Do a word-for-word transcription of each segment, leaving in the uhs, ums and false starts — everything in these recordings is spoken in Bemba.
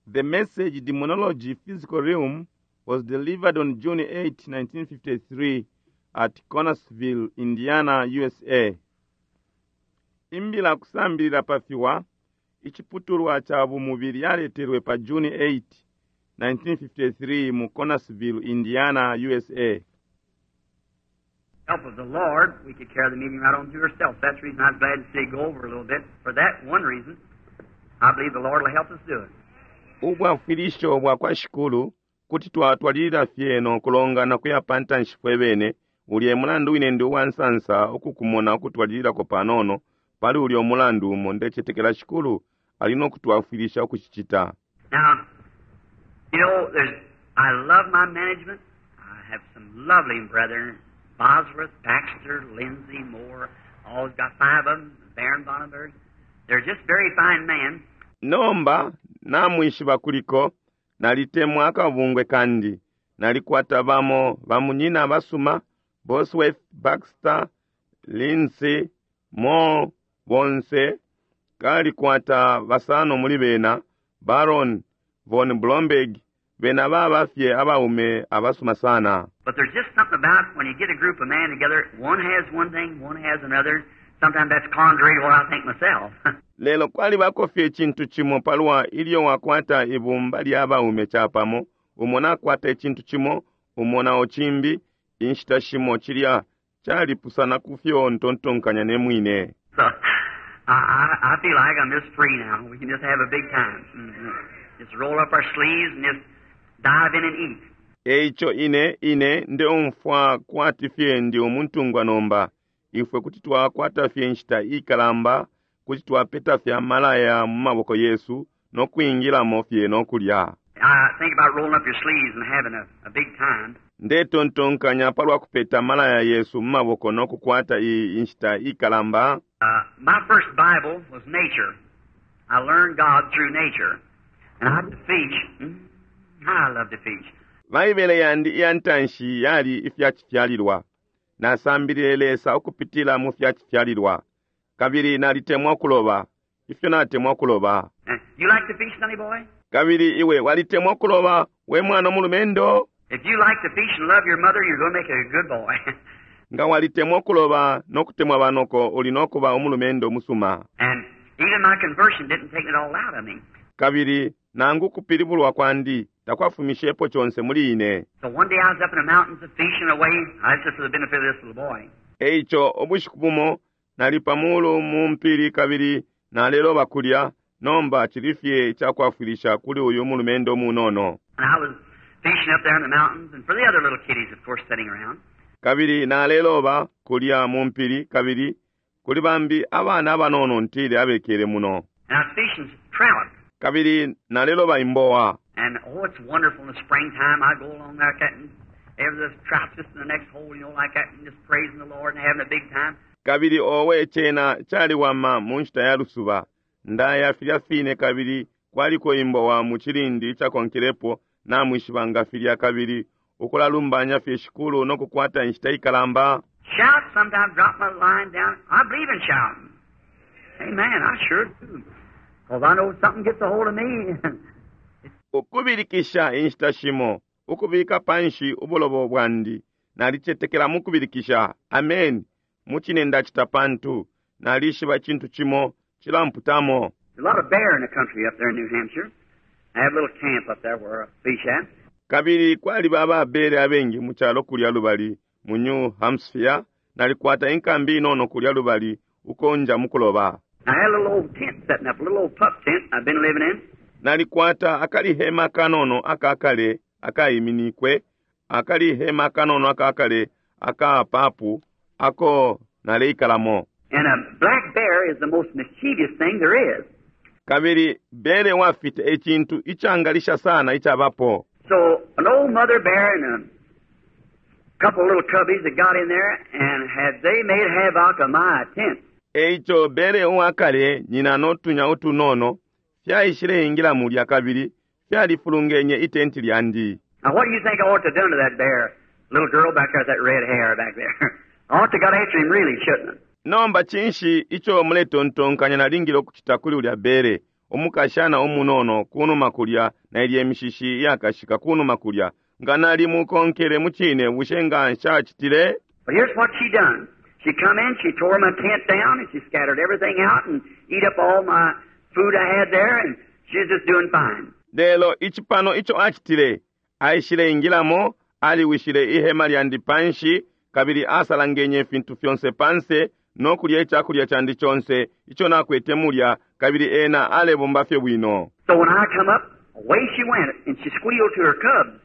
The message Demonology Physical Realm was delivered on June eighth, nineteen fifty-three at Connersville, Indiana, U S A. Imbila kusambilila pa fiwa iciputulwa ca bumubili yaletelwe pa June eight, nineteen fifty-three mu Connersville, Indiana, U S A. Help of the Lord, we could carry the meeting right on through ourselves. That's the reason I'm glad to see it go over a little bit. For that one reason, I believe the Lord will help us do it. Ubwafwilisho bwa kwa Shikulu kuti twatwalilila fye no kulongana kuya pa ntanshi fwe bene. Ulya mulandu wine ndi uwansansa ukukumona ukutwalililako panono. Pali ulya umulandu umo ndecetekela Shikulu ali no kutwafwilisha ukucicita. Now, you know, there's, I love my management. I have some lovely brethren: Bosworth, Baxter, Lindsay, Moore. All got five of them. Baron Bonnenberg. They're just very fine men. Nomba namwishiba kuliko nalitemwa akabungwe kandi nalikwata bamo bamunyina abasuma, Bosworth, Baxter, Lindsay, Moore, bonse kalikwata basano muli bena, Baron von Blomberg, bena baba fye abaume abasuma sana. But there's just something about when you get a group of men together, one has one thing, one has another. Sometimes that's contrary to what I think myself. Lelo kwalibako fye icintu cimo palwa ilyo wakwata ibumba lya baume capamo, umo nakwata icintu cimo, umo nao cimbi. Inshita shimo cilya calipusana ku fyo ntontonkanya ne mwine. So I, I, I feel like I'm just free now. We can just have a big time. hmm Just roll up our sleeves and just dive in and eat. Eico ine ine ndeumfwa kwati fye ndi umuntungwa nomba. Ifwe kuti twakwata fye inshita ikalamba, kuti twapeta fye amalaya mu maboko yesu no kwingilamo fye no kulya. I think about rolling up your sleeves and having a, a big time. Ndetontonkanya palwa kupeta amalaya yesu mu maboko no kukwata iyi inshita ikalamba. Uh, my first Bible was nature. I learned God through nature. And I to fish. Mm, I love to fish. Baibele yandi iya ntanshi yali ifyacifyalilwa. Nasambilile Lesa ukupitila mu fyacifyalilwa, kabili nalitemwa kuloba. Ifyo natemwa kuloba! Uh, you like to fish, sonny boy? Kabili iwe walitemwa kuloba, we mwana mulumendo? If you like to fish and love your mother, you're going to make a good boy. Nga walitemwa kuloba no kutemwa banoko, uli no kuba umulumendo musuma. And even my conversion didn't take it all out of me. Kabili nangu kupilibulwa kwandi takwafumishepo conse muli ine. So one day I was up in the mountains of fishing away. I just for the benefit of this little boy. Eico ubushiku bumo nali pamulu mu mpili kabili naleloba kulya. Nomba cili fye icakwafwilisha kuli uyu mulumendo munono. And I was fishing up there in the mountains, and for the other little kiddies, of course, sitting around. Kabili naleloba kulya mu mpili kabili kuli bambi abana abanono ntile abekele muno. And I was fishing trout. Kabili naleloba imbowa. And oh, it's wonderful in the springtime. I go along like that, and every the trout's just in the next hole, you know, like that, and just praising the Lord and having a big time. Kabili owe cena caliwama mu nshita ya lusuba. Ndaya filya fine kabili kwaliko imbowa mu cilindi icakonkelepo, namwishiba nga filya, kabili ukulalumbanya fye Shikulu no kukwata inshita ikalamba. Shout, sometimes drop my line down. I believe in shouting. Amen, I sure do. Because I know something gets a hold of me. Ukubilikisha, inshita shimo ukubika panshi ubulobo bwandi. Nalicetekela mu kubilikisha. Amen, mucine ndacita, pantu nalishiba icintu cimo cilamputamo. There's a lot of bear in the country up there in New Hampshire. I have a little camp up there where I fish at. Kabili kwaliba ababere abengi mu calo kulya lubali mu New Hampshire. Nalikwata inkambi inono kulya lubali uko nja mukuloba. I had a little old tent setting up, a little old pup tent I've been living in. Nalikwata akalihema kanono akakale akayiminikwe, akalihema kanono akakale akapapu ako naleikalamo. And a black bear is the most mischievous thing there is. Kabili bere wafita ecintu icangalisha sana icabapo. So an old mother bear and a couple of little cubbies that got in there, and had they made havoc of my tent. Eico bere uwakale nyina notunya utunono fyaishileingila mulya kabili fyalifulungenye itenti lyandi. Now, what do you think I ought to have done to that bear? Little girl back there with that red hair back there. I ought to got after him really, shouldn't I? Nomba cinshi ico muletontonkanya nalingile ukucita kuli ulya bere Umukashana umunono kunuma kulya na ilye mishishi iyakashika kunuma kulya nga nalimukonkele mucine bushe nga nshacitile But here's what she done. She come in, she tore my tent down, and she scattered everything out and eat up all my food I had there, and she's just doing fine. Lelo icipano ico acitile aishile ingilamo aliwishile ihema lyandi panshi kabili asalangenye ifintu fyonse panse no kulya icakulya candi conse ico nakwete mulya kabili ena alebomba fye bwino. So when I come up, away she went, and she squealed to her cubs.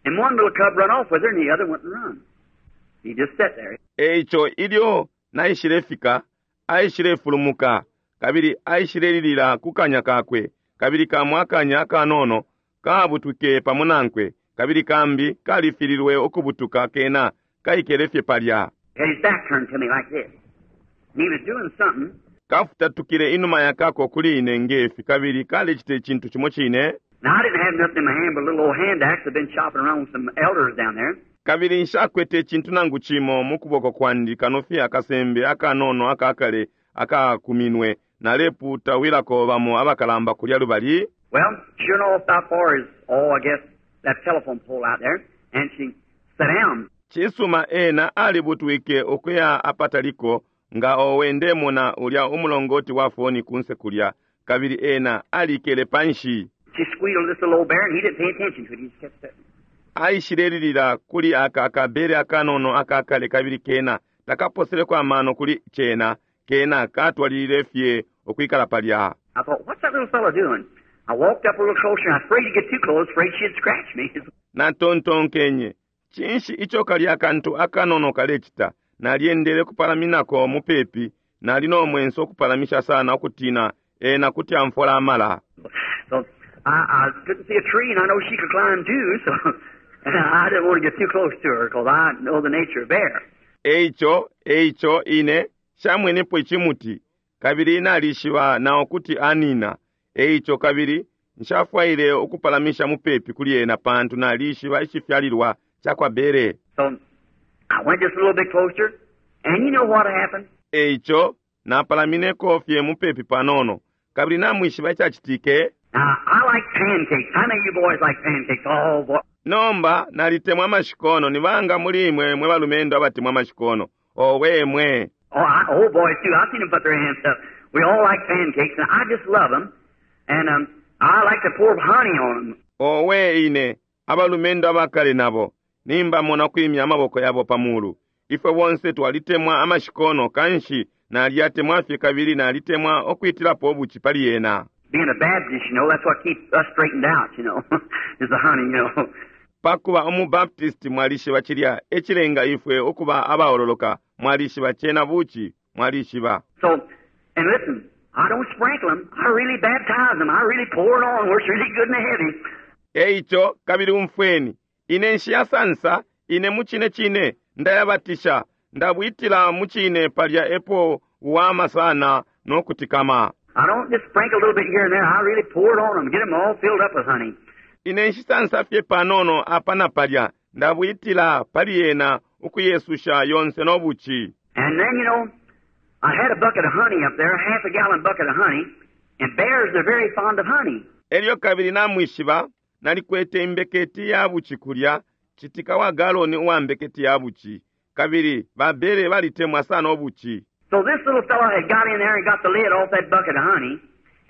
And one little cub run off with her, and the other wouldn't run. He just sat there. Eico ilyo naishile fika aishile fulumuka kabili aishile lilila ku kanya kakwe kabili kamwe akanya akanono kabutwike pamo nankwe kabili kambi kalifililwe ukubutuka kena kaikele fye palya. Had his back turned to me like this. And he was doing something. Kafutatukile inuma yakako kuli ine ngefi kabili kalecita icintu cimo cine. Now, I didn't have nothing in my hand but a little old hand axe. I've been chopping around with some elders down there. Kabili nshakwete icintu nangu cimo mu kuboko kwandi kano fye akasembe akanono akakale akakuminwe naleputawilako bamo abakalamba kulya lubali. Well, sure enough, about far as, oh, I guess, that telephone pole out there, and she sat down. Cisuma ena alibutwike ukuya apataliko nga owe ndemona ulya umulongoti wa foni kunse kulya kabili ena alikele panshi. She squealed this little old bear, and he didn't pay attention to it. He just kept sitting. Aishilelilila kuli aka akabere akanono akakale kabili kena takaposeleko amano kuli cena kena katwalilile fye ukwikala palya. I thought, what's that little fellow doing? I walked up a little closer, and I was afraid to get too close, afraid she'd scratch me. Natontonkenye cinshi ico kalya akantu akanono kalecita nalyendele kupalaminako mupepi nali no mwenso ukupalamisha sana ukutina ena kuti amfola amala. So I, I couldn't see a tree, and I know she could climb too, so I didn't want to get too close to her because I know the nature of bear. Eico eico ine shamwenepo icimuti kabili nalishiba nao kuti anina eico kabili nshafwaile ukupalamisha mupepi kuli ena pantu nalishiba icifyalilwa cakwa bere. So I went just a little bit closer, and you know what happened? Eico napalamineko fye mupepi panono kabili namwishiba icacitike. Now, I like pancakes. How many of you boys like pancakes? Oh, boy. Nomba nalitemwa amashikono nibanga muli imwe mwe balumendo abatemwa amashikono owe mwe. Oh, I, oh, boys, too. I've seen them put their hands up. We all like pancakes, and I just love them. And um, I like to pour honey on them. Owe ine abalumendo abakale nabo nimbamona kwimya amaboko yabo pamulu ifwe bonse twalitemwa amashikono kanshi nalyatemwa fye kabili nalitemwa okwitilapo obuchi pali yena. Being a Baptist, you know, that's what keeps us straightened out, you know, is the honey, you know. Pakuba umubaptisti mwalishiba cilya ecilenga ifwe ukuba abaololoka mwalishiba cena buchi mwalishiba. So, and listen, I don't sprinkle them. I really baptize them. I really pour it on where it's really good and heavy. Eico kabili umfweni ine nshiyasansa ine mucine cine ndayabatisha ndabwitila mucine palya epo wama sana nokutikama. I don't just sprinkle a little bit here and there. I really pour it on them, get them all filled up with honey. Ine nshisansa fye panono apa na palya ndabwitila pali yena ukuyesusha yonse nobuchi. And then, you know, I had a bucket of honey up there, a half a gallon bucket of honey, and bears are very fond of honey. Elyo kabili namwishiba nalikwete imbeketi ya buchi kulya citika wa galoni uwa mbeketi ya buchi kabili babere balitemwa sana obuchi. So this little fellow had got in there and got the lid off that bucket of honey,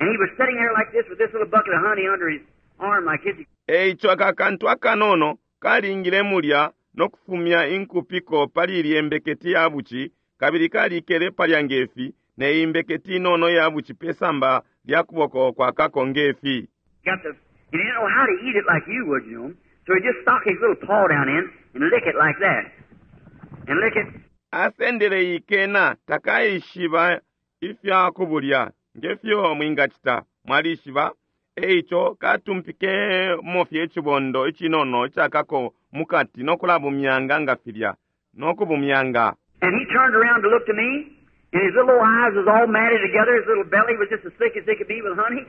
and he was sitting there like this with this little bucket of honey under his arm like this. Eico aka kantu akanono kalingile mulya nokufumya inkupiko pali ilye mbeketi ya buchi kabili kalikele palya ngefi ne imbeketi inono ya buchi pesamba lya kuboko kwa kako ngefi. Got the, he didn't know how to eat it like you would, you know. So he just stuck his little paw down in and lick it like that. And lick it. Asendele ikena takaishiba ifya kubulya ngefyo mwingacita mwalishiba eico katumpike mofye icibondo icinono icakako mukati nokulabumyanga nga filya nokubumyanga. And he turned around to look to me, and his little eyes was all matted together. His little belly was just as thick as it could be with honey.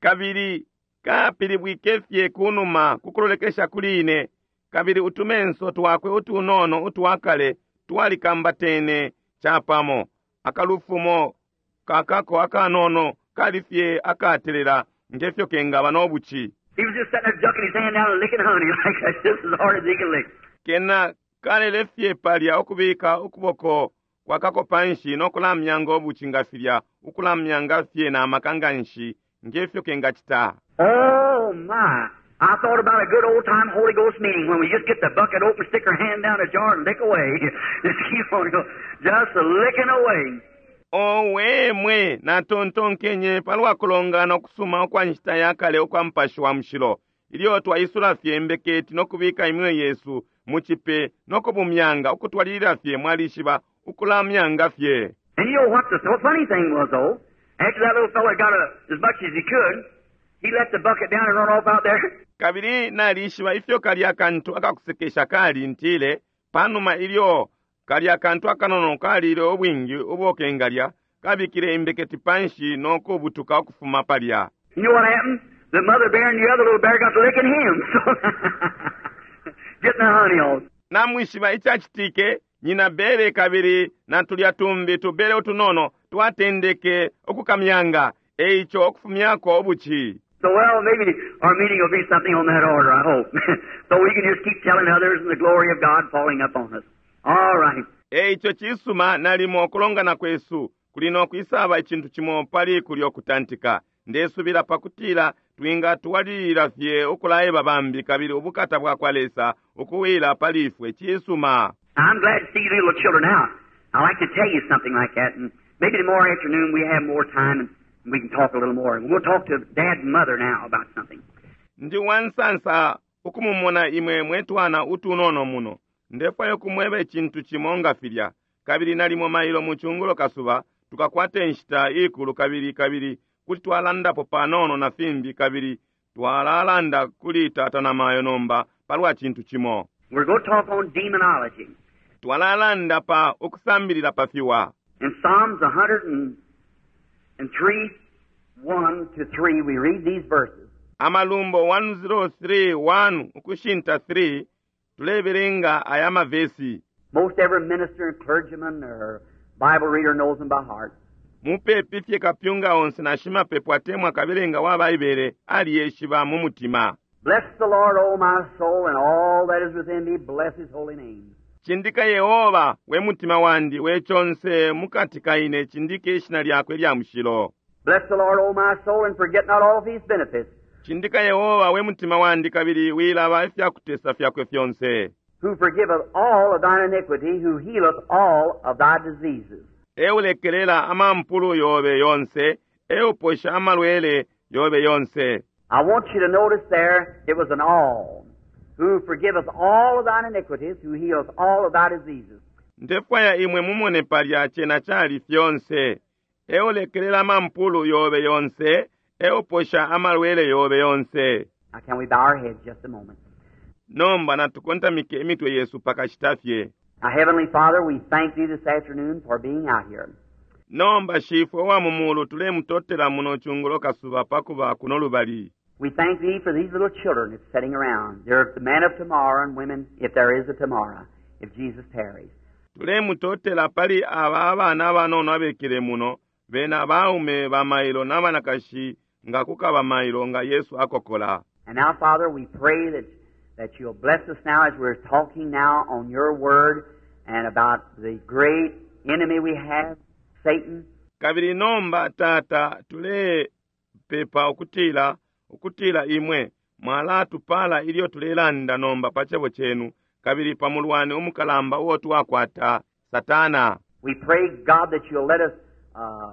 Kabili kapilibwike fye kunuma kukulolekesha kuli ine kabili utumenso twakwe utunono utwakale twalikambatene chapamo akalufumo kakako akanono kali fye akatelela ngefyo kengaba n'obuchi He was just sitting there ducking his hand down and licking honey like that, just as hard as he could lick. Kena kalele fye palya ukubika ukuboko kwakako panshi n'okulamyanga obuchi nga filya ukulamyanga fye n'amaka nga nshi ngefyo kengacita. Oh my! I thought about a good old time Holy Ghost meeting when we just get the bucket open, stick our hand down the jar and lick away. Just keep on going, just licking away. Owe mwe natontonkenye palwa kulongana okusuma okwa nshita ya kale okwa mupashi wa mushilo ilyo twaisula fye imbeketi n'okubika iminwe yesu mu chipe n'okubumyanga okutwalilila fye mwalishiba ukulamyanga fye. And you know what the funny thing was, though? After that little fella got a, as much as he could, he let the bucket down and run off out there. Kabili nalishiba ifyo kalya kantu akakusekesha kali ntile panuma ilyo kalya kantu akanono kalile obwingi obokengalya kabikile imbeketi panshi n'okubutuka okufuma palya. You know what happened? The mother bear and the other little bear got to licking him. So, getting the honey on. Namwishiba ichachitike nyina bere kabili na tulya tumbi tubere utunono twatendeke okukamyanga eicho okufumyako obuchi. So, well, maybe our meeting will be something on that order, I hope. So we can just keep telling others and the glory of God falling upon us. All right. Eicho chisuma nalimo okulongana kwesu kulino kwisaba ichintu chimo pali kulyo okutantika ndesubila pakutila twinga twalilila fye okulaeba bambi kabili obukata bwa kwa Lesa okuwila pali ifwe chisuma. I'm glad to see you little children out. I like to tell you something like that, and maybe tomorrow afternoon we have more time and we can talk a little more. We'll talk to Dad and Mother now about something. Ndi wansansa okumumona imwe mwetwana utunono muno ndefwayo kumweba ichintu chimo nga filya kabili nalimo mailo muchungulo kasuba tukakwate nshita ikulu kabili kabili kuti twalandapo panono na fimbi kabili twalalanda kuli tata na mayo nomba palwa chintu chimo. We're going to talk on demonology. Twalalanda pa okusambilila pa fiwa. In Psalms a hundred and three, one to three, we read these verses. Amalumbo one oh three, one ukushinta three tulebelenga aya mavesi. Most every minister and clergyman or Bible reader knows them by heart. Mupepi fye kapyunga onse na shimapepo atemwa kabelenga wa Baibele aliyeshiba mu mutima. Bless the Lord, O my soul, and all that is within me, bless his holy name. Chindika Yehova we mutima wandi we chonse mukati kaine chindike ishina lyakwe lya mushilo. Bless the Lord, O my soul, and forget not all of his benefits. Chindika Yehova we mutima wandi kabili wilaba ifyakutesa fyakwe fyonse. Who forgiveth all of thine iniquity, who healeth all of thy diseases. Eulekelela amampulu yobe yonse, euposha amalwele yobe yonse. I want you to notice there, it was an all. Who forgiveth all of thine iniquities, who healeth all of thy diseases. Ndefwaya imwe mumone palya chena chali fyonse. Eulekelela amampulu yobe yonse, euposha amalwele yobe yonse. Now can we bow our heads just a moment? Nomba natukontamike emitwe yesu pakashitafye. Now, Heavenly Father, we thank Thee this afternoon for being out here. Nomba shifwe wa mumulu tulemutotela muno chungulo kasuba pakuba kuno lubali. We thank Thee for these little children that's sitting around. They're the men of tomorrow and women, if there is a tomorrow, if Jesus tarries. Tulemutotela pali aba abana abanono abekele muno, bena baume ba mailo n'abanakashi nga kukaba mailo nga Yesu akokola. And now, Father, we pray that, that you'll bless us now as we're talking now on your word and about the great enemy we have, Satan. Kabili nomba tata tulepepa ukutila ukutila imwe mwalatupala ilyo tulelanda nomba pa chebo chenu kabili pa mulwani umukalamba uwo twakwata Satana. We pray, God, that you'll let us uh,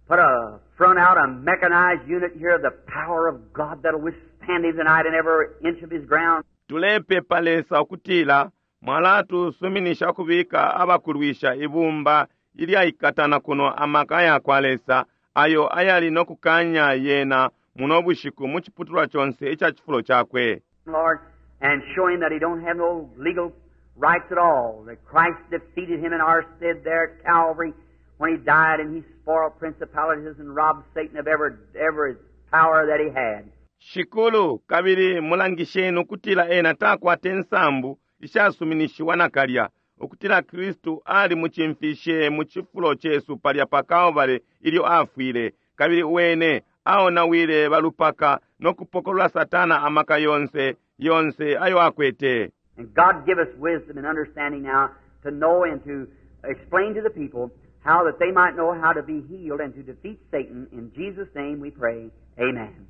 put a front out a mechanized unit here of the power of God that'll withstand him tonight in every inch of his ground. Tulepepa Lesa ukutila mwalatusuminisha kubika abakulwisha ibumba ilyaikatana kuno amaka ya kwa Lesa ayo ayali nokukanya yena muno bushiku mu chiputulwa chonse icha chifulo chakwe. Lord, and show him that he don't have no legal rights at all, that Christ defeated him in our stead there at Calvary when he died, and he spoiled principalities and robbed Satan of every, every power that he had. Shikulu kabili mulangisheni ukutila ena takwate nsambu ishasuminishiwa nakalya ukutila Kristu ali muchimfishe mu chifulo chesu palya pa Calvary ilyo afwile Kabili wene aonawile balupaka no kupokolola Satana amaka yonse yonse ayo akwete. And God give us wisdom and understanding now to know and to explain to the people how that they might know how to be healed and to defeat Satan. In Jesus' name we pray. Amen.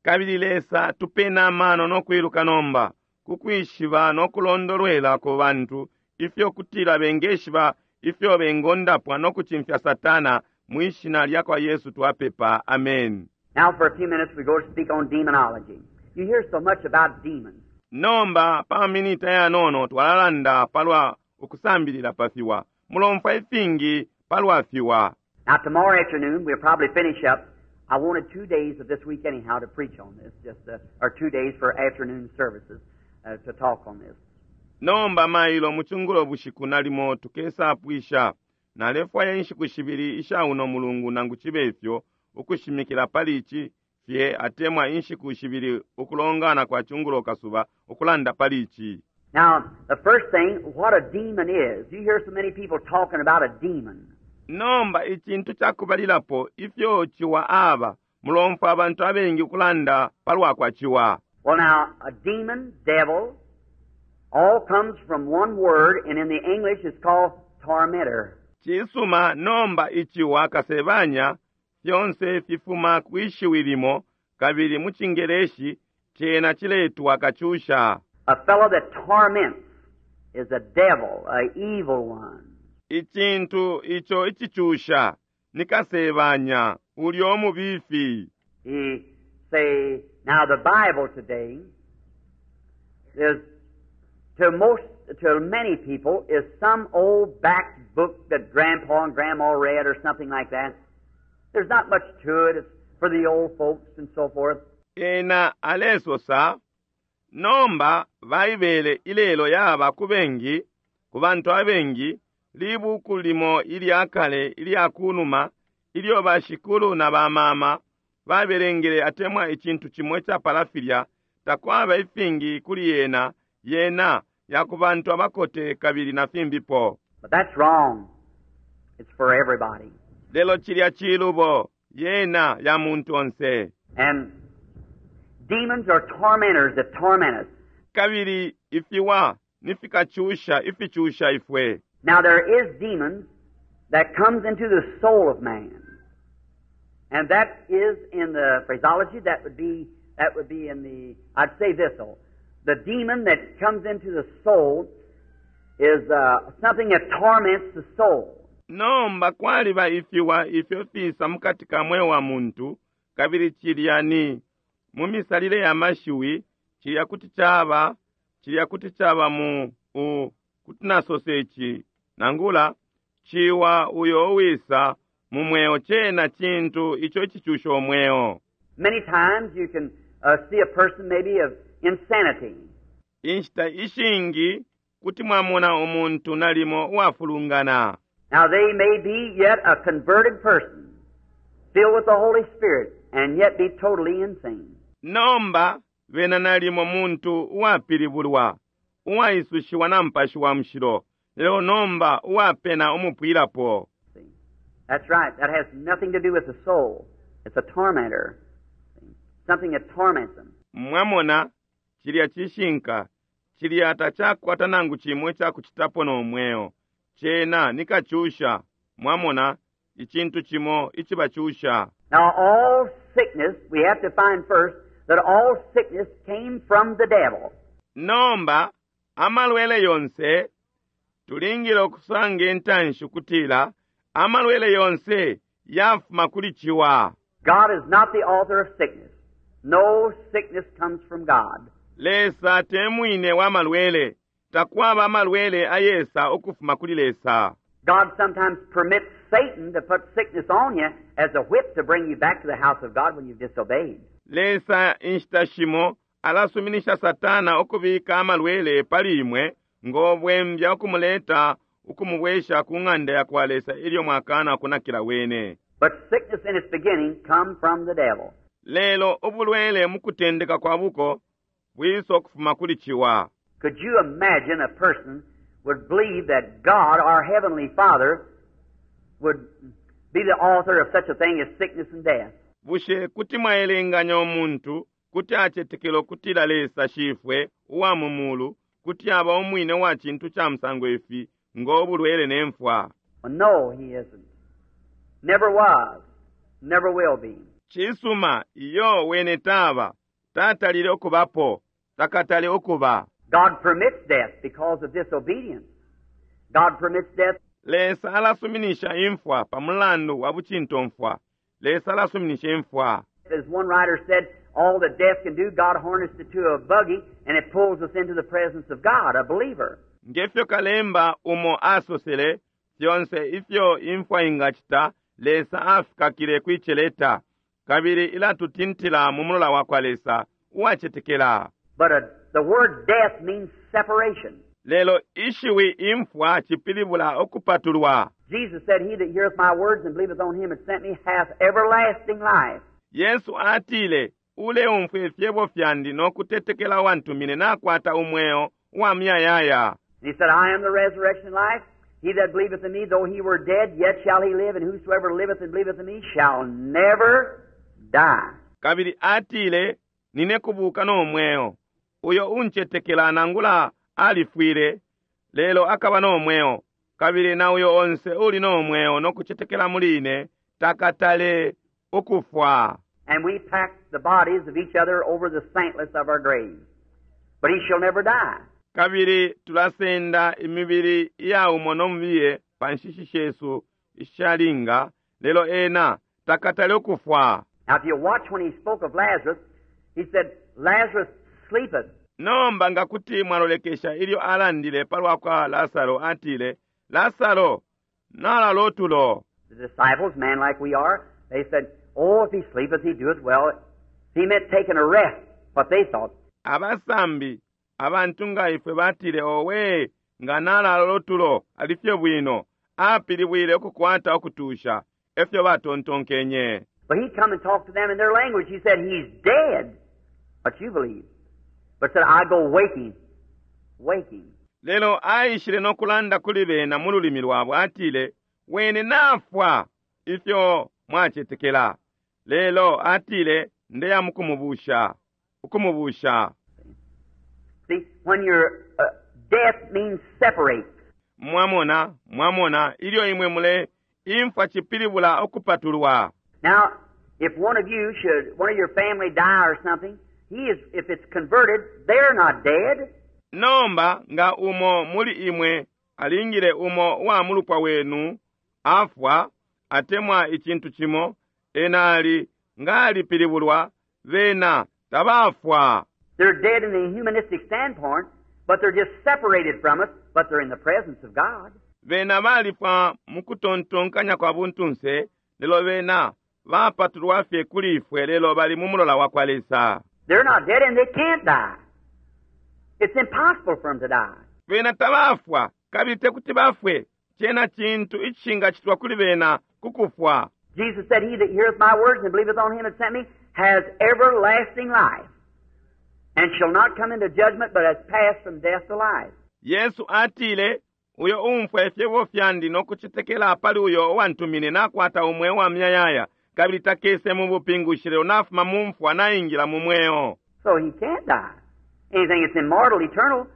Kabili Lesa tupeni amano no kwiluka nomba kukwishiba no kulondolwela ku bantu ifyo kutila bengeshiba ifyo bengondapwa no kucimfya Satana. Mwishina lya kwa Yesu twapepa, amen. Now for a few minutes we go to speak on demonology. You hear so much about demons. Nomba pa minita yanono twalalanda palwa ukusambilila pa fiwa. Mulomfwa ifingi palwa fiwa. Now tomorrow afternoon we'll probably finish up. I wanted two days of this week anyhow to preach on this, just uh, or two days for afternoon services uh, to talk on this. Nomba mailo muchungulo bushiku nalimo tukesapwisha. Nalefwaya inshiku shibili isha uno mulungu nangu chibe ifyo ukushimikila pali ichi fye atemwa inshiku shibili ukulongana kwa chungulo kasuba ukulanda pali ichi. Now, the first thing, what a demon is. You hear so many people talking about a demon. Nomba ichintu chakubalilapo ifyo chiwa aba mulomfwa abantu abengi ukulanda palwa kwa chiwa. Well now, a demon, devil, all comes from one word, and in the English it's called tormentor. Chisuma nomba ichiwa kasebanya fyonse fifuma kwishiwi limo kabili mu Chingereshi chena chiletwa kachusha. A fellow that torments is a devil, a evil one. Ichintu icho ichichusha ni kasebanya ulyo mubifi. He say, now the Bible today is to most, to many people, is some old back book that Grandpa and Grandma read or something like that. There's not much to it. It's for the old folks and so forth. Ena alesosa nomba Baibele ilelo yaba kubengi kubantu abengi libuku limo ilyakale ilyakunuma ilyo bashikulu na bamama babelengele atemwa ichintu chimwe cha palafilya takwaba ifingi kuli yena yena yakubantu abakote kabili na fimbipo. But that's wrong. It's for everybody. Lelo chilya chilubo yena ya muntu onse. And demons are tormentors that torment us. Kabili ifiwa nifikachusha ifichusha ifwe. Now there is demons that comes into the soul of man. And that is in the phraseology, that would be, that would be in the, I'd say this though. The demon that comes into the soul is, uh, something that torments the soul. Nomba kwaliba ifiwa ifyo fisa mukati ka mweo wa muntu kabili chilya ni mu misalile ya mashiwi chilya kuti chaba chilya kuti chaba mu u kuti nasosechi nangula chiwa uyo wisa mu mweo chena chintu icho chichusha omweo. Many times you can, uh, see a person maybe of insanity. Inshita ishingi kuti mwamona umuntu nalimo uwafulungana. Now they may be yet a converted person, filled with the Holy Spirit, and yet be totally insane. Nomba bena nalimo muntu uwapilibulwa, uwaisushiwa na mpashi wa mushilo, lelo nomba uwapena umupwilapo. See? That's right. That has nothing to do with the soul. It's a tormentor. See? Something that torments them. Mwamona chilya chishinka, chilya tachakwata nangu chimwe chakuchitapo nomweo. Chena nikachusha, mwamona ichintu chimo ichibachusha. Now all sickness, we have to find first that all sickness came from the devil. Nomba amalwele yonse tulingile okusanga entanshi kutila amalwele yonse yafuma kuli chiwa. God is not the author of sickness. No sickness comes from God. Lesa temwine wa malwele, takwaba amalwele ayesa okufuma kuli Lesa. God sometimes permits Satan to put sickness on you as a whip to bring you back to the house of God when you've disobeyed. Lesa inshita shimo alasuminisha Satana okubika amalwele pali imwe ng'obwembya okumuleta okumubwesha ku ng'anda ya kwa Lesa ilyo mwakana kunakila wene. But sickness in its beginning come from the devil. Lelo obulwele mu kutendeka kwa buko bwiso okufuma kuli chiwa. Could you imagine a person would believe that God, our Heavenly Father, would be the author of such a thing as sickness and death? Bushe kuti mwaelenganya umuntu kuti acetekela ukutila Lesa Shifwe uwa mu mulu kuti aba umwine wa cintu ca musango ifi ngo bulwele ne mfwa? Well, no, he isn't. Never was. Never will be. Cisuma, iyo wene taba, tatalile ukubapo, takatale ukuba. God permits death because of disobedience. God permits death Lesa alasuminisha imfwa pa mulandu wa bucintomfwa. Lesa alasuminisha imfwa. As one writer said, all that death can do, God harnessed it to a buggy and it pulls us into the presence of God, a believer. Ngefyo kalemba umo asosele, fyonse ifyo imfwa ingacita, Lesa afikakile kwiceleta, kabili ilatutintila mu mulola wa kwa Lesa uwacetekela. But uh the word death means separation. Lelo ishiwi imfwa cipilibula ukupatulwa. Jesus said, He that heareth my words and believeth on him that sent me hath everlasting life. Yesu atile, uleumfwa ifyebo fyandi no kutetekela wantumine nakwata umweo wa muyayaya. And he said, I am the resurrection and life. He that believeth in me, though he were dead, yet shall he live, and whosoever liveth and believeth in me shall never die. Kabili atile, nine kubuka no mweo. Uyo uncetekela nangula alifwile, lelo akaba no mweo. Kabili na uyo onse uli no mweo no kucetekela muli ine, takatale ukufwa. And we pack the bodies of each other over the saintless of our graves. But he shall never die. Kabili tulasenda imibili iya umo no mubiye pa nshishi shesu ishalinga, lelo ena takatale ukufwa. Now, if you watch when he spoke of Lazarus, he said, Lazarus sleepeth. Nomba nga kuti mwalolekesha ilyo alandile palwa kwa Lasaro atile, Lasaro nalala utulo. The disciples, man like we are, they said, Oh, if he sleepeth, he doeth well. He meant taking a rest, what they thought. Abasambi abantu nga ifwe batile, owe nga nalala utulo alifye bwino, apilibwile ukukwata ukutusha, efyo batontonkenye. But he come and talked to them in their language. He said, He's dead. What you believe. But said, I go wake him. Wake him. Lelo aishile no kulanda kuli bena mu lulimi lwabo atile, wene nafwa ifyo mwacetekela. Lelo atile, ndeya mukumubusha, ukumubusha. See, when you're, uh, death means separate. Mwamona, mwamona, ilyo imwe mule imfwa cipilibula ukupatulwa. Now, if one of you should, one of your family die or something, he is, if it's converted, they're not dead. Nomba nga umo muli imwe alingile umo wa mulupwa wenu afwa atemwa icintu cimo, ena ali nga alipilibulwa, bena tabafwa. They're dead in the humanistic standpoint, but they're just separated from us, but they're in the presence of God. Bena balifwa mu kutontonkanya kwa buntunse, lelo bena bapatulwa fye kuli ifwe, lelo bali mu mulola wa kwa Lesa. They're not dead and they can't die. It's impossible for them to die. Bena tabafwa kabili tekuti bafwe, cena cintu icishingacitwa kuli bena kukufwa. Jesus said, He that heareth my words and believeth on him that sent me has everlasting life, and shall not come into judgment, but has passed from death to life. Yesu atile, uyo umfwa ifyebo fyandi no kucetekela pali uyo uwantumine nakwata umweo wa muyayaya, kabili takese mu bupingushi, lelo nafuma mu mfwa naingila mu mweo. So he can't die. Anything that's immortal, eternal,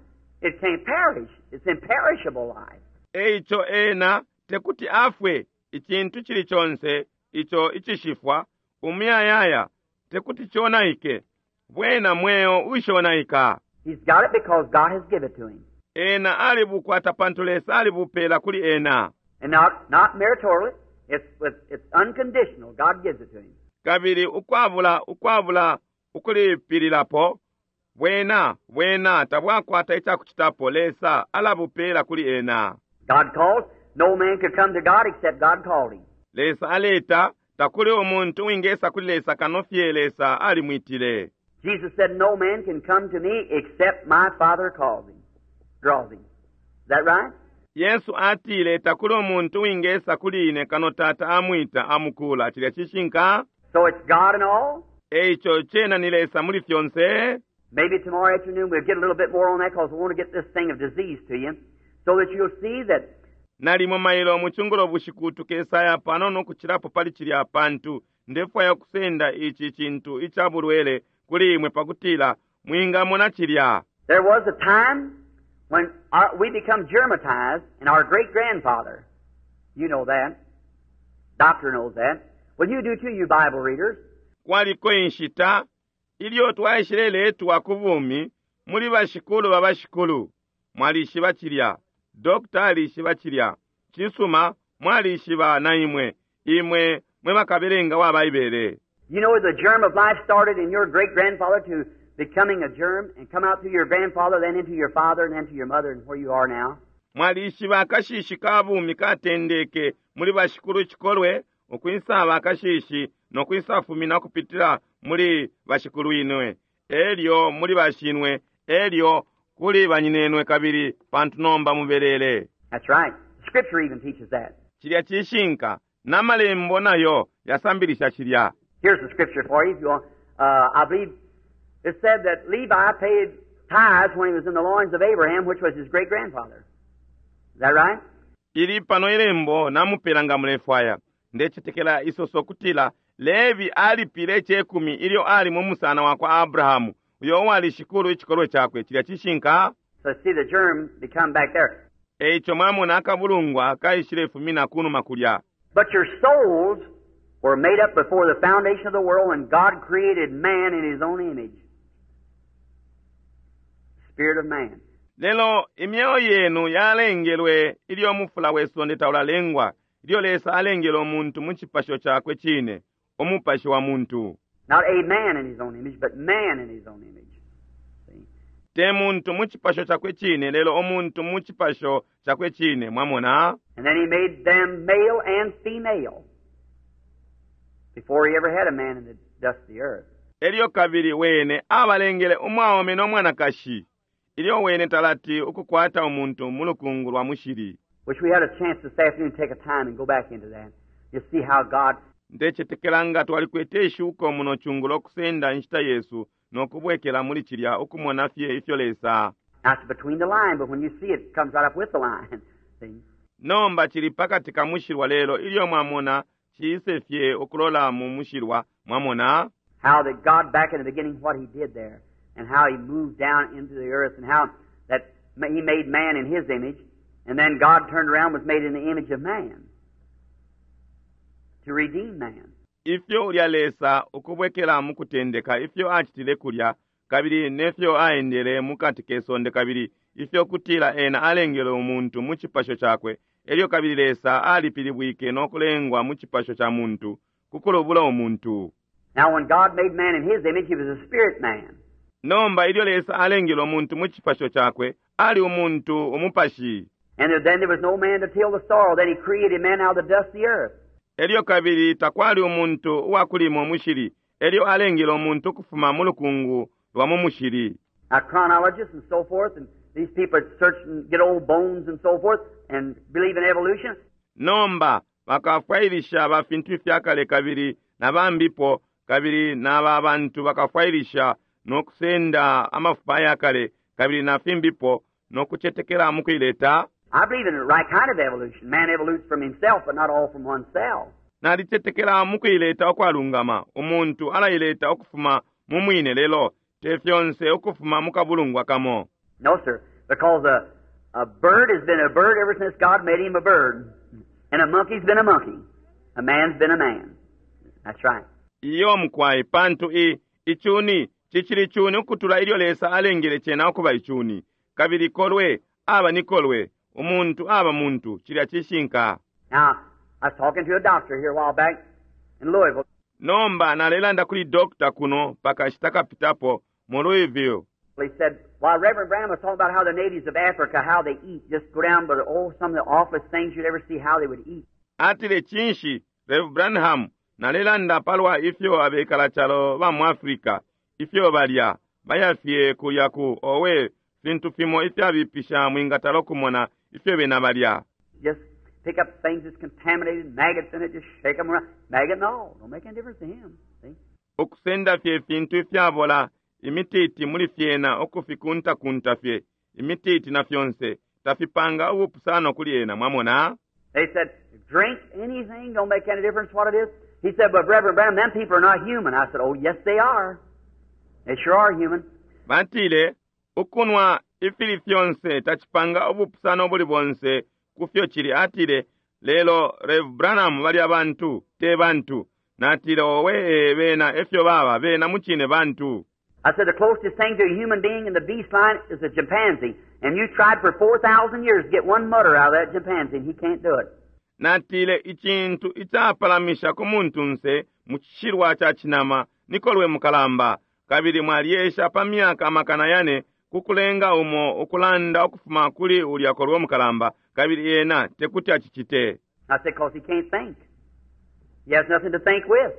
it can't perish. It's imperishable life. Eico ena tekuti afwe, icintu cili conse ico icishifwa umuyayaya tekuti conaike, bwena mweo ushonaika. He's got it because God has given it to him. Ena alibukwata pantu Lesa alibupela kuli ena. And not, not meritorially. It's, it's, it's unconditional. God gives it to him. Kabili ukwabula ukwabula ukulipililapo, bwena bwena tabwakwata icakucitapo, Lesa alabupela kuli ena. God calls. No man could come to God except God called him. Lesa aleta, takuli umuntu wingesa kuli Lesa kano fye Lesa alimwitile. Jesus said, No man can come to me except my Father calls him, draws him. Is that right? Yesu atile takuli umuntu wingesa kuli ine kano Tata amwita amukula. Cilya cishinka? So it's God in all. Eico cena ni Lesa muli fyonse. Maybe tomorrow afternoon we'll get a little bit more on that because we want to get this thing of disease to you so that you'll see that Nalimo mailo mucungulo bushiku tukesaya panono ukucilapo pali cilya pantu ndefwaya kusenda ici cintu ica bulwele kuli imwe pakutila mwingamona cilya. There was a time when our, we become germatized, and our great grandfather, you know that, doctor knows that. Well, you do too, you Bible readers. Kwaliko inshita ilyo twaishileletwa ku bumi muli bashikulu ba bashikulu. Mwalishiba cilya, dokta alishiba cilya, cisuma mwalishiba na imwe, imwe mwe bakabelenga wa Baibele. You know the germ of life started in your great grandfather to becoming a germ and come out through your grandfather, then into your father, and then to your mother, and where you are now. Mwalishiba akashishi ka bumi katendeke muli bashikulu cikolwe ukwisaba akashishi no kwisafumina kupitila muli bashikulu inwe, elyo muli bashinwe, elyo kuli banyinenwe kabili pantu nomba mubelele. That's right. Scripture even teaches that. Cilya cishinka n'amalembo nayo yasambilisha cilya. Here's the scripture for you if you want. Uh, I believe it said that Levi paid tithes when he was in the loins of Abraham, which was his great grandfather. Is that right? Ili pano ilembo namupela nga mulefwaya. Ndecetekela isoso kutila Levi alipile icekumi ilyo ali mu musana wa kwa Abrahamu, uyo uwali shikulu icikolwe cakwe. Cilya cishinka. So see the germ become back there. Eico mwamona akabulungwa kaishilefumina kunuma kulya. But your souls were made up before the foundation of the world when God created man in his own image. Spirit of man. Lelo imyeo yenu yalengelwe ilyo mufula we sonde taulalengwa, ilyo Lesa alengele umuntu mu cipasho cakwe cine, umupashi wa muntu. Not a man in his own image, but man in his own image. See? Te muntu mu cipasho cakwe cine, lelo umuntu mu cipasho cakwe cine, mwamona? And then he made them male and female before he ever had a man in the dust of the earth. Elyo kabili wene abalengele umwaume no mwanakashi, ilyo wene talati ukukwata umuntu mu lukungu lwa mushili. Wish we had a chance this afternoon to take a time and go back into that. You see how God Ndecetekela nga twalikwete ishuko muno cungulo kusenda inshita yesu no kubwekela muli cilya ukumona fye ifyo Lesa. Now it's between the line, but when you see it, it comes right up with the line. See? Nomba cili pakati ka mushilwa lelo ilyo mwamona ciise fye ukulola mu mushilwa, mwamona? How that God back in the beginning, what He did there, and how He moved down into the earth, and how that He made man in His image, and then God turned around and was made in the image of man to redeem man. Ifyo ulya Lesa ukubwekela mu kutendeka ifyo acitile kulya kabili nefyo aendele mukati ke sonde kabili ifyo kutila ena alengele umuntu mu cipasho cakwe, elyo kabili Lesa alipilibwike no kulengwa mu cipasho ca muntu kukulubula umuntu. Now when God made man in His image, he was a spirit man. Nomba ilyo Lesa alengele umuntu mu cipasho cakwe, ali umuntu umupashi. And then there was no man to till the soil. Then He created man out of the dust of the earth. Elyo kabili takwali umuntu uwakulima umushili, elyo alengele umuntu ukufuma mu lukungu lwa mu mushili. Now chronologists and so forth, and these people that search and get old bones and so forth, and believe in evolution. Nomba bakafwailisha ba fintu ifyakale kabili na bambipo kabili n'aba bantu bakafwailisha no kusenda amafupa ayakale kabili na fimbipo no kucetekela mu kuileta. I believe in the right kind of evolution. Man evolutes from himself, but not all from one cell. Nalicetekela mu kuileta ukwalungama. Umuntu alaileta ukufuma mu mwine lelo te fyonse ukufuma mu kabulungwa kamo. No, sir, because a, a bird has been a bird ever since God made him a bird. And a monkey's been a monkey. A man's been a man. That's right. Iyo mukwai pantu i icuni cicili cuni ukutula ilyo Lesa alengele cena ukuba icuni. Kabili kolwe aba ni kolwe, umuntu aba muntu, cilya cishinka. Now, I was talking to a doctor here a while back in Louisville. Nomba nalelanda kuli doctor kuno pakashita kapitapo mu Louisville. He said, while Reverend Branham was talking about how the natives of Africa, how they eat, just go down, but oh, some of the awfulest things you'd ever see how they would eat. Atile cinshi Rev Branham nalelanda palwa ifyo abekala calo ba mu Africa, ifyo balya, bayafye kulya ku owe fintu fimo ifyabipisha mwingatala okumona ifyo bena balya. Just pick up things that's contaminated, maggots in it, just shake them around. Maggot and all. Don't make any difference to him. See? Ukusenda fye fintu ifyabola, imititi muli fyena okufikuntakunta fye, imititi na fyonse, tafipanga ubupusano kuli ena mwamona They said, drink anything, don't make any difference what it is. He said, but Reverend Branham, them people are not human. I said, oh, yes, they are. They sure are human. Batile ukunwa ifili fyonse tacipanga ubupusano buli bonse kufyo chili atile lelo Rev Branham bali abantu te bantu natile owe eh, bena efyo baba bena muchine bantu I said, the closest thing to a human being in the beast line is a chimpanzee. And you tried for four thousand years to get one mutter out of that chimpanzee, and he can't do it. Natile icintu icapalamisha ku muntunse mu cishilwa ca cinama nikolwe mukalamba kabili mwaliesha pa myaka amakana yane kukulenga umo ukulanda ukufuma kuli ulya kolwe mukalamba kabili ena tekuti acicite I said, because he can't think. He has nothing to think with.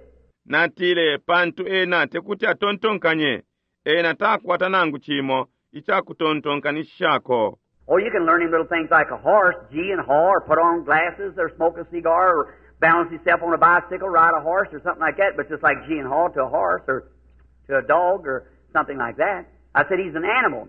Natile pantu ena tekuti atontonkanye ena takwata nangu cimo icakutontonkanishishako Oh, you can learn him little things like a horse, gee and haw, or put on glasses, or smoke a cigar, or balance himself on a bicycle, ride a horse, or something like that, but just like gee and haw to a horse, or to a dog, or something like that. I said he's an animal.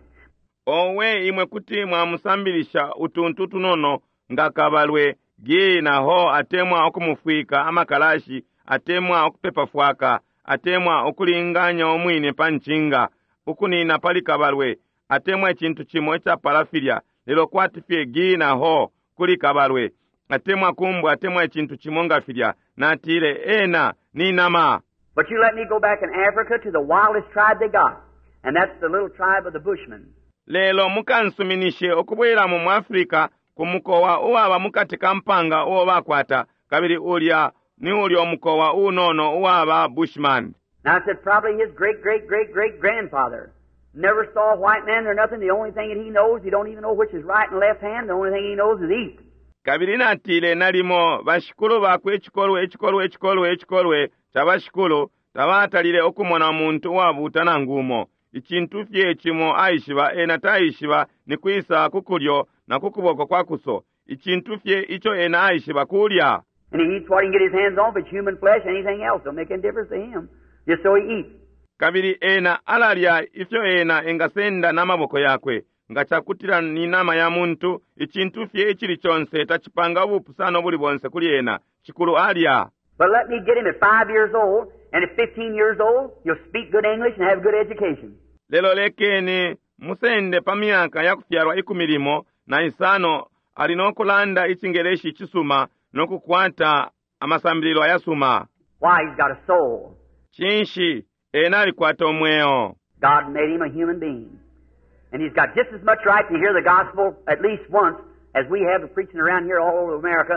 Owe imwe kuti mwamusambilisha utuntu tunono nga kabalwe gee na ho atemwa okumufwika amakalashi atemwa okupepa fwaka atemwa okulinganya omwine pa ncinga ukunina pali kabalwe atemwa icintu cimo icapala filya lelo kwati fye gee na ho kuli kabalwe atemwa kumbwa atemwa icintu cimo nga filya natile ena ni nama But you let me go back in Africa to the wildest tribe they got, and that's the little tribe of the Bushmen. Lelo mukansuminishe ukubwelamo mu Africa ku mukowa uwaba mukati ka mpanga uo bakwata kabili ulya ni ulya umukowa unono uwaba Bushman. Now I said probably his great great great great grandfather never saw a white man or nothing. The only thing that he knows, he don't even know which is right and left hand. The only thing he knows is eat. Kabili natile nalimo bashikulu bakwe icikolwe icikolwe icikolwe icikolwe ca bashikulu tabatalile ukumona umuntu uwabuuta nangu umo. Icintu fye cimo aishiba ena taishiba ni kwisa ku kulyo na ku kuboko kwa kuso. Icintu fye ico ena aishiba kulya. And he eats what he can get his hands on, if it's human flesh, anything else don't make any difference to him. Just so he eats. Kabili ena alalya ifyo ena engasenda n'amaboko yakwe nga cakutila ni nama ya muntu icintu fye icili conse tacipanga ubupusano buli bonse kuli ena cikulu alya. But let me get him at five years old, and at fifteen years old, he'll speak good English and have good education. Lelo lekeni musende pa myaka ya kufyalwa ikumi limo na isano ali no kulanda icingeleshi icisuma no kukwata amasambililo ayasuma. Why, he's got a soul. Cinshi ena alikwata umweo. God made him a human being. And he's got just as much right to hear the gospel at least once as we have preaching around here all over America,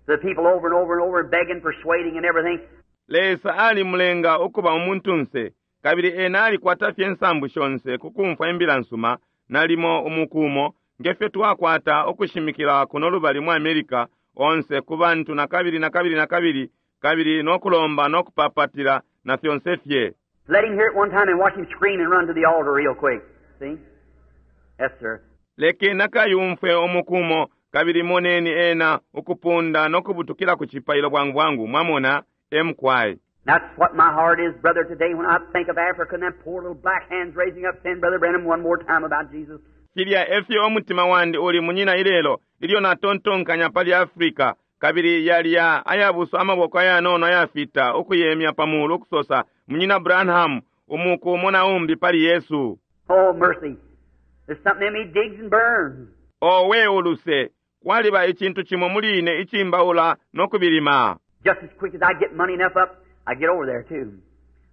the people over and over and over, begging, persuading, and everything. Lesa alimulenga ukuba umuntunse kabili ena alikwata fye nsambu shonse kukumfwa imbila nsuma nalimo umukumo ngefyo twakwata ukushimikila kuno lubali mu America onse ku bantu na kabili na kabili na kabili kabili nokulomba nokupapatila na fyonse fye. Let him hear it one time and watch him scream and run to the altar real quick. See? Yes, sir. Lekeni akayumfwe umukumo kabili moneni ena ukupunda nokubutukila ku cipailo bwangu bwangu mwamona emkwai. That's what my heart is, brother, today when I think of Africa and them poor little black hands raising up saying, Brother Branham, one more time about Jesus. Filya efyo umutima wandi uli munyina ilelo ilyo natontonkanya pali Africa kabili yalya ayabuso amaboko ayanono ayafita ukuyemya pamulu ukusosa munyina Branham umuku umo na umbi pali Yesu. Oh, mercy. There's something in me digs and burns. Owe uluse kwaliba icintu cimo muli ine icimbaula nokubilima. Just as quick as I get money enough up, I get over there too.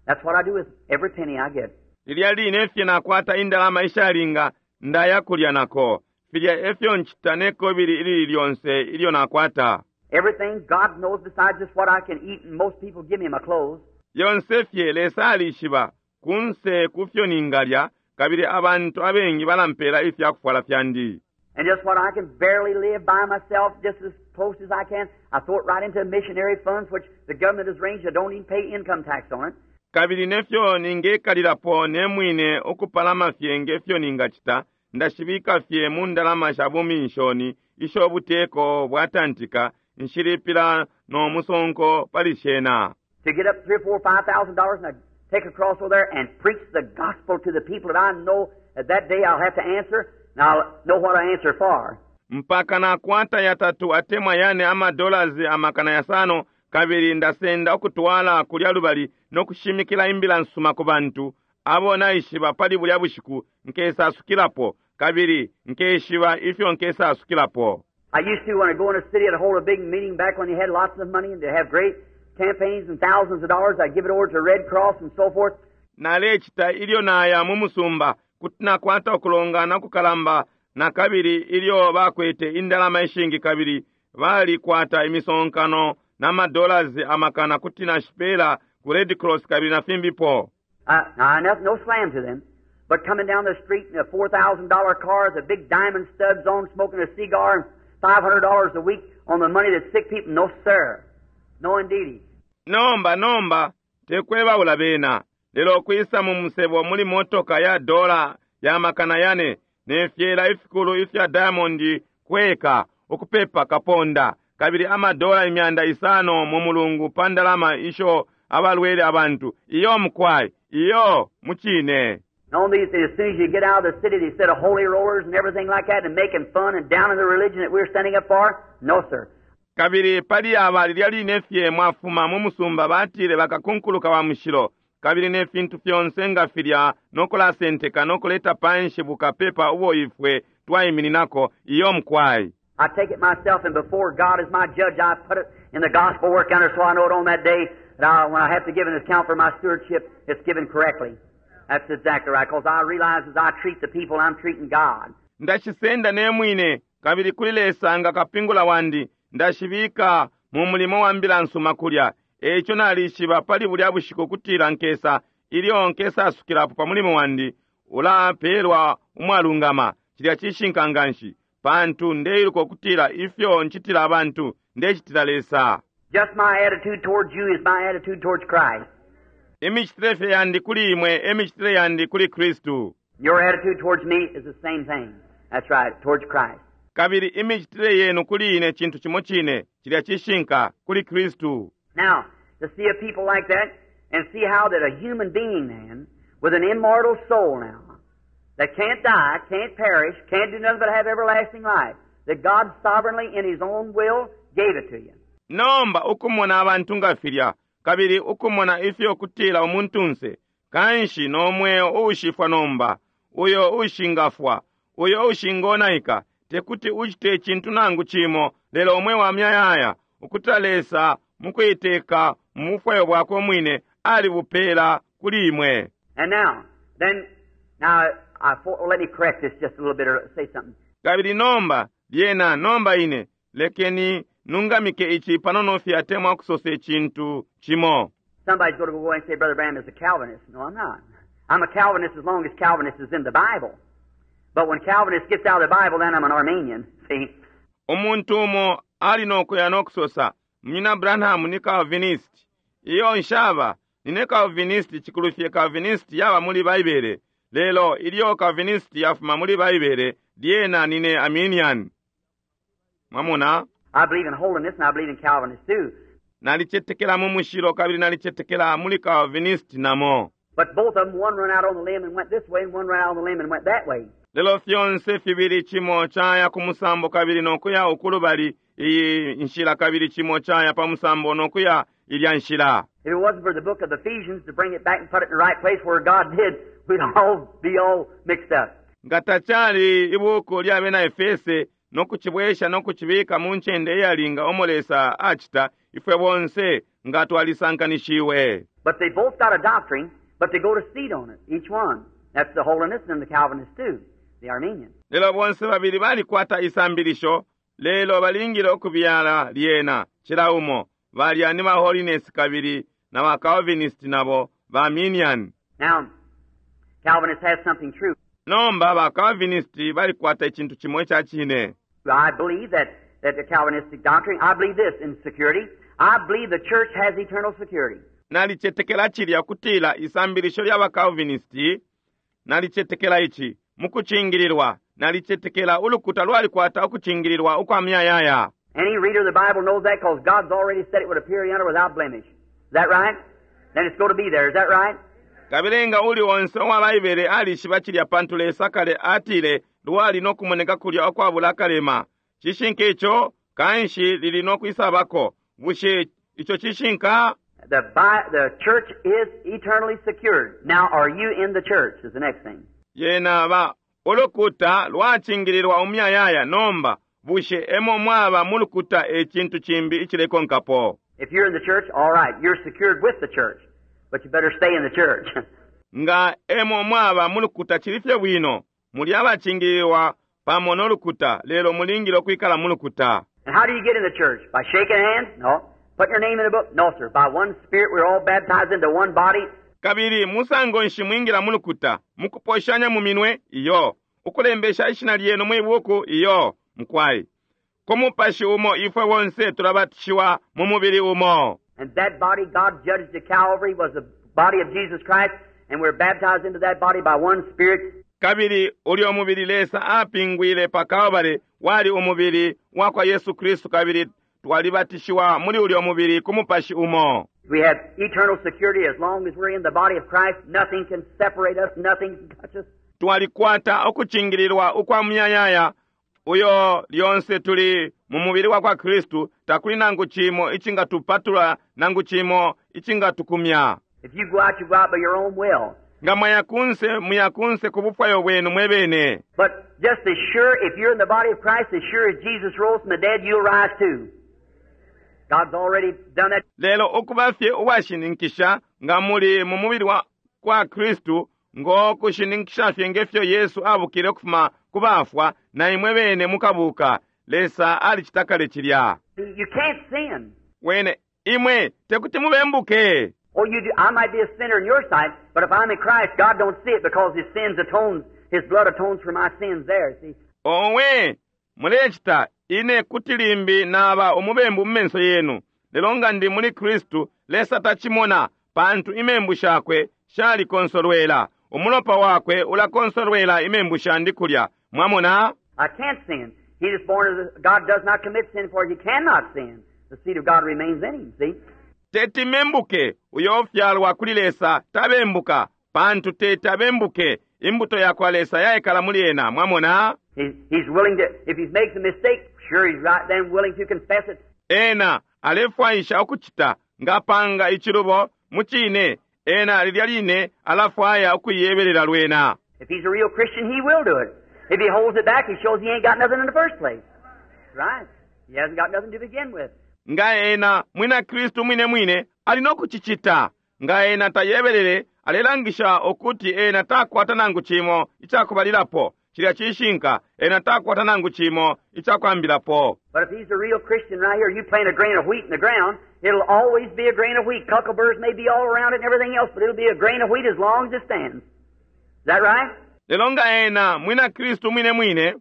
That's what I do with every penny I get. Lilya line fye nakwata indalama ishalinga ndaya kulya nako. Filya efyo ncita ne kobili ilili lyonse ilyo nakwata. Everything God knows besides just what I can eat, and most people give me my clothes. Yonse fye Lesa alishiba kunse kufyo ningalya kabili abantu abengi balampela ifya kufwala fyandi. And just what I can barely live by myself, just as close as I can, I throw it right into missionary funds, which the government has arranged. I don't even pay income tax on it. Kabili nefyo ningekalilapo ne mwine ukupalama fye ngefyo ningacita ndashibika fye mu ndalama sha buminshoni isho buteko bwatantika nshilipila no musonko pali shena. To get up three or four, five thousand dollars and I take across over there and preach the gospel to the people that I know that, that day I'll have to answer. Now, know what I answer for. Mpaka nakwata yatatu atemwa yane ama dollars amakana yasano, kabili ndasenda ukutwala kulya lubali nokushimikila imbila nsuma ku bantu abo naishiba pali bulya bushiku nkesasukilapo, kabili nkeshiba ifyo nkesasukilapo. I used to, when I go in a city, I'd hold a big meeting back when they had lots of money and they'd have great campaigns and thousands of dollars. I'd give it over to Red Cross and so forth. Nalecita ilyo naya mu musumba kuti nakwata ukulongana kukalamba na kabili ilyo bakwete indalama ishingi kabili balikwata imisonkano na madollars amakana kuti nashipela ku Red Cross kabili na fimbipo. Uh, now, no, no slam to them, but coming down the street in a four thousand dollar car with the big diamond studs on, smoking a cigar, and five hundred dollars a week on the money that sick people. No, sir. No, indeedy. Nomba nomba tekwebaula bena lelo kwisa mu musebo muli motoka ya dola ya makana yane ne fyela ifikulu ifya diamond kweka ukupepa kaponda kabili amadola imyanda isano mu mulungu pa ndalama isho abalwele abantu iyo mukwai iyo muchine. On these, as soon as you get out of the city, they set of holy rollers and everything like that and making fun and down in the religion that we're standing up for. No, sir. Kabili pali aba lilya line fye mwafuma mu musumba batile bakakunkuluka wa mushilo kabili ne fintu fyonse nga filya nokulasenteka nokuleta panshi bukapepa ubo ifwe twaimininako iyo mukwai. I take it myself, and before God is my judge, I put it in the gospel work under, so I know it on that day that I, when I have to give an account for my stewardship, it's given correctly. That's exactly right, 'cause I realize as I treat the people, I'm treating God. Ndashisenda ne mwine kabili kuli Lesa nga kapingula wandi ndashibika mu mulimo wa mbila nsuma kulya. Echo nalishiba pali bulya bushiku kutila nkesa ilyo nkesa asukilapo pa mulimo wandi ulapelwa umwalungama cilya cishinka nganshi pantu ndeiluka kutila ifyo nchitila abantu ndechitila Lesa. Just my attitude towards you is my attitude towards Christ. Emicitile fye yandi kuli imwe emicitile yandi kuli Kristu. Your attitude towards me is the same thing. That's right, towards Christ. Kabili imicitile yenu kuli ine chintu chimo chine cilya cishinka kuli Kristu. Now, to see a people like that and see how that a human being then, with an immortal soul now, that can't die, can't perish, can't do nothing but have everlasting life, that God sovereignly in His own will gave it to you. Nomba ukumona abantu nga filya, kabili ukumona ifyo kutila umuntunse, kanshi no mweo ushifwa nomba, uyo ushingafwa, uyo ushingonaika, tekuti uchite chintu nangu chimo, lelo omwe wa myayaya, ukutila Lesa mukuiteka mufwayo bwakwe mwine alibupela kuli imwe. And now, then, now, I, for, let me correct this just a little bit or say something. Kabili nomba, lyena nomba ine, lekeni nungamike ichi panono fye atemwa kusose chintu chimo. Somebody's gonna go and say, Brother Branham is a Calvinist. No, I'm not. I'm a Calvinist as long as Calvinist is in the Bible. But when Calvinist gets out of the Bible, then I'm an Arminian. See? Umuntu umo ali nokuya nokusosa, Munyina Branham ni Calvinist. Iyo nshaba, nine Calvinist chikulufye Calvinist yaba muli Baibele. Lelo ilyo Calvinist yafuma muli Baibele, lyena nine Arminian. Mwamona? I believe in holiness and I believe in Calvinist too. Nalichetekela mu mushilo kabili nalichetekela muli Calvinist namo. But both of them, one run out on the limb and went this way, and one run out on the limb and went that way. Lelo fyonse fibili chimo chaya ku musambo kabili nokuya ukulubali iyi nshila kabili chimo chaya pa musambo nokuya ilya nshila. If it wasn't for the book of Ephesians to bring it back and put it in the right place where God did, we'd all be all mixed up. Nga tachali ibuku lya bena Efese nokuchibwesha nokuchibika mu nchende iyalinga omo Lesa achita ifwe bonse nga twalisankanishiwe. But they both got a doctrine, but they go to seed on it, each one. That's the holiness and the Calvinist too, the Arminian. Lelo bonse babili balikwata isambilisho, lelo balingile okubyala lyena chila umo balya ni ba holiness kabili na ba Calvinist nabo ba Arminian. Now, Calvinist has something true. Nomba ba Calvinist balikwata ichintu chimwe cha chine. I believe that, that the Calvinistic doctrine, I believe this in security. I believe the church has eternal security. Nalichetekela chilya kutila isambilisho lya ba Calvinist, nalichetekela ichi mukuchingilirwa, nalichetekela ulukuta lwalikwata ukuchingilirwa ukwa myayaya. Any reader of the Bible knows that 'cause God's already said it would appear yonder without blemish. Is that right? Then it's going to be there. Is that right? Kabilenga uli onse owa Baibele alishiba chilya pantu Lesa kale atile lwali no kumoneka kulya ukwabula akalema. Cishinka ico kanshi lili no kwisabako. Bushe ico cishinka? The, bi- the church is eternally secured. Now, are you in the church? Is the next thing. Yena ba ulukuta lwacingililwa umuyayaya nomba bushe emo mwaba mu lukuta e cintu cimbi icilekonkapo. If you're in the church, all right, you're secured with the church, but you better stay in the church. Nga emo mwaba mu lukuta cili fye bwino muli abacingililwa pamo no lukuta lelo mulingile ukwikala mu lukuta. And how do you get in the church? By shaking hands? No. Putting your name in the book? No, sir. By one Spirit, we're all baptized into one body. Kabili musango nshi mwingila mu lukuta mukuposhanya mu minwe iyo ukulembesha ishina lyenu mwi buku iyo mukwai ku mupashi umo ifwe bonse tulabatishiwa mu mubili umo. And that body God judged at Calvary was the body of Jesus Christ, and we're baptized into that body by one Spirit. Kabili ulyo mubili Lesa apingwile pa Kalbale wali umubili wa kwa Yesu Kristu kabili twalibatishiwa muli ulyo mubili ku mupashi umo. We have eternal security as long as we're in the body of Christ. Nothing can separate us, nothing can touch us. Twalikwata ukucingililwa ukwa muyayaya uyo lyonse tuli mu mubili wa kwa Kristu takuli nangu cimo icingatupatula nangu cimo icingatukumya. If you go out, you go out by your own will. Nga mwaya kunse muya kunse ku bufwayo bwenu mwebene. But just as sure, if you're in the body of Christ, as sure as Jesus rose from the dead, you'll rise too. God's already done that. Lelo ukuba fye uwashininkisha nga muli mu mubili wa kwa Kristu ngo kushininkisha fye ngefyo Yesu abukile ukufuma ku bafwa na imwe bene mukabuka. Lesa alicita kale cilya. You can't sin. Wene imwe tekuti mubembuke. Oh, you do. I might be a sinner in your sight, but if I'm in Christ, God don't see it because His sins atones, His blood atones for my sins there. See? Owe mulecita ine kuti limbi naba umubembu mu menso yenu lelo nga ndi muli Kristu Lesa tacimona pantu imembu shakwe shalikonsolwela umulopa wakwe ulakonsolwela imembu shandi kulya. Mwamona? I can't sin. He is born of the, God does not commit sin, for he cannot sin. The seed of God remains in him, see? Teti membuke uyo ofyalwa kuli Lesa tabembuka pantu teti abembuke imbuto yakwa Lesa yaikala muli ena. Mwamona? He, he's willing to, if he makes a mistake, sure he's right then willing to confess it. Ena alefwaisha ukucita ngapanga ichilubo muchine ena lilya line alafwaya ukuyebelela lwena. If he's a real Christian, he will do it. If he holds it back, he shows he ain't got nothing in the first place. Right. He hasn't got nothing to begin with. Nga ena mwina Kristu mwine mwine ali nokuchichita nga ena tayebelele alelangisha okuti ena takwata nangu chimo ichakubalilapo chilya chishinka ena takwata nangu chimo ichakwambilapo. But if he's a real Christian right here, you plant a grain of wheat in the ground, it'll always be a grain of wheat. Cuckleburs may be all around it and everything else, but it'll be a grain of wheat as long as it stands. Is that right? Lelo nga ena mwina Kristu mwine mwine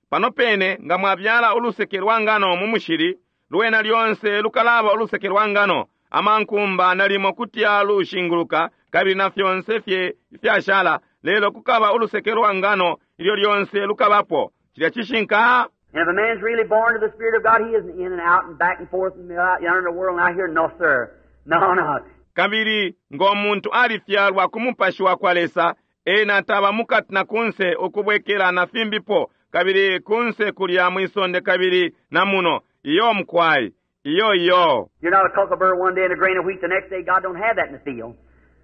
pano pene nga mwabyala uluseke lwa ngano mu mushili lwena lyonse lukalaba uluseke lwa ngano amankumba nalimo kuti alushinguluka kabili na fyonse fye fyashala lelo kukaba uluseke lwa ngano ilyo lyonse lukabapo chilya chishinka. And if a man's really born of the Spirit of God, he isn't in and out and back and forth and out yonder in the world and out here. No, sir. No, no. Kabili ngo muntu alifyalwa ku mupashi wa kwa Lesa ena taba mukati na kunse ukubwekela na fimbipo kabili kunse kulya mwisonde kabili na muno iyo mkwai iyo iyo. You're not a cucklebur one day and a grain of wheat the next day. God don't have that in the field.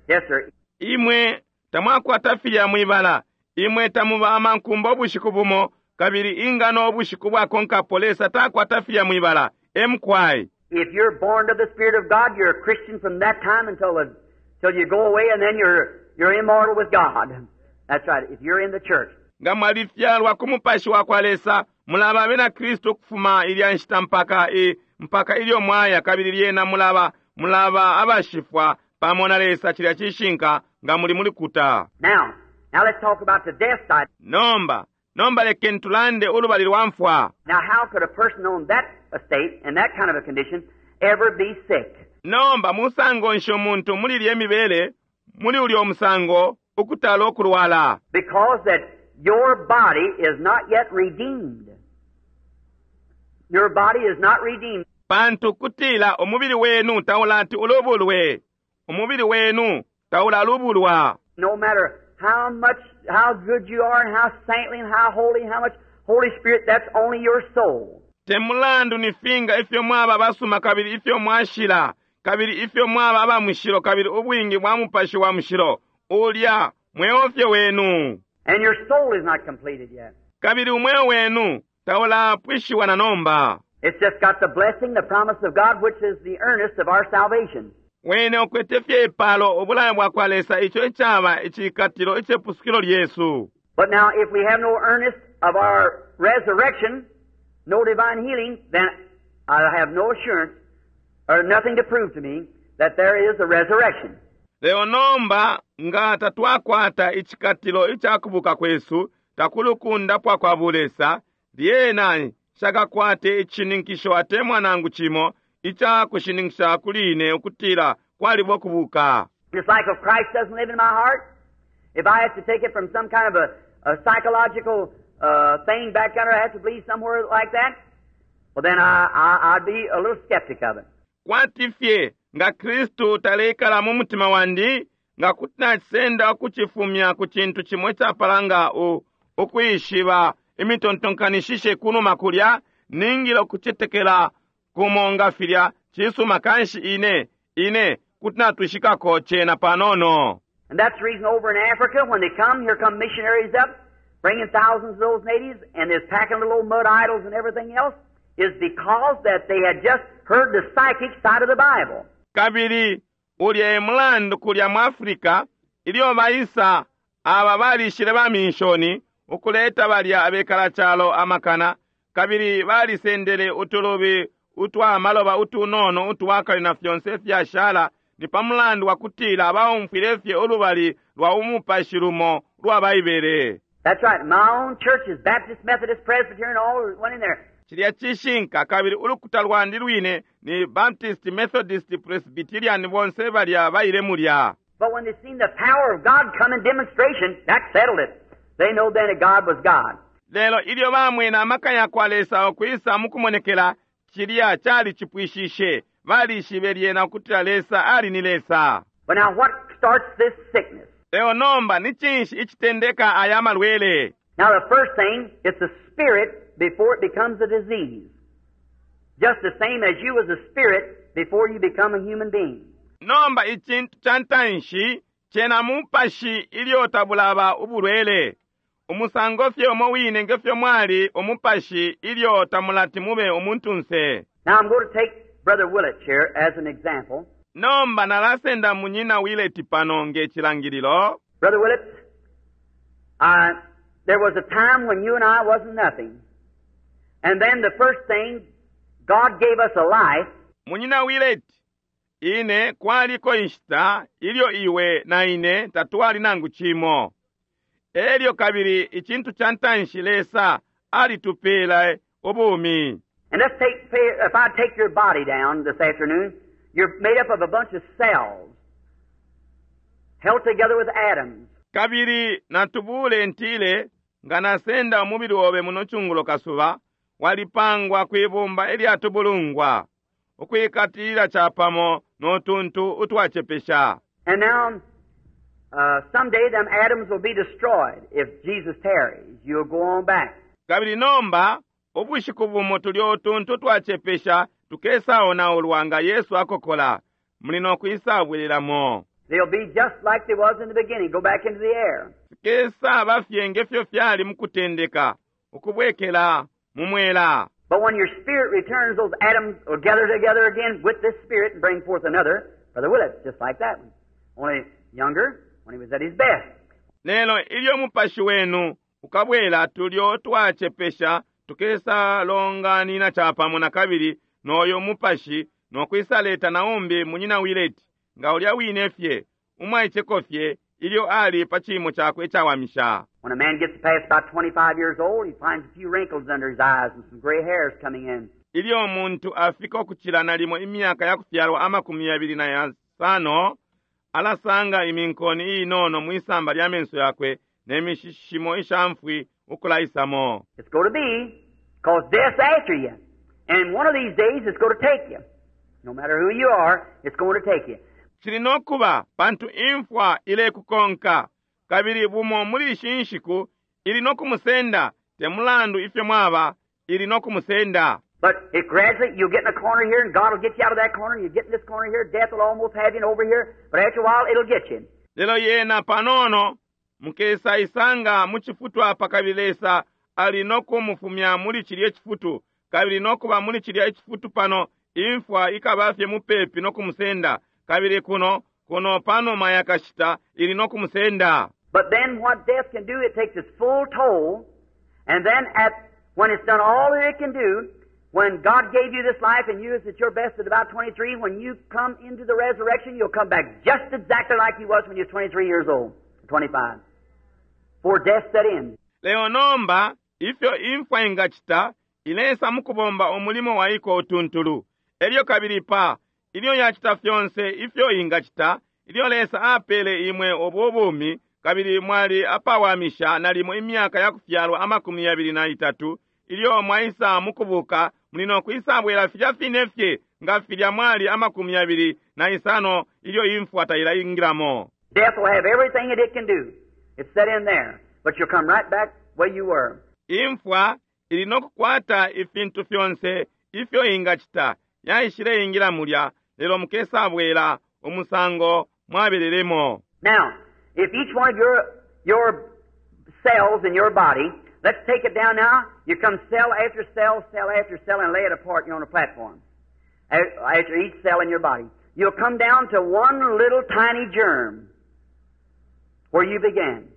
Yes, sir. Imwe tamwakwata filya mwibala imwe tamuba amankumba ubushiku bumo kabili ingano ubushiku bwakonkapo Lesa takwata filya mwibala emkwai. If you're born of the Spirit of God, you're a Christian from that time until the, till you go away, and then you're, you're immortal with God. That's right. If you're in the church. Nga mwalifyalwa ku mupashi wa kwa Lesa mulaba abena Kristu kufuma ilya nshita mpaka i mpaka ilyo mwaya kabili lyena mulaba mulaba abashifwa pamo na Lesa chilya chishinka nga muli muli kuta. Now, now let's talk about the death side. Nomba, nomba lekeni tulande ulubali lwa mfwa. Now, how could a person on that estate, in that kind of a condition, ever be sick? Nomba musango nshi umuntu muli lye mibele muli ulyo musango ukutala okulwala. Because that your body is not yet redeemed. Your body is not redeemed. Pantu kutila umubili wenu taulati ulubulwe. Umubili wenu taulalubulwa. No matter how much, how good you are and how saintly and how holy and how much Holy Spirit, that's only your soul. Te mulandu ni finga ifyo mwaba basuma kabili ifyo mwashila kabili ifyo mwaba aba mushilo kabili ubwingi bwa mupashi wa mushilo ulya mweo fye wenu. And your soul is not completed yet. Kabili umweo wenu taulapwishiwa na nomba. It's just got the blessing, the promise of God, which is the earnest of our salvation. Wene ukwete fye ipalo ubulayo bwa kwa Lesa ico icaba icikatilo icepusukilo lyesu. But now, if we have no earnest of our resurrection, no divine healing, then I have no assurance or nothing to prove to me that there is a resurrection. Lelo nomba nga tatwakwata icikatilo icakubuka kwesu takuli ukundapwa kwa bulesa, lyena nshakakwate icishininkisho atemwa nangu cimo ica kushininkisha kuli ine ukutila kwaliba ukubuka. Just like if Christ doesn't live in my heart, if I have to take it from some kind of a, a psychological uh, thing back under, I have to believe somewhere like that, well then I, I, I'd be a little skeptic of it. Kwati fye nga Kristu taleikala mu mutima wandi, nga kuti nacisenda ukucifumya ku cintu cimo icapala nga u, ukwishiba imitontonkanishishe kunuma kulya, ningile ukucetekela kumo nga filya cisuma kanshi ine, ine kuti natwishikako cena panono. And that's the reason over in Africa, when they come, here come missionaries up, bringing thousands of those natives, and they're packing little old mud idols and everything else, is because that they had just heard the psychic side of the Bible. Kabili ulya e mulandu kulya mu Africa, ilyo baisa aba balishile ba minshoni ukuleta balya abekala calo amakana, kabili balisendele utulubi utwa maloba utunono utwakale na fyonse fyashala, ni pa mulandu wa kutila baumfwile fye ulubali lwa umupashi lumo lwa Baibele. That's right. My own churches, Baptist, Methodist, Presbyterian, all went in there. Cilya cishinka kabili ulukuta lwandi lwine ni Baptist, Methodist, Presbyterian bonse balya baile mulya. But when they seen the power of God come in demonstration, that settled it. They know then that God was God. Lelo ilyo bamwene amaka ya kwa Lesa ukwisa mukumonekela, cilya cali cipwishishe, balishibe lyena ukutila Lesa ali ni Lesa. But now what starts this sickness? Lelo nomba ni cinshi icitendeka aya malwele? Now the first thing, it's the spirit before it becomes a disease. Just the same as you was a spirit before you become a human being. Nomba icintu ca ntanshi cena mupashi ilyo tabulaba ubulwele. Umusango fye umo wine ngefyo mwali umupashi ilyo tamulati mube umuntunse. Now I'm going to take Brother Willett here as an example. Nomba nalasenda munyina Willett pano nge cilangililo. Brother Willett, uh, there was a time when you and I wasn't nothing. And then the first thing, God gave us a life. Munyina Willett, ine kwaliko inshita ilyo iwe na ine tatwali nangu cimo. Elyo kabili icintu ca ntanshi Lesa alitupela ubumi. And let's take, if I take your body down this afternoon, you're made up of a bunch of cells held together with atoms. Kabili natubule ntile nga nasenda umubili obe muno cungulo kasuba, walipangwa kwibumba ilyatubulungwa, ukwikatilila capamo no tuntu utwacepesha. And now, uh, someday them atoms will be destroyed if Jesus tarries. You'll go on back. Kabili nomba, ubushiku bumo tulyo utuntu twacepesha tukesaonaulwa nga Yesu akokola, muli no kwisabwelelamo. They'll be just like they was in the beginning, go back into the air. Fikesaba fye ngefyo fyali mukutendeka, ukubwekela mu mwela. But when your spirit returns, those atoms will gather together again with this spirit and bring forth another, Brother Willett, just like that one. Only younger, when he was at his best. Lelo ilyo mupashi wenu ukabwela tulyo twacepesha tukesalonganina capamo na kabili noyo mupashi nokwisaleta naumbi munyina Willett nga ulya wine fye umwaiceko fye ilyo ali pa cimo cakwe icawamisha. When a man gets past about twenty-five years old, he finds a few wrinkles under his eyes and some gray hairs coming in. Ilyo umuntu afika ukucila nalimo imyaka ya kufyalwa amakumi yabili na yasano, alasanga iminkoni inono mwisamba lya menso yakwe ne mishishimo ishamfwi ukulaisamo. It's going to be, 'cause death's after you. And one of these days it's going to take you. No matter who you are, it's going to take you. Cili nokuba pantu imfwa ilekukonka, Kabili bumo muli ishi nshiku ili no kumusenda, te mulandu ifyo mwaba, ili no kumusenda. But it gradually, you'll get in a corner here, and God will get you out of that corner, and you get in this corner here, death will almost have you over here, but after a while, it'll get you. Lelo yena panono mukesa isanga mu chifutu apa kabili Lesa ali no kumufumya muli chilye chifutu, kabili no kuba muli chilya ichifutu pano imfwa ikaba fye mupepi no kumusenda, kabili kuno kuno panuma yakashita ili no kumusenda. But then what death can do, it takes its full toll, and then at when it's done all that it can do, when God gave you this life and you is at your best at about twenty-three, when you come into the resurrection, you'll come back just exactly like you was when you was twenty-three years old, twenty-five. Before death set in. Leo nomba, ifyo imfwa ingachita, ilesa mukubomba umulimo waiko utuntulu. Elyo kabili pa, ilyo yachita fyonse ifyo ingachita, ilyo Lesa apele imwe obubumi, kabili mwali apawamisha nalimo imyaka ya kufyalwa amakumi yabili na itatu, ilyo mwaisa mukubuka, mulino kwisabwela filya fine fye, nga filya mwali amakumi yabili na isano ilyo imfwa tailaingilamo. Death will have everything that it can do. It's set in there. But you'll come right back where you were. Imfwa ili nokukwata ifintu fyonse ifyo ingachita, yaishile ingila mulya, lelo mukesabwela umusango mwabelelemo. Now, if each one of your, your cells in your body, let's take it down now. You come cell after cell, cell after cell, and lay it apart. You're on a platform. After each cell in your body. You'll come down to one little tiny germ where you began.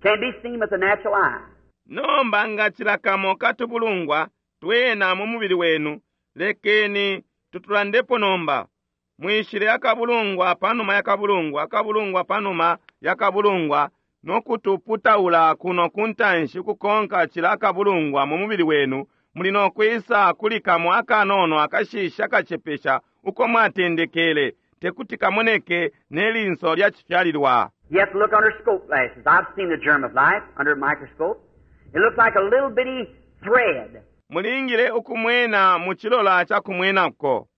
Can't be seen with the natural eye. Nomba nga chilakamo katubulungwa twena mu mubili wenu, lekeni tutulandepo nomba. Mwishile akabulungwa panuma yakabulungwa, akabulungwa panuma yakabulungwa, nokutuputaula kuno kuntanshi kukonka chila akabulungwa mu mubili wenu, muli nokwisa kulikamo akanono akashisha akachepesha uko mwatendekele, tekuti kamoneke nelinso lya chifyalilwa. You have to look under scope glasses. I've seen the germ of life under a microscope. It looks like a little bitty thread. Mulingile ukumwena mu chilola cha kumwenako.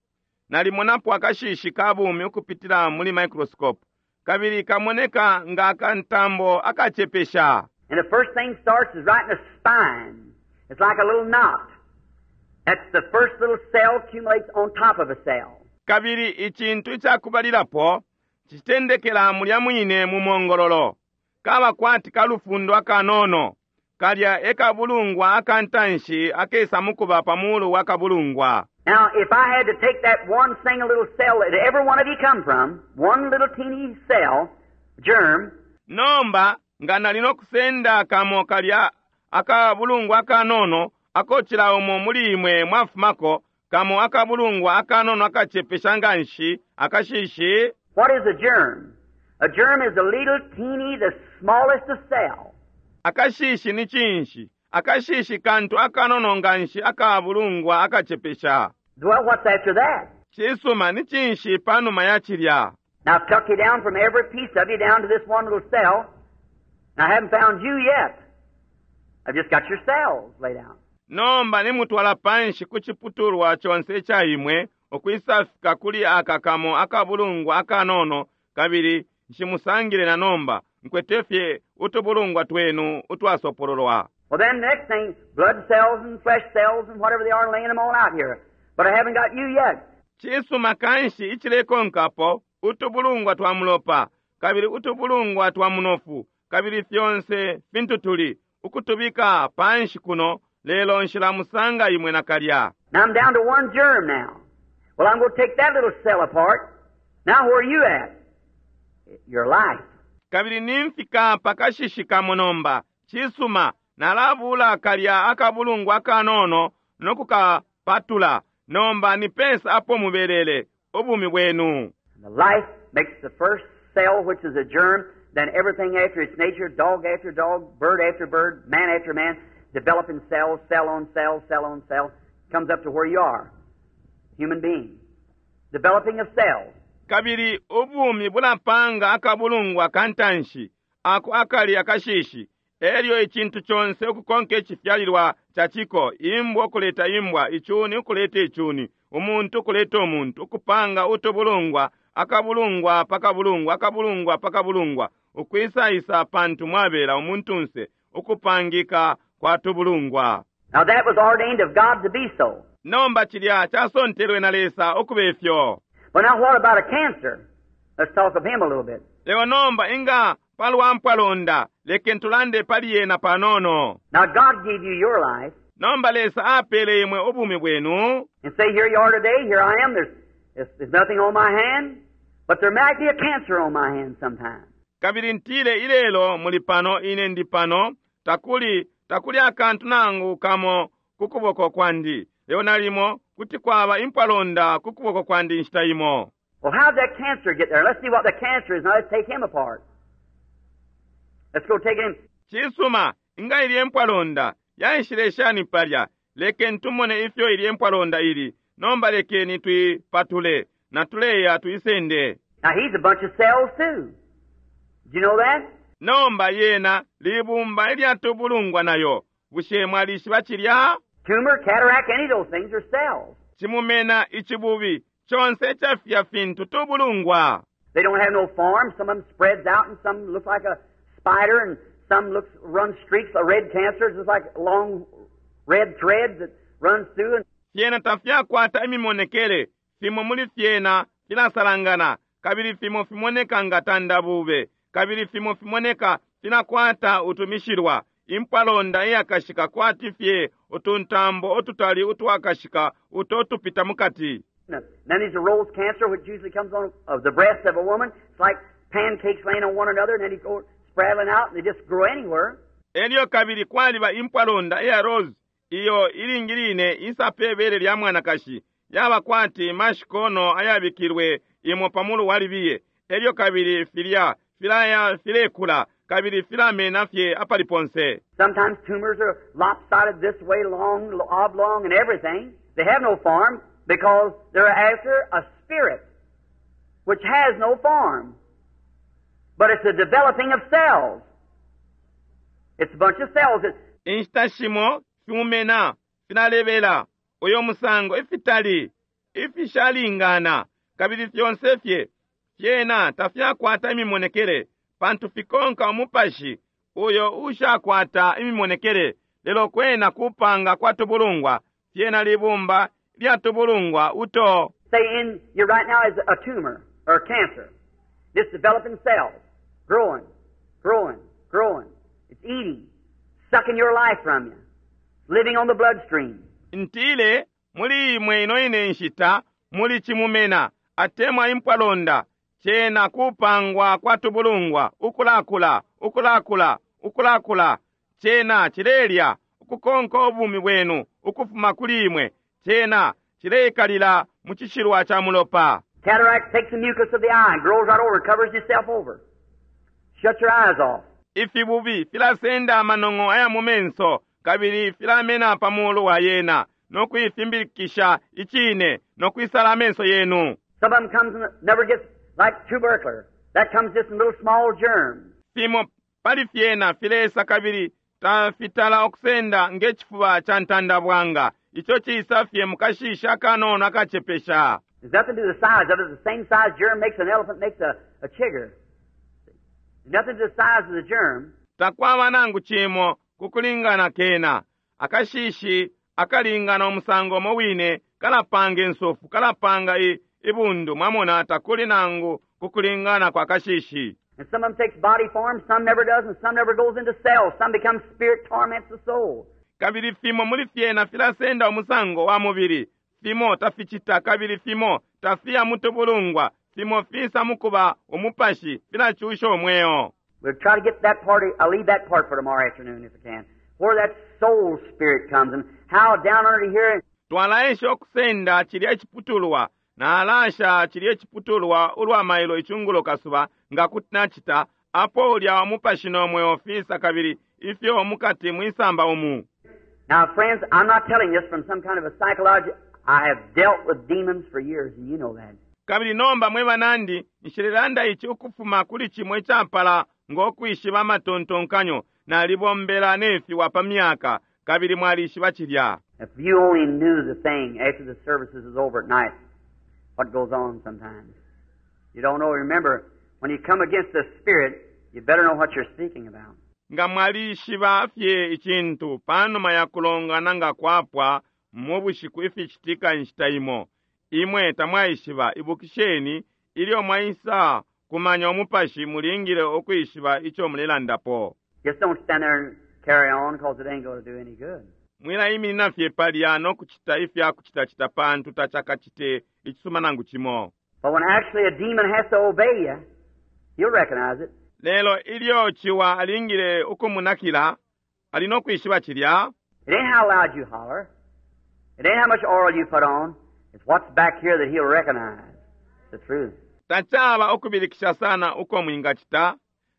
Nalimonapo akashishi kabumi ukupitila muli microscope. Kabili kamoneka nga akantambo akachepesha. And the first thing starts is right in the spine. It's like a little knot. That's the first little cell accumulates on top of a cell. Kabili ichintu ichakubalilapo chitendekela mulya mwine mu mongololo. Kaba kwati kalufundo akanono. Kalya ekabulungwa akantanshi akesa mukuba pamulu wakabulungwa. Now, if I had to take that one single little cell that every one of you come from, one little teeny cell, germ. Nomba, nga nalino kusenda kamo kalya akabulungwa akanono, akochila umo muli imwe mwafumako, kamo akabulungwa akanono akachepesha nganshi, akashishi. What is a germ? A germ is a little teeny, the smallest of cell. Akashishi ni chinshi. Akashishi kantu akanono nganshi akabulungwa akachepesha. Well, what's after that? Chisuma ni chinshi panuma ya chilya. Now, I've took you down from every piece of you down to this one little cell. And I haven't found you yet. I've just got your cells laid out. Nomba ni mutwala panshi kuchiputulwa chonse cha imwe, okwisafika kuli akakamo akabulungwa akanono, kabili nshimusangile na nomba, nkwetefye utubulungwa twenu utwasopololwa. Well, then the next thing, blood cells and flesh cells and whatever they are, laying them all out here. But I haven't got you yet. Chisuma kanshi ichilekonkapo, utubulungwa twa mulopa, kabili utubulungwa twa munofu, kabili fyonse fintutuli, ukutubika panshi kuno, lelo nshilamusanga imwe na kalya. Now I'm down to one germ now. Well, I'm gonna take that little cell apart. Now where are you at? Your life. Kabili nimfika pakashishika munomba, chisuma, nalabula kalya akabulungwa akanono, nokukapatula, nomba ni pesa apo mubelele, ubumi bwenu. The life makes the first cell, which is a germ, then everything after its nature, dog after dog, bird after bird, man after man, developing cells, cell on cell, cell on cell, comes up to where you are, human being. Developing of cells. Kabili ubumi bulapanga akabulungwa kantanshi, ako akali akashishi, elyo ichintu chonse ukukonke echifyalilwa chachiko, imbwa okuleta imbwa, ichuni okuleta ichuni, umuntu okuleta omuntu, okupanga utubulungwa, akabulungwa pakabulungwa, akabulungwa pakabulungwa, ukwisaisa pantu mwabela umuntunse ukupangika kwa tubulungwa. Now that was ordained of God to be so. Nomba cilya casontelwe na Lesa ukuba ifyo. But now what about a cancer? Let's talk of him a little bit. Lelo nomba inga palwa mpwalonda, lekeni tulande pali yena panono. Now God gave you your life, Nomba Lesa apele imwe ubumi bwenu, and say, here you are today, here I am, there's, there's, there's nothing on my hand, but there might be a cancer on my hand sometime. Kabili ntile ilelo muli pano, ine ndi pano, takuli takuli akantu nangu kamo ku kuboko kwandi, lelo nalimo kuti kwaba impwalonda ku kuboko kwandi inshita imo. Well, how'd that cancer get there? Let's see what the cancer is. Now let's take him apart. Let's go take him. Cisuma, inga ilye mpwalonda yaishile shani palya? Lekeni tumone ifyo ilye mpwalonda ili. Nomba lekeni tuipatule natuleya tuisende. Now he's a bunch of cells too. Do you know that? Nomba yena libumba ilyatubulungwa nayo. Bushe mwalishiba cilya? Tumor, cataract, any of those things are cells. Cimumena, icibubi, conse icafya fintu tubulungwa. They don't have no form. Some of them spreads out, and some look like a spider, and some looks run streaks. A red cancer is just like long red threads that runs through. And Fyena tafyakwata imimonekele. Fimo muli fyena filasalangana, kabili fimo fimoneka nga tandabube, kabili fimo fimoneka filakwata utumishilwa. Impwalonda iyakashika kwati fye utuntambo ututali utwakashika uto tupita mukati. then there's a rose cancer, which usually comes on of the breast of a woman. It's like pancakes laying on one another, and then you go spraddling out, and they just grow anywhere. Elyo kabili kwaliba impwalonda iya rose iyo ilingi line isa pe bele lya mwanakashi, yaba kwati mashikono ayabikilwe imo pamulu walibiye. Elyo kabili filya filaya filekula kabili filamena fye apali ponse. Sometimes tumors are lopsided this way, long, oblong, and everything. They have no form because they're after a spirit which has no form. But it's the developing of cells. It's a bunch of cells. That, Inshita shimo fimumena filalebela uyo musango ifitali ifishalingana, kabili fyonse fye fyena tafyakwata imimonekele pantu fikonka umupashi uyo ushakwata imimonekele, lelo kwena kupanga kwa tubulungwa, fyena libumba lya tubulungwa uto. Say in you right now is a tumor or cancer. It's developing cells, growing, growing, growing. It's eating, sucking your life from you, living on the bloodstream. Ntile muli imwe ino ine nshita muli cimumena atemwa impwalonda, cena kupangwa kwa tubulungwa ukulakula, ukulakula, ukulakula. Cena cilelya ukukonka ubumi bwenu ukufuma kuli imwe, cena cileikalila mu cishilwa ca mulopa. Cataract takes the mucus of the eye and grows right over, covers itself over. Shut your eyes off. Ifibubi filasenda amanong'o aya mu menso kabili filamena pa mulu wa yena no kuifimbilikisha icine no kwisala amenso yenu. Some of them comes and never gets like tubercular. That comes just in little small germs. Fimo pali fyena filesa kabili tafitala okusenda nge cifuba ca ntandabwanga, ico ciisa fye mukashishi akanono akacepesha. There's nothing to the size of it. The same size germ makes an elephant, makes a, a chigger. There's nothing to the size of the germ. Takwaba nangu cimo kukulingana kena. Akashishi akalingana umusango umo wine kalapanga insofu, kalapanga i, ibundu. Mwamona, takuli nangu kukulingana kwa kashishi. And some of them takes body form, some never does, and some never goes into cells. Some become spirit, torments the soul. Kabili fimo muli fyena filasenda umusango wa mubili, fimo taficita, kabili fimo tafiya mutubulungwa, fimo fisa mukuba umupashi, filacusha umweo. We'll try to get that part, I'll leave that part for tomorrow afternoon if I can. Where that soul spirit comes and how down under here Twalaesha okusenda cilya iciputulwa, nalasha cilya iciputulwa ulwa mailo icungulo kasuba nga kuti nacita, apo ulya umupashi no mweo fisa kabili ifyo mukati mwisamba umu. Now, friends, I'm not telling this from some kind of a psychology. I have dealt with demons for years, and you know that. Kabili nomba mwe banandi, nshilelanda ici ukufuma kuli cimo icapala ng'okwishiba amatontonkanyo. Nalibombela nefiwa pa myaka, kabili mwalishiba cilya. If you only knew the thing after the services is over at night, what goes on sometimes. You don't know. Remember, when you come against the spirit, You better know what you're speaking about. Nga mwalishiba fye icintu panuma ya kulongana nga kwapwa mu bushiku ificitika inshita imo, imwe tamwaishiba. Ibukisheni, ilyo mwaisa kumanya umupashi, mulingile ukwishiba ico mulelandapo. Just don't stand there and carry on, 'cause it ain't going to do any good. Mwilaiminina fye palya no kucita ifya kucitacita, pantu tacakacite icisuma nangu cimo. But when actually a demon has to obey you, he'll recognize it. Lelo ilyo ciwa alingile ukumunakila, ali no kwishiba cilya. It ain't how loud you holler. It ain't how much oil you put on. It's what's back here that he'll recognize. The truth. Tacaba ukubilikisha sana uko mwingacita,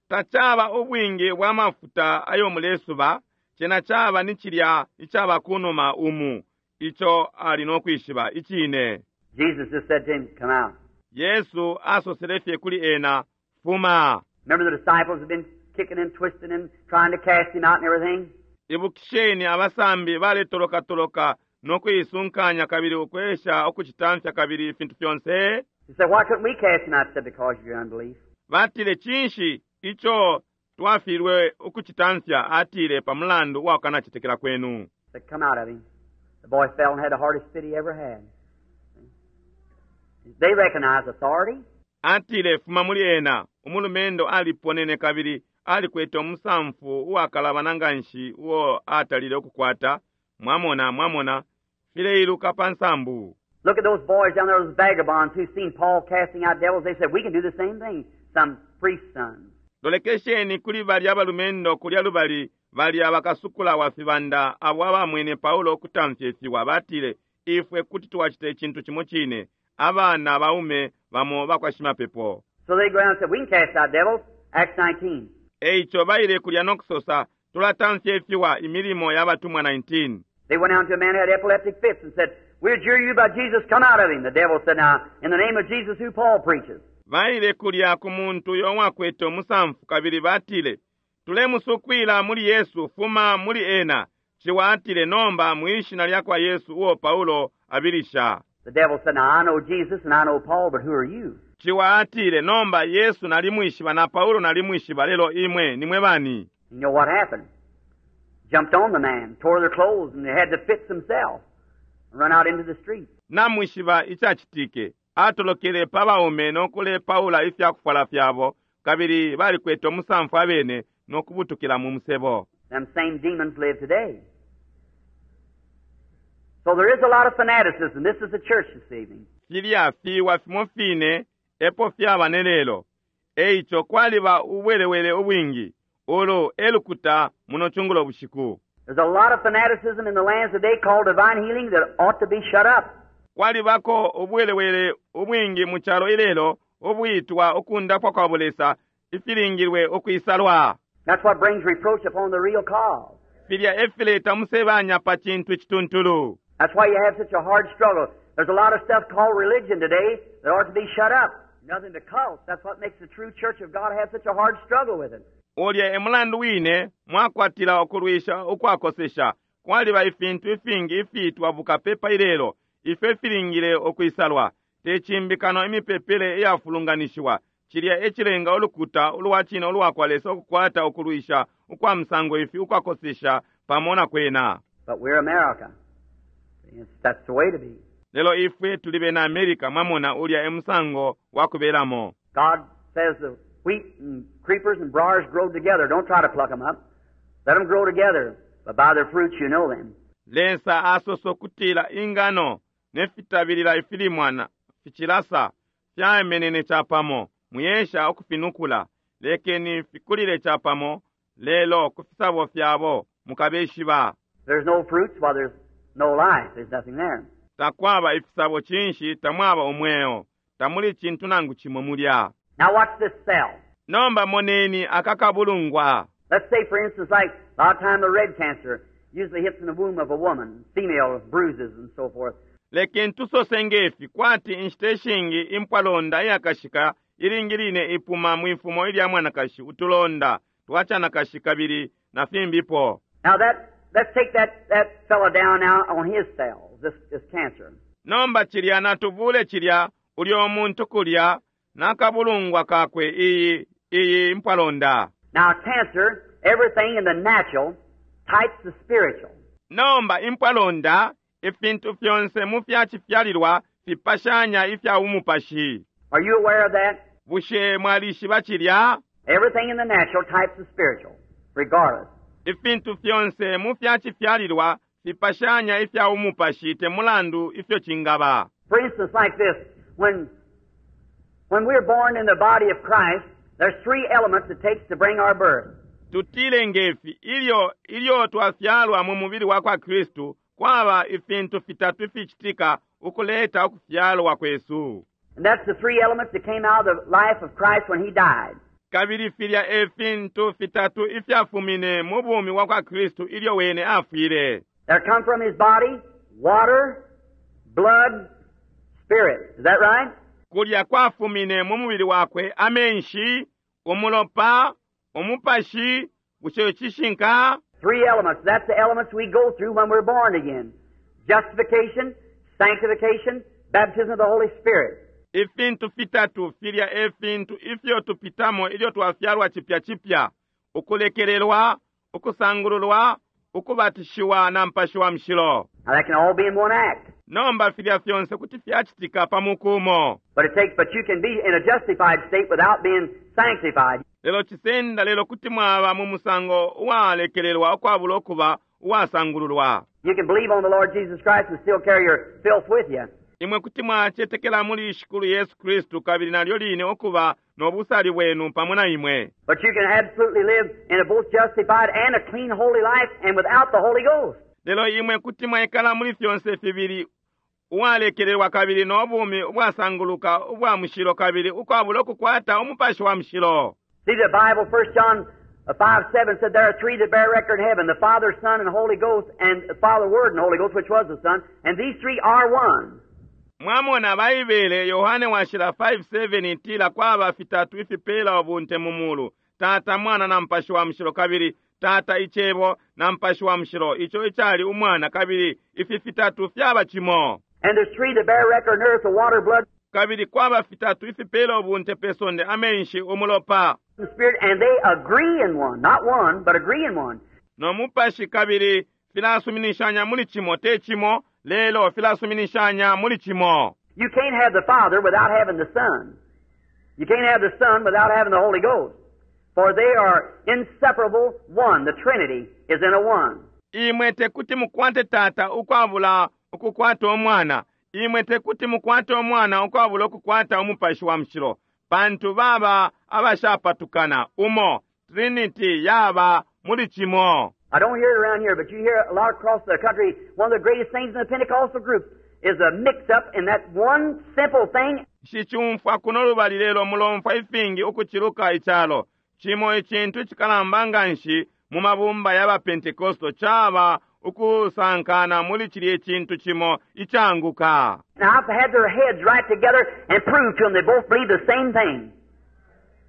tacaba ubwingi bwa mafuta ayo mulesuba, cena caba ni cilya icaba kunuma umu ico ali no kwishiba icine. Jesus just said to him, "Come out." Yesu asosele fye kuli ena, "Fuma." Remember, the disciples have been kicking and twisting and trying to cast him out and everything? Ibukisheni, abasambi baletolokatoloka no kuisunkanya kabili ukwesha ukucitamfya kabili ifintu fyonse. He said, "Why couldn't we cast him out?" He said, "Because of your unbelief." Batile, "Cinshi ico twafilwe ukucitamfya?" Atile, "Pa mulandu wa kukanacetekela kwenu." He said, "Come out of him." The boy fell and had the hardest fit he ever had. They recognize authority. Atile, "Fuma muli ena." Umulumendo aliponene kabili alikwete umusamfu uwakalabana nganshi uo atalile ukukwata. Mwamona, mwamona, fileiluka pa nsambu. Look at those boys down there, those vagabonds who seen Paul casting out devils. They said, "We can do the same thing." Some priest's sons. Lolekesheni kuli balya balumendo kulya lubali, balya bakasukula wa fibanda abo abamwene Paulo ukutamfya ifiwa. Batile, "Ifwe kuti twacita icintu cimo cine." Abana baume bamo bakwa shimapepo. So they go down and said, "We can cast out devils." Acts nineteen. Eico baile kulya no kusosa, "Tulatamfya ifiwa." Imilimo y'Abatumwa nineteen. They went down to a man who had epileptic fits and said, "We adjure you by Jesus, come out of him." The devil said, "Now, in the name of Jesus who Paul preaches." Baile kulya ku muntu uyo wakwete umusamfu kabili batile, "Tulemusukwila muli Yesu, fuma muli ena." Ciwa atile, "Nomba mwishina lya kwa Yesu uo Paulo abilisha." The devil said, "Now, I know Jesus and I know Paul, but who are you?" Ciwa atile, "Nomba Yesu nalimwishiba na Paulo nalimwishiba, lelo imwe nimwe bani?" You know what happened? Jumped on the man, tore their clothes, and they had the fits themselves, and run out into the street. Namwishiba icacitike? Atolokele pa baume no kulepaula ifya kufwala fyabo, kabili balikwete umusamfu abene no kubutukila mu musebo. Them same demons live today. So there is a lot of fanaticism. This is the church this evening. Filya fiwa fimo fine epo fyaba ne lelo. Eico kwaliba ubwelewele ubwingi. Ulu elukuta muno cungulo bushiku. There's a lot of fanaticism in the lands today called divine healing that ought to be shut up. Kwalibako ubwelewele ubwingi mu calo ilelo ubwitwa ukundapwa kwa bulesa ifilingilwe ukwisalwa. That's what brings reproach upon the real cause. Filya efileta musebanya pa cintu icituntulu. That's why you have such a hard struggle. There's a lot of stuff called religion today that ought to be shut up. Nothing but cults. That's what makes the true church of God have such a hard struggle with it. Ulya emulandu wine mwakwatila ukulwisha ukwakosesha. Kwaliba ifintu ifingi ifiitwa bukapepa ilelo ifyo ifilingile ukwisalwa, te cimbikano imipepele iyafulunganishiwa. Cilya ecilenga ulukuta ulwa cine ulwa kwa Lesa ukukwata ukulwisha ukwa musango ifi ukwakosesha pamo na kwena. But we're America. It's, that's the way to be. Lelo ifwe tuli bena America. Mwamona, ulya emusango wa kubelamo. God says the wheat and creepers and briars grow together. Don't try to pluck them up. Let them grow together. But by their fruits you know them. Lesa asosa ukutila ingano ne fitabilila ifilimwana ficilasa fyamenene capamo. Mwiyesha ukufinukula, lekeni fikulile capamo, lelo ku fisabo fyabo mukabeshiba. There's no fruits, well, there's no life. There's nothing there. Takwaba ifisabo, cinshi? Tamwaba umweo, tamuli cintu nangu cimo mulya. Now watch this cell. Nomba moneni akakabulungwa. Let's say, for instance, like a lot of time the red cancer usually hits in the womb of a woman, female bruises and so forth. Lekeni tusose ngefi, kwati inshita ishingi impwalonda iyakashika ilingi line ipuma mwifumo ilya mwanakashi, utulonda twacanakashi kabili na fimbipo. Now that let's take that, that fellow down now on his cells, this, this cancer. Nomba cilya natubule cilya ulyo muntu kulya nakabulungwa kakwe, iyi Iyi mpwalonda. Now, cancer, everything in the natural types the spiritual. Nomba impwalonda, ifintu fyonse mu fyacifyalilwa fipashanya ifya umupashi. Are you aware of that? Bushe mwalishiba cilya? Everything in the natural types the spiritual, regardless. Ifintu fyonse mu fyacifyalilwa fipashanya ifya umupashi te mulandu ifyo cingaba. For instance, like this, when, when we're born in the body of Christ, there's three elements it takes to bring our birth. Tutile ngefi ilyo ilyo twafyalwa mu mubili wa kwa Kristu kwaba ifintu fitatu ificitika ukuleta ukufyalwa kwesu. And that's the three elements that came out of the life of Christ when He died. Kabili filya e fintu fitatu ifyafumine mu bumi bwa kwa Kristu ilyo wene afwile. There come from His body water, blood, spirit. Is that right? Kulya kwafumine mu mubili wakwe amenshi, umulopa, umupashi, bushe cishinka? Three elements. That's the elements we go through when we're born again. Justification, sanctification, baptism of the Holy Spirit. Ifintu fitatu filya e fintu ifyo tupitamo ilyo twafyalwa cipya cipya: ukulekelelwa, ukusangululwa, ukubatishiwa na Mupashi wa Mushilo. Now that can all be in one act. Nomba filya fyonse kuti fyacitika pa muku umo. But it takes, but you can be in a justified state without being sanctified. Lelo cisenda, lelo kuti mwaba mu musango uwalekelelwa ukwabula ukuba uwasangululwa. You can believe on the Lord Jesus Christ and still carry your filth with you. Imwe kuti mwacetekela muli Shikulu Yesu Kristu kabili nalyo line ukuba no busali bwenu pamo na imwe. But you can absolutely live in a both justified and a clean holy life and without the Holy Ghost. Lelo imwe kuti mwaikala muli fyonse fibili, uwalekelelwa kabili no bumi ubwasanguluka ubwa mushilo kabili ukwabula ukukwata umupashi wa mushilo. See the Bible, First John five seven said there are three that bear record in heaven, the Father, Son, and Holy Ghost, and the Father, Word, and Holy Ghost, which was the Son, and these three are one. Mwamona Baibele Yohane washila five seven itila kwaba fitatu ifipela ubunte mu mulu, Tata, Mwana na Mupashi wa Mushilo, kabili Tata Icebo na Mupashi wa Mushilo, ico icali Umwana, kabili ifi fitatu fyaba cimo. And there's three that bear record on earth, the water, blood, Kabili kwaba fitatu ifipela ubunte pe sonde, amenshi, umulopa and spirit, and they agree in one. Not one, but agree in one. no mupashi, kabili filasuminishanya muli cimo, te cimo, lelo filasuminishanya muli cimo. You can't have the Father without having the Son. You can't have the Son without having the Holy Ghost. For they are inseparable one. The Trinity is in a one. Imwe tekuti mukwate Tata ukwabula ukukwata Umwana. Imwe tekuti mukwate Umwana ukwabula ukukwata Umupashi wa Mushilo. Pantu baba abashapatukana umo. Trinity yaba muli cimo. I don't hear it around here, but you hear a lot across the country. One of the greatest things in the Pentecostal group is a mix-up in that one simple thing. Nshicumfwa kuno lubali, lelo mulomfwa ifingi ukuciluka icalo. Cimo icintu icikalamba nganshi mu mabumba y'aba Pentecostal caba ukusankana muli cilya icintu cimo icanguka. Now, I've had their heads right together and proved to them they both believe the same thing.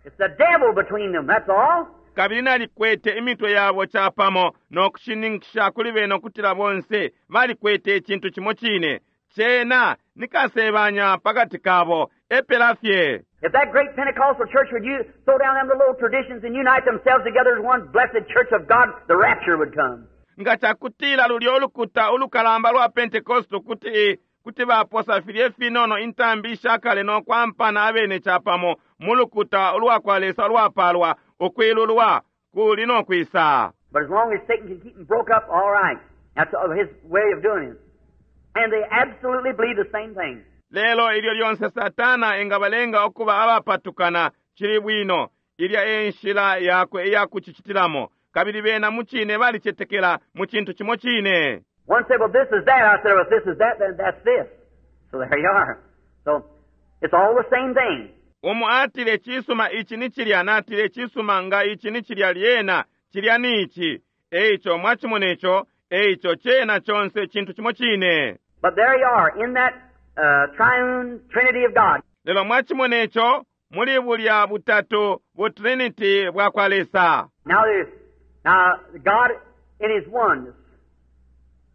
It's the devil between them, that's all. Kabili nalikwete imitwe yabo capamo no kushininkisha kuli bena ukutila bonse balikwete icintu cimo cine. Cena ni kasebanya pakati kabo, epela fye. If that great Pentecostal church would you throw down them little old traditions and unite themselves together as one blessed church of God, the rapture would come. Nga cakutila lulya ulukuta ulukalamba lwa Pentecostal kuti kuti baposa filye finono intambi ishakale no kwampana abene capamo mu lukuta ulwa kwa Lesa ulwapalwa, ukwilulwa kuli no kwisa. But as long as Satan can keep them broke up, all right. That's his way of doing it. And they absolutely believe the same thing. Lelo ilyo lyonse Satana engabalenga ukuba abapatukana, cili bwino. Ilya e nshila yakwe iya kucicitilamo. Kabili bena mu cine balicetekela mu cintu cimo cine. One said, well, this is that. I said, well, if this is that, then that's this. So there you are. So it's all the same thing. Umu atile cisuma ici ni cilya, natile cisuma nga ici ni cilya lyena, cilya ni ici. Eico mwacimona ico, eico cena conse cintu cimo cine. But there you are, in that, uh, triune Trinity of God. Lelo mwacimona ico, muli bulya butatu bu Trinity bwa kwa Lesa. Now, now God in His oneness.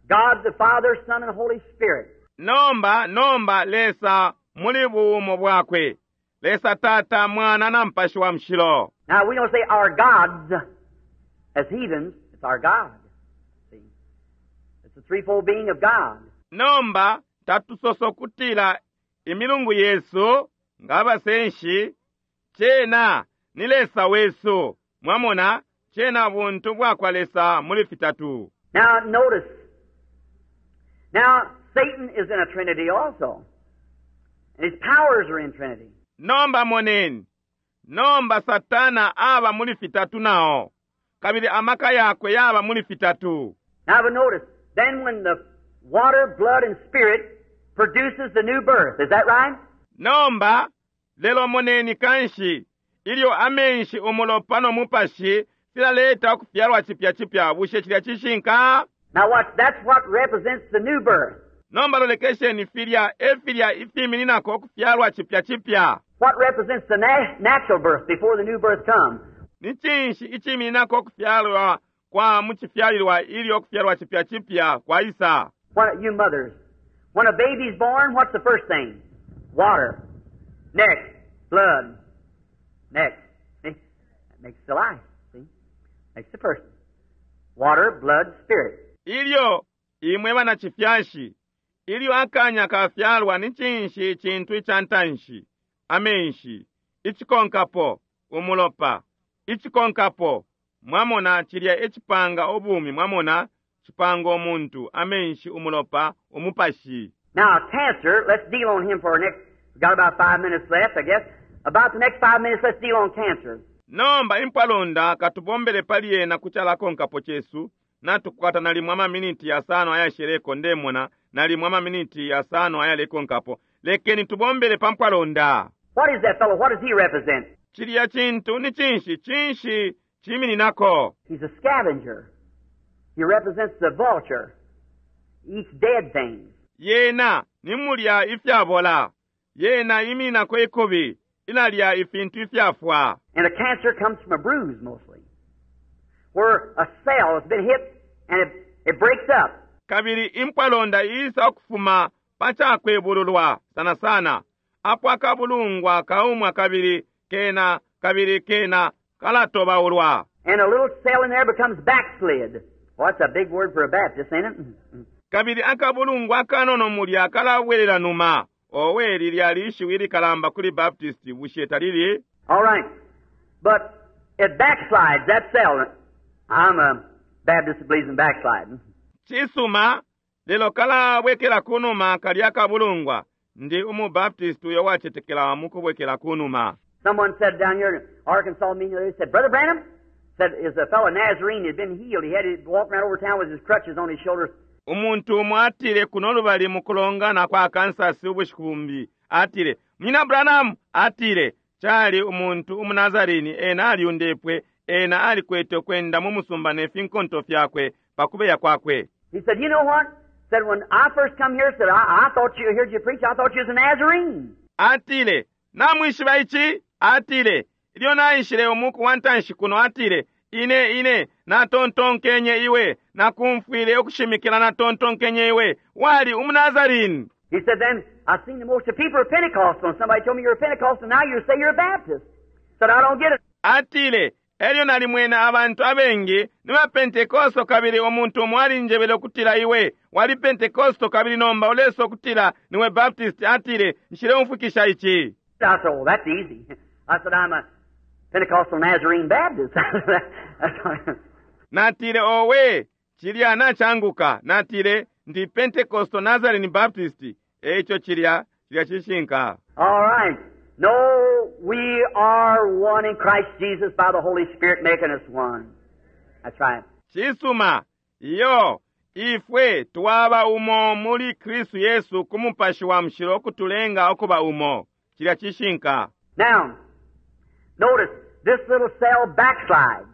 God the Father, Son, and Holy Spirit. Nomba, nomba Lesa muli buumo bwakwe. Lesa Tata, Mwana na Mupashi wa Mushilo. Now, we don't say our gods as heathens. It's our God. See? It's the threefold being of God. Nomba tatusosa ukutila imilungu yesu nga abasenshi, cena ni Lesa wesu. Mwamona, cena buntu bwakwa Lesa muli fitatu. Now, notice. Now, Satan is in a trinity also. And his powers are in trinity. Nomba moneni, nomba Satana aba muli fitatu nao, kabili amaka yakwe yaba muli fitatu. Now, but notice, then when the water, blood, and spirit produces the new birth, is that right? Nomba lelo moneni kanshi ilyo amenshi, umulopa no mupashi filaleta ukufyalwa cipya cipya, bushe cilya cishinka? Now watch, that's what represents the new birth. Nomba lolekesheni, filya efilya ifimininako ukufyalwa cipya cipya. What represents the na- natural birth before the new birth comes? Ni cinshi icimininako ukufyalwa kwa mucifyalilwa ilyo ukufyalwa cipya cipya kwaisa? What, you mothers, when a baby's born, what's the first thing? Water. Next, blood. Next. See? That makes the life. See? Makes the person. Water, blood, spirit. Ilyo imwe banacifyashi, ilyo akanya kafyalwa, ni cinshi icintu ica ntanshi? Amenshi. Icikonkapo, umulopa. Icikonkapo, mwamona, cilya ecipanga ubumi. Mwamona, cipanga umuntu: amenshi, umulopa, umupashi. Now, cancer, let's deal on him for our next, we've got about five minutes left, I guess. About the next five minutes, let's deal on cancer. Nomba impwalonda, katubombele pali yena kucalakonkapo cesu. Natukwata nalimwe amaminiti yasano ayasheleko, ndemona, nalimwe amaminiti yasano ayalekonkapo. Lekeni tubombele pa mpwalonda. What is that fellow? What does he represent? Cilya cintu ni cinshi? Cinshi cimininako? He's a scavenger. He represents the vulture. He eats dead things. Yena ni mulya ifyabola. Yena imininako ikubi, ilalya ifintu ifyafwa. And a cancer comes from a bruise mostly, where a cell has been hit and it, it breaks up. Kabili impwalonda isa ukufuma pa cakwebululwa sana sana, apo akabulungwa kaumwa kabili kena kabili kena kalatobaulwa. And a little cell in there becomes backslid. Well, that's a big word for a Baptist, ain't it? Mm-hmm. Kabili akabulungwa akanono mulya kalabwelela numa. Owe, lilya lishiwi likalamba kuli Baptist, bushe talili? All right. But it backslides, that cell. I'm a Baptist that believes in backsliding. Cisuma, lelo kalabwekela kunuma kalya kabulungwa. Ndi umubaptist uyo wacetekela mukubwekela kunuma. Someone said down here in Arkansas, me, they said, "Brother Branham," said, is a fellow Nazarene had been healed. He had to walk around over town with his crutches on his shoulders. Umuntu umo atile kuno lubali mukulongana kwa Kansas ubushiku bumbi, atile, "Munyina Branham," atile, cali umuntu umunazarini, ena alyundepwe, ena alikwete ukwenda mu musumba ne finkonto fyakwe pakubeya kwakwe. He said, "You know what?" Said, "When I first come here," said, I, I thought you heard you preach, I thought you was a Nazarene." Atile, "Namwishiba ici?" Atile, "Ilyo naishile umuku wa ntanshi kuno," atile, "ine ine natontonkenye iwe nakumfwile ukushimikila, natontonkenye iwe wali umunazarini." He said, "Then I seen the most of people are Pentecostal, and somebody told me you're a Pentecostal, now you say you're a Baptist." Said, "I don't get it." Atile, "Elyo nalimwene abantu abengi ni ba Pentekosto, kabili umuntu umo alinjebele ukutila iwe wali Pentekosto, kabili nomba uleso ukutila niwe Baptist." Atile, "Nshileumfwikisha ici." I said, "Oh, that's easy." I said, "I'm a Pentecostal Nazarene Baptist." That's all. Natile, "Owe, cilya nacanguka." Natile, "Ndi Pentecostal Nazarene Baptist." Eco cilya cilya cishinka. All right. No, we are one in Christ Jesus by the Holy Spirit making us one. That's right. Cisuma, iyo, ifwe twaba umo muli Kristu Yesu ku Mupashi wa Mushilo kutulenga ukuba umo. Cilya cishinka. Now, notice this little cell backslides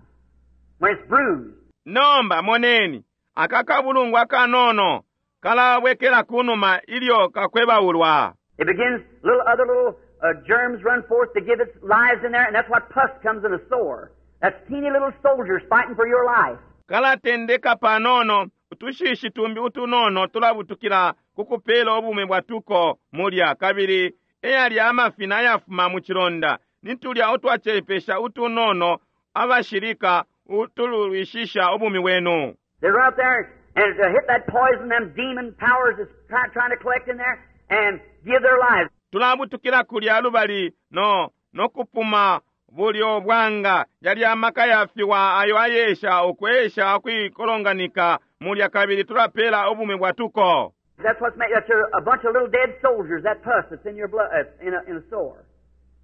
when it's bruised. Nomba moneni, aka kabulungwa akanono kalabwekela kunuma ilyo kakwebaulwa. It begins, little other little uh, germs run forth to give its lives in there, and that's what pus comes in a sore. That's teeny little soldiers fighting for your life. Kalatendeka panono, utushishi tumbi utunono tulabutukila kukupela ubumi bwatuko mulya, kabili eyali amafina ayafuma mu chilonda, Nitulya utwacepesha utunono abashilika utulwishisha ubumi bwenu. They're out there and to hit that poison, them demon powers that's try, trying to collect in there, and give their lives. Tulabutukila kulya lubali no nokupuma bulyo bwanga yali amaka yafiwa ayo ayesha ukwesha ukwikolonganika mulya kabili tulapela ubumi bwatuko. That's what's made. That's a, a bunch of little dead soldiers. That pus that's in your blood, uh, in a, in a sore,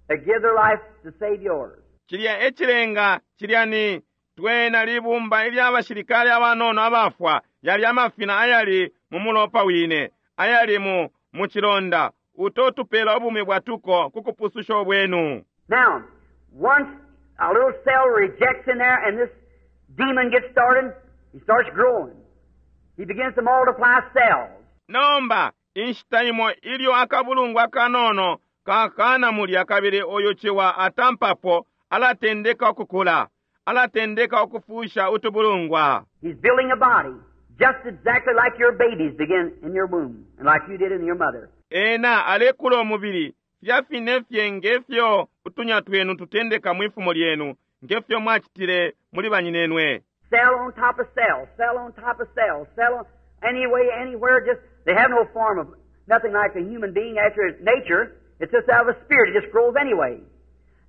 that give their life to save yours. Cilya ecilenga cilya ni twena libumba ilya bashilikali abanono abafwa yali amafina ayali mu mulopa wine ayali mu mu chilonda uto tupela ubumi bwatuko kukupususha obwenu. Now, once a little cell rejects in there and this demon gets started, he starts growing. He begins to multiply cells. Nomba inshita imo ilyo akabulungu akanono kakana mulya kabili oyo ciwa atampapo alatendeka ukukula alatendeka ukufusha utubulungwa. He's building a body, just exactly like your babies begin in your womb, and like you did in your mother. Ena alekula omubili filya fine fye ngefyo utunya twenu tutendeka mwifumo lyenu ngefyo mwachitile muli banyinenwe. Cell on top of cell, cell on top of cell, cell on, anyway, anywhere, just, they have no form of, nothing like a human being after its nature. It's just out of a spirit. It just grows anyway.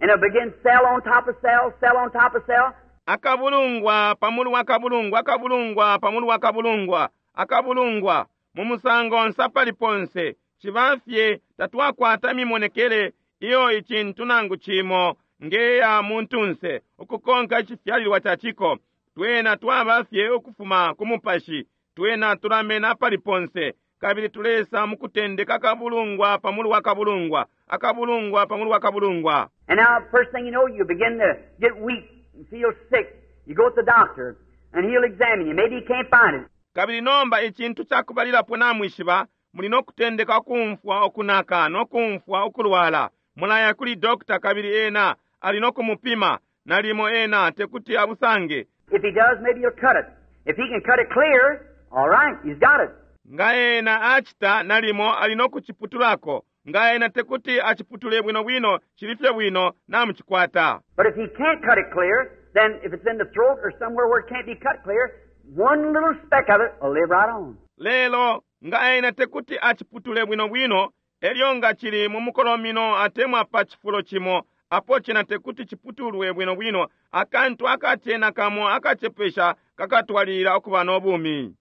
And it begins cell on top of cell, cell on top of cell. Akabulungwa, pamulu wa kabulungwa, akabulungwa, pamulu wa kabulungwa, akabulungwa, mu musango nsapali ponse, chibafye tatwakwata mimonekele iyo ichintu nangu chimo ngeya muntunse ukukonka chifyalilwa chachiko twena twabafye ukufuma kumupashi twena tulamena pali ponse kabili tulesa mukutendeka akabulungwa pamulu wa kabulungwa akabulungwa pamulu wa kabulungwa. And now first thing you know, you begin to get weak and feel sick. You go to the doctor and he'll examine you. Maybe he can't find it. Kabili nomba ichintu chakubalilapo namwishiba muli nokutendeka okumfwa okunaka nokumfwa okulwala. Mulaya kuli doctor kabili ena ali nokumupima nalimo ena tekuti abusange. If he does, maybe he'll cut it. If he can cut it clear, all right, he's got it. Nga ena achita nalimo ali nokuchiputulako. Nga ena tekuti achiputule bwino bwino chilifye bwino namuchikwata. But if he can't cut it clear, then if it's in the throat or somewhere where it can't be cut clear, one little speck of it will live right on. Lelo nga ena tekuti achiputule bwino bwino elyo nga chili mu mukolomino atemwa pa chifulo chimo apo chena tekuti chiputulwe bwino bwino akantu akachena kamo akachepesha kakatwalira okuba n'obumi.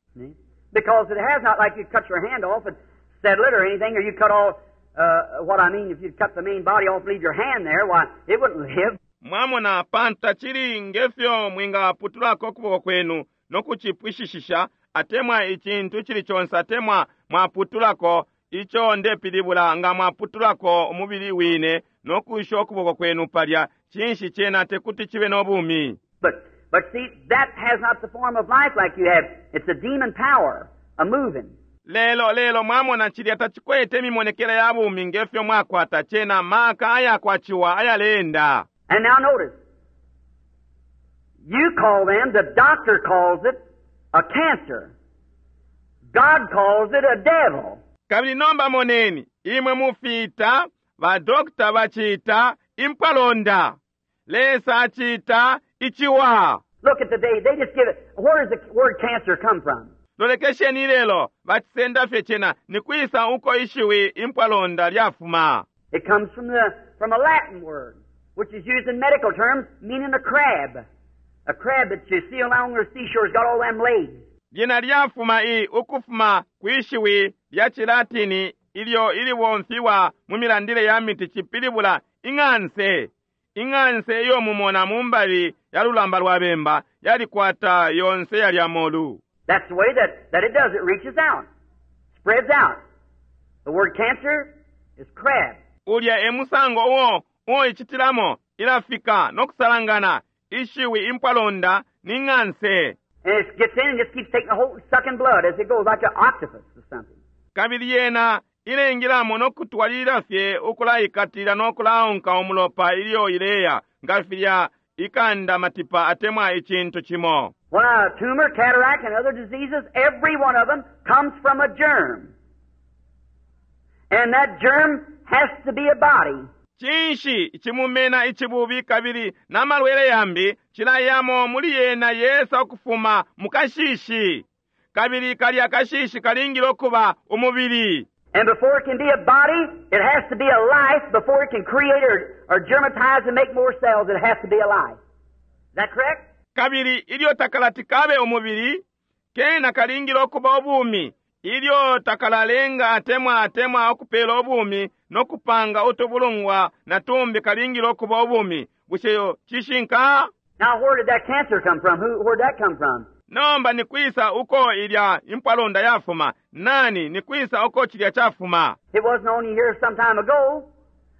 Because it has not like you cut your hand off and settle it or anything, or you cut all, uh, what I mean, if you cut the main body off and leave your hand there, why, it wouldn't live. Mwamona panta chili ngefyo mwingaputulako okuboko kwenu nokuchipwishishisha atemwa ichintu chili chonse atemwa mwaputulako icho ndepilibula nga mwaputulako omubili wine nokusha okuboko kwenu palya chinshi chena tekuti chibe n'obumi. But, but see, that has not the form of life like you have. It's a demon power, a moving. Lelo lelo mwamona chilya tachikwete emimonekele ya bumi ngefyo mwakwata chena maka ayakwachiwa ayalenda. And now notice, you call them, the doctor calls it a cancer. God calls it a devil. Kabili nomba moneni, imwe mufita, ba doctor bachita impalonda. Lesa achita ichiwa. Look at the day, they just give it, where does the word cancer come from? Lolekesheni lelo, bachisenda fye chena, nikwisa uko ishiwi impalonda lyafuma. It comes from the, from a Latin word, which is used in medical terms, meaning a crab. A crab that you see along the seashore has got all them legs. Lyena lyafuma i ukufuma kwishiwi lya chilatini ilyo iliwomfiwa mu milandile ya miti chipilibula ing'anse. Ing'anse iyo mumona mumbali ya lulamba lwa bemba yalikwata yonse yalya molu. That's the way that, that it does. It reaches out, spreads out. The word cancer is crab. Ulya emusango uwo uwo ichitilamo ilafika nokusalangana ishiwi impalonda ni ng'anse. And it gets in and just keeps taking a hold, sucking blood as it goes, like an octopus or something. Kabili yena ilengilamo nokutwalira fye ukulaikatila nokulaonka umulopa ilyo ileya nga filya ikanda matipa atemwa ichintu chimo. When a tumor, cataract, and other diseases, every one of them comes from a germ. And that germ has to be a body. Cinshi icimumena icibubi kabili na malwele yambi cilayamo muli yena yesa ukufuma mu kashishi kabili kalya kashishi kalingile ukuba umubili. And before it can be a body, it has to be a life. Before it can create or, or germatize and make more cells, it has to be a life. Is that correct? Kabili ilyo takalati kabe umubili kena kalingile ukuba ubumi ilyo takalalenga atemwa atemwa ukupela ubumi no kupanga utubulungwa na tumbi kalingile ukuba ubumi. Bushe cishinka? Now, where did that cancer come from? Who, where'd that come from? Nomba ni kwisa uko ilya impwalonda yafuma? Nani ni kwisa uko chilya chafuma? It wasn't on you here some time ago,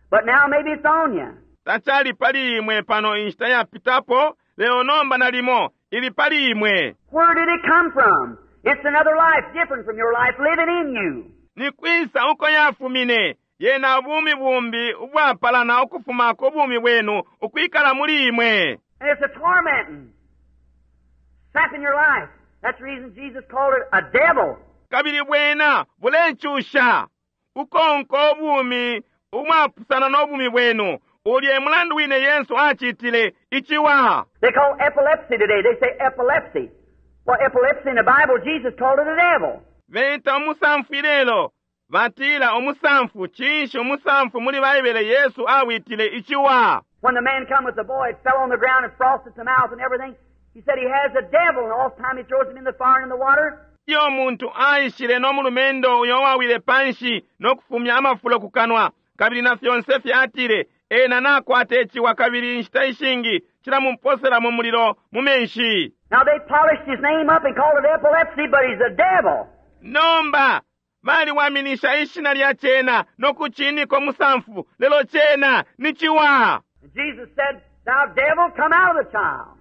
but now maybe it's on you. Tachali pali imwe pano inshita yapitapo lelo nomba nalimo ili pali imwe. Where did it come from? It's another life different from your life living in you. Ni kwisa uko yafumine? Yena bumi bumbi ubwapalana ukufuma ku bumi bwenu ukwikala muli imwe. And it's a tormenting, sapping your life. That's the reason Jesus called it a devil. Kabili bwena bulecusha ukonka ubumi umwapusana n'obumi bwenu. Ulye mulandu wine Yesu achitile ichiwa. They call epilepsy today. They say epilepsy. Well, epilepsy in the Bible, Jesus called it a devil. Beta umusamfu ilelo batila umusamfu. Cinshi umusamfu muli Baibele Yesu awitile ichiwa. When the man come with the boy, it fell on the ground and frosted the mouth and everything. He said he has a devil, and all the time he throws him in the fire and in the water. Iyo muntu aishile n'omulumendo uyo wawile panshi n'okufumya amafulo ku kanwa kabili na fyonse fyatile ena nakwata echiwa kabili inshita ishingi cilamumposera mu mulilo mu menshi. Now they polished his name up and called it epilepsy, but he's a devil. Nomba baliwaminisha ishina lya cena n'okuchinika omusanfu lelo cena ni chiwa. And Jesus said, "Thou devil, come out of the child."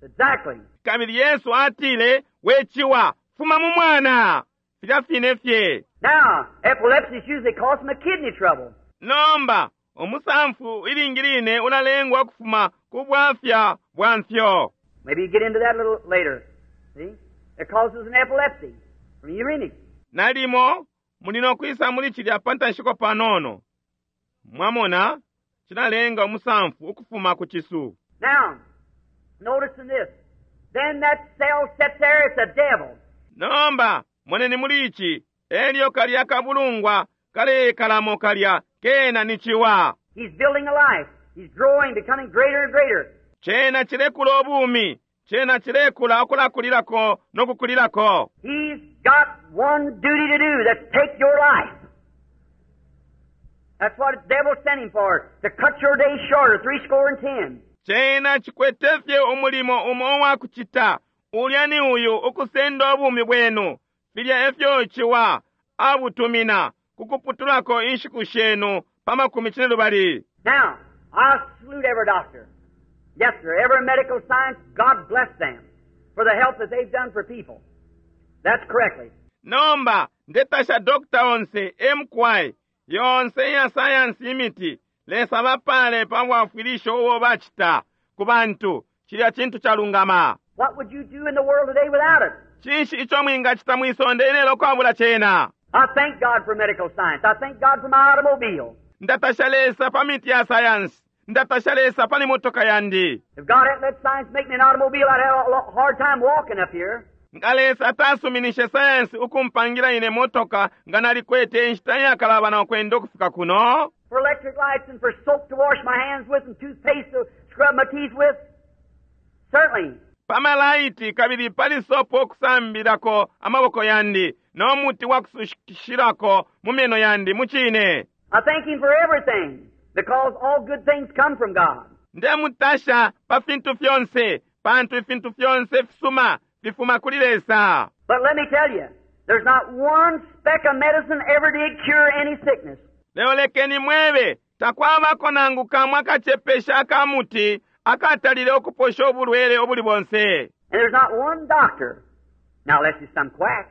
Exactly. Kabili Yesu atile, we chiwa, fuma mu mwana. Filya fine fye. Now, epilepsy is usually caused from a kidney trouble. Nomba omusanfu ilingi line ulalengwa kufuma ku bwafya bwa mfyo. Maybe you get into that a little later. See? It causes an epilepsy from uremic. Nalimo muli nokwisa muli chilya pantanshiko panono. Mwamona chilalenga omusanfu ukufuma ku chisu. Now, notice in this. Then that cell sits there, it's a devil. Nomba moneni muli ichi elyo kalya kabulungwa kalekalamo kalya kena ni chiwa. He's building a life. He's growing, becoming greater and greater. Chena chilekula obumi, chena chilekula okulakulirako n'okukulirako. He's got one duty to do, that's take your life. That's what the devil sent him for, to cut your days shorter, three score and ten. Chena chikwete fye umulimo umo wakuchita ulya ni uyu ukusenda obumi bwenu. Filya efyo chiwa abutumina kukuputulako inshiku shenu pa makumi cine lubali. Now, I salute every doctor. Yes, sir, every medical science, God bless them for the help that they've done for people. That's correctly. Nomba ndetasha dokta onse M K yonse ya sayansi imiti lesa bapale pa bwafwilisho ubo bachita ku bantu. Chilya chintu chalungama. What would you do in the world today without it? Cinshi icho mwingachita mwisonde ilelo kwabula chena? I thank God for medical science. I thank God for my automobile. Ndatasha Lesa pa miti ya sayansi. Ndatasha Lesa pa motoka yandi. If God hadn't let science make me an automobile, I'd have a lo- hard time walking up here. Nga Lesa atasuminishe sayansi ukumpangira ine motoka nga nalikwete inshita yakalabana okwenda ukufika kuno. For electric lights and for soap to wash my hands with and toothpaste to scrub my teeth with. Certainly. Pamalaiti kabili pali sopo okusambirako amaboko yandi n'omuti wa kusushirako mu meno yandi muchine. I thank Him for everything because all good things come from God. Ndemutasha pa fintu fyonse pantu ifintu fyonse fisuma fifuma kuli Lesa. But let me tell you, there's not one speck of medicine ever did cure any sickness. Leo lekeni mwebe takwabako nangu kamwe akachepesha akamuti akatalile okuposha obulwele obuli bonse. And there's not one doctor, now unless it's some quack,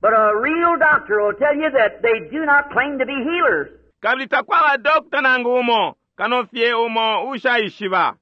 but a real doctor will tell you that they do not claim to be healers. Kabili takwaba dokta nangu umo kano fye umo ushaishiba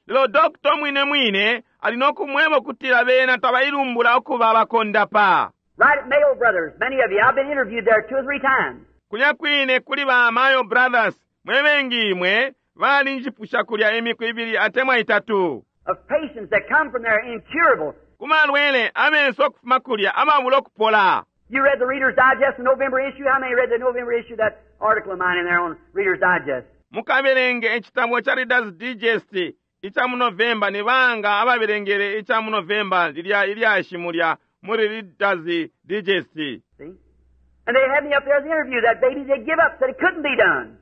lelo dokta mwine mwine ali nokumweba okutila bena tabailumbula okuba bakondapa. Right at Mayo Brothers, many of you, I've been interviewed there two or three times. Kulya kwine kuli ba Mayo Brothers, mwe bengi imwe balinjipusha kulya imiku ibili atemwa itatu. Of patients that come from there incurable. Kumalwele abenso okufuma kulya ababula okupola. You read the Reader's Digest, the November issue? How many read the November issue, that article of mine in there on Reader's Digest? Mukabelenge ekitabo kya Reader's Digest ica mu November ni banga ababelengele ica mu November lilya ilyashi mulya muri Reader's Digest. See? And they had me up there as the interview. That baby they give up, said it couldn't be done.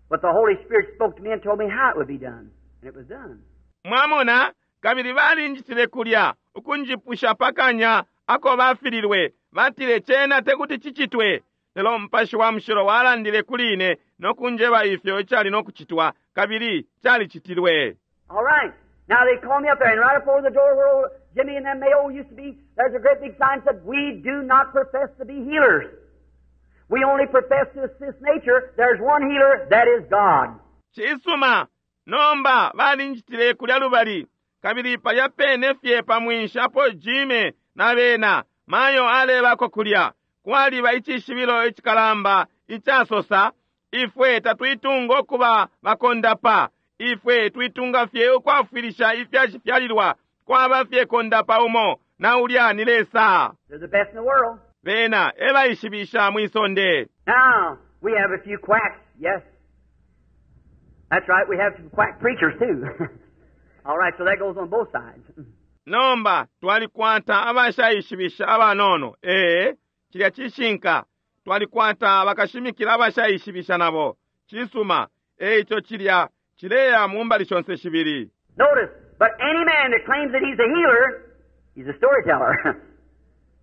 But the Holy Spirit spoke to me and told me how it would be done. And it was done. Mwamona kabili balinjitile kulya ukunjipusha pakanya ako bafililwe batile chena tekuti chichitwe lelo Mupashi wa Mushilo walandile kuli ine nokunjeba ifyo icali nokuchitwa kabili chalichitilwe. All right. Now they called me up there, and right up over the door where old Jimmy and them Mayo used to be, there's a great big sign that said, "We do not profess to be healers. We only profess to assist nature. There's one healer, that is God." Cisuma nomba balinjitile kulya lubali kabili palya pene fye pamwinshi apo Jimmy na bena Mayo alebako kulya kwaliba icishibilo icikalamba icasosa ifwe tatwitunga okuba bakondapa ifwe twitunga fye ukwafwilisha ifyacifyalilwa kwaba fye kondapa umo na ulya ni Lesa. They're the best in the world. Bena ebaishibisha mwisonde. Now, we have a few quacks, yes. That's right, we have some quack preachers too. All right, so that goes on both sides. Nomba twalikwata abashaishibisha abanono. Ee, cilya cishinka. Twalikwata bakashimikila abashaishibisha nabo. Cisuma, eico cilya cileya mu mbali shonse shibili. Notice, but any man that claims that he's a healer, he's a storyteller.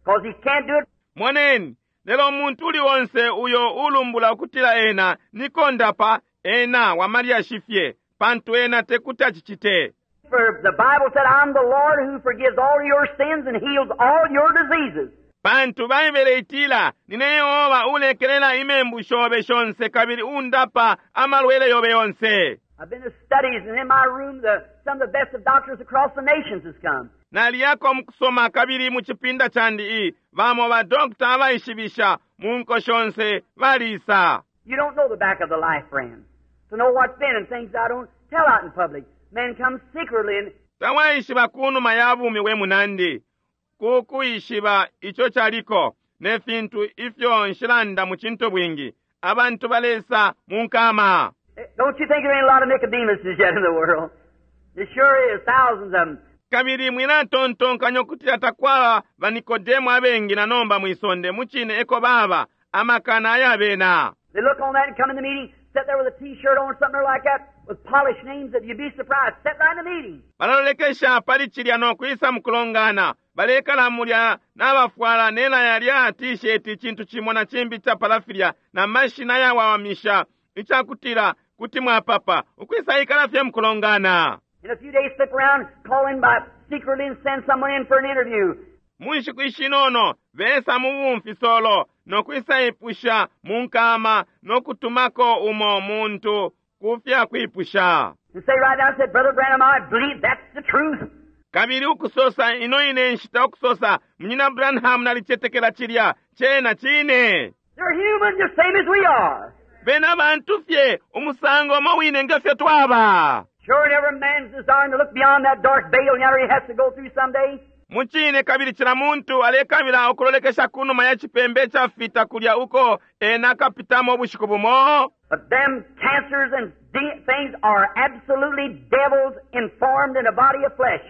'Cause he can't do it. Moneni, lelo umuntu uli onse uyo ulumbula ukutila ena ni kondapa ena wa malyashi fye, pantu ena tekuti acicite. For the Bible said, "I'm the Lord who forgives all your sins and heals all your diseases." Pantu Baibele itila, nine Yehova ulekelela imembu shobe shonse kabili undapa amalwele yobe yonse. I've been to studies, and in my room, the, some of the best of doctors across the nations has come. Naliyako mukusoma kabili mu chipinda chandi i bamo ba doctor abaishibisha mu nko shonse balisa. You don't know the back of the life, friend. To know what's been and things I don't tell out in public. Men come secretly and Tawaishiba kunuma ya bumi we munandi. Kukuishiba icho chaliko ne fintu ifyo nshilanda mu chinto bwingi. Abantu balesa mu nkama. Don't you think there ain't a lot of Nicodemuses yet in the world? There sure is, thousands of them. Kabili mwilatontonkanya ukutila takwaba ba Nikodemo abengi na nomba mwisonde muchine eko baba amakana ayabena. They look on that and come in the meeting, sit there with a t-shirt on, something like that, with polished names that you'd be surprised. Sit right in the meeting. Balalolekesha pali chilya no kwisa mukulongana. Balekala mulya n'abafwala nela yalya t-shirt chintu chimo na chimbi cha palafilya na mashina yawawamisha ichakutila kuti mwapapa ukwisa ikala fye mukulongana. In a few days slip around, call in by secretly and send someone in for an interview. Munshiku ishinono besa mu bumfisolo nokwisa ipusha mu nkama nokutumako umo muntu kufya kwipusha. And say right now, said, "Brother Branham, I believe that's the truth." Kabili ukusosa ino ine nshita ukusosa Munyina Branham nalichetekela chilya chena chine. They're human just same as we are. Bena bantu fye umusango mo wine ngefyo twaba. Sure, and every man's desiring to look beyond that dark veil yonder he has to go through someday. Muchine kabili chila muntu alekabila okulolekesha kunuma ya chipembe cha fita kulya uko ena kapitamo bushiku bumo. But them cancers and de- things are absolutely devils informed in a body of flesh,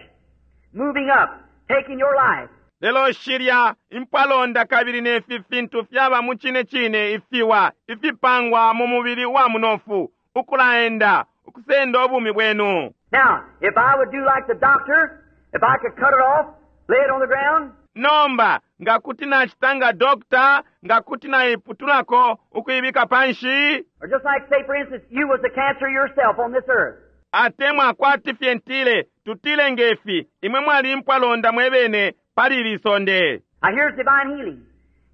moving up, taking your life. Lelo shilya impalonda kabili nefi fintu fyaba muchine chine ifiwa ifipangwa mu mubili wa munofu ukulaenda ukusenda obumi bwenu. Now, if I would do like the doctor, if I could cut it off, lay it on the ground. Nomba ngakuti nachitanga doctor ngakuti naiputulako ukuibika panshi. Or just like, say, for instance, you was the cancer yourself on this earth. Atemwa kwati fye ntile tutile ngefi imwe mwali mpwalonda mwebene pali lisonde. Now here's divine healing.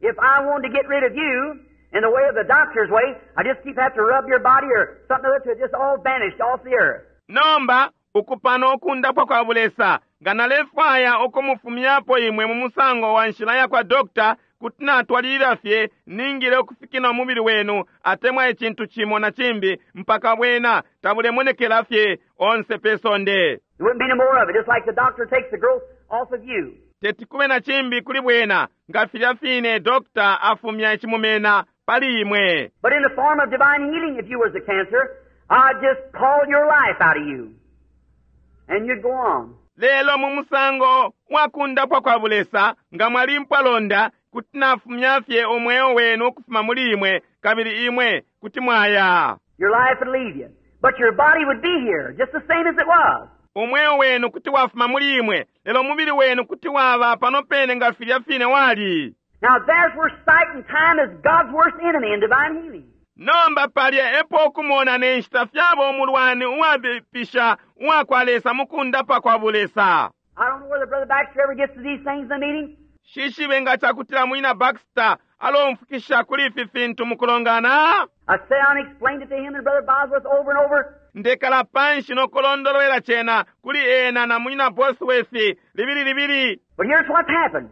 If I wanted to get rid of you in the way of the doctor's way, I just keep have to rub your body or something other till it just all vanished off the earth. Nomba ukupano okundapwa kwa bulesa nga nalefwaya okumufumyapo imwe mu musango wa nshila ya kwa doctor Kuti natwalilila fye ningile ukufikina umubili wenu atemwa icintu cimo na cimbi mpaka bwena tabulemonekela fye onse pe sonde. There wouldn't be no more of it. Just like the doctor takes the growth off of you. Teti kube na cimbi kuli bwena nga filya fine dokta afumya icimumena pali imwe. But in the form of divine healing, if you was a cancer, I'd just call your life out of you. And you'd go on. Lelo mu musango wakundapwa kwa bulesa nga mwali mpwalonda kuti nafumya fye umweo wenu ukufuma muli imwe kabili imwe kuti mwaya. Your life would leave you. But your body would be here, just the same as it was. Umweo wenu kuti wafuma muli imwe lelo umubili wenu kuti waba pano pene nga filya fine wali. Now there's where sight and time is God's worst enemy in divine healing. Nomba palya epo okumona ne nshita fyaba umulwani uwabipisha uwakwa Lesa mu kundapa kwa bulesa. I don't know whether Brother Baxter ever gets to these things in the meeting. Shishibe nga chakutila munyina Baxter alomfukisha kuli ifi fintu mu kulongana. I sat down and explained it to him and Brother Bosworth over and over. Ndekala panshi nokulondolwela chena kuli ena na munyina Bosworth libili libili. But here's what's happened.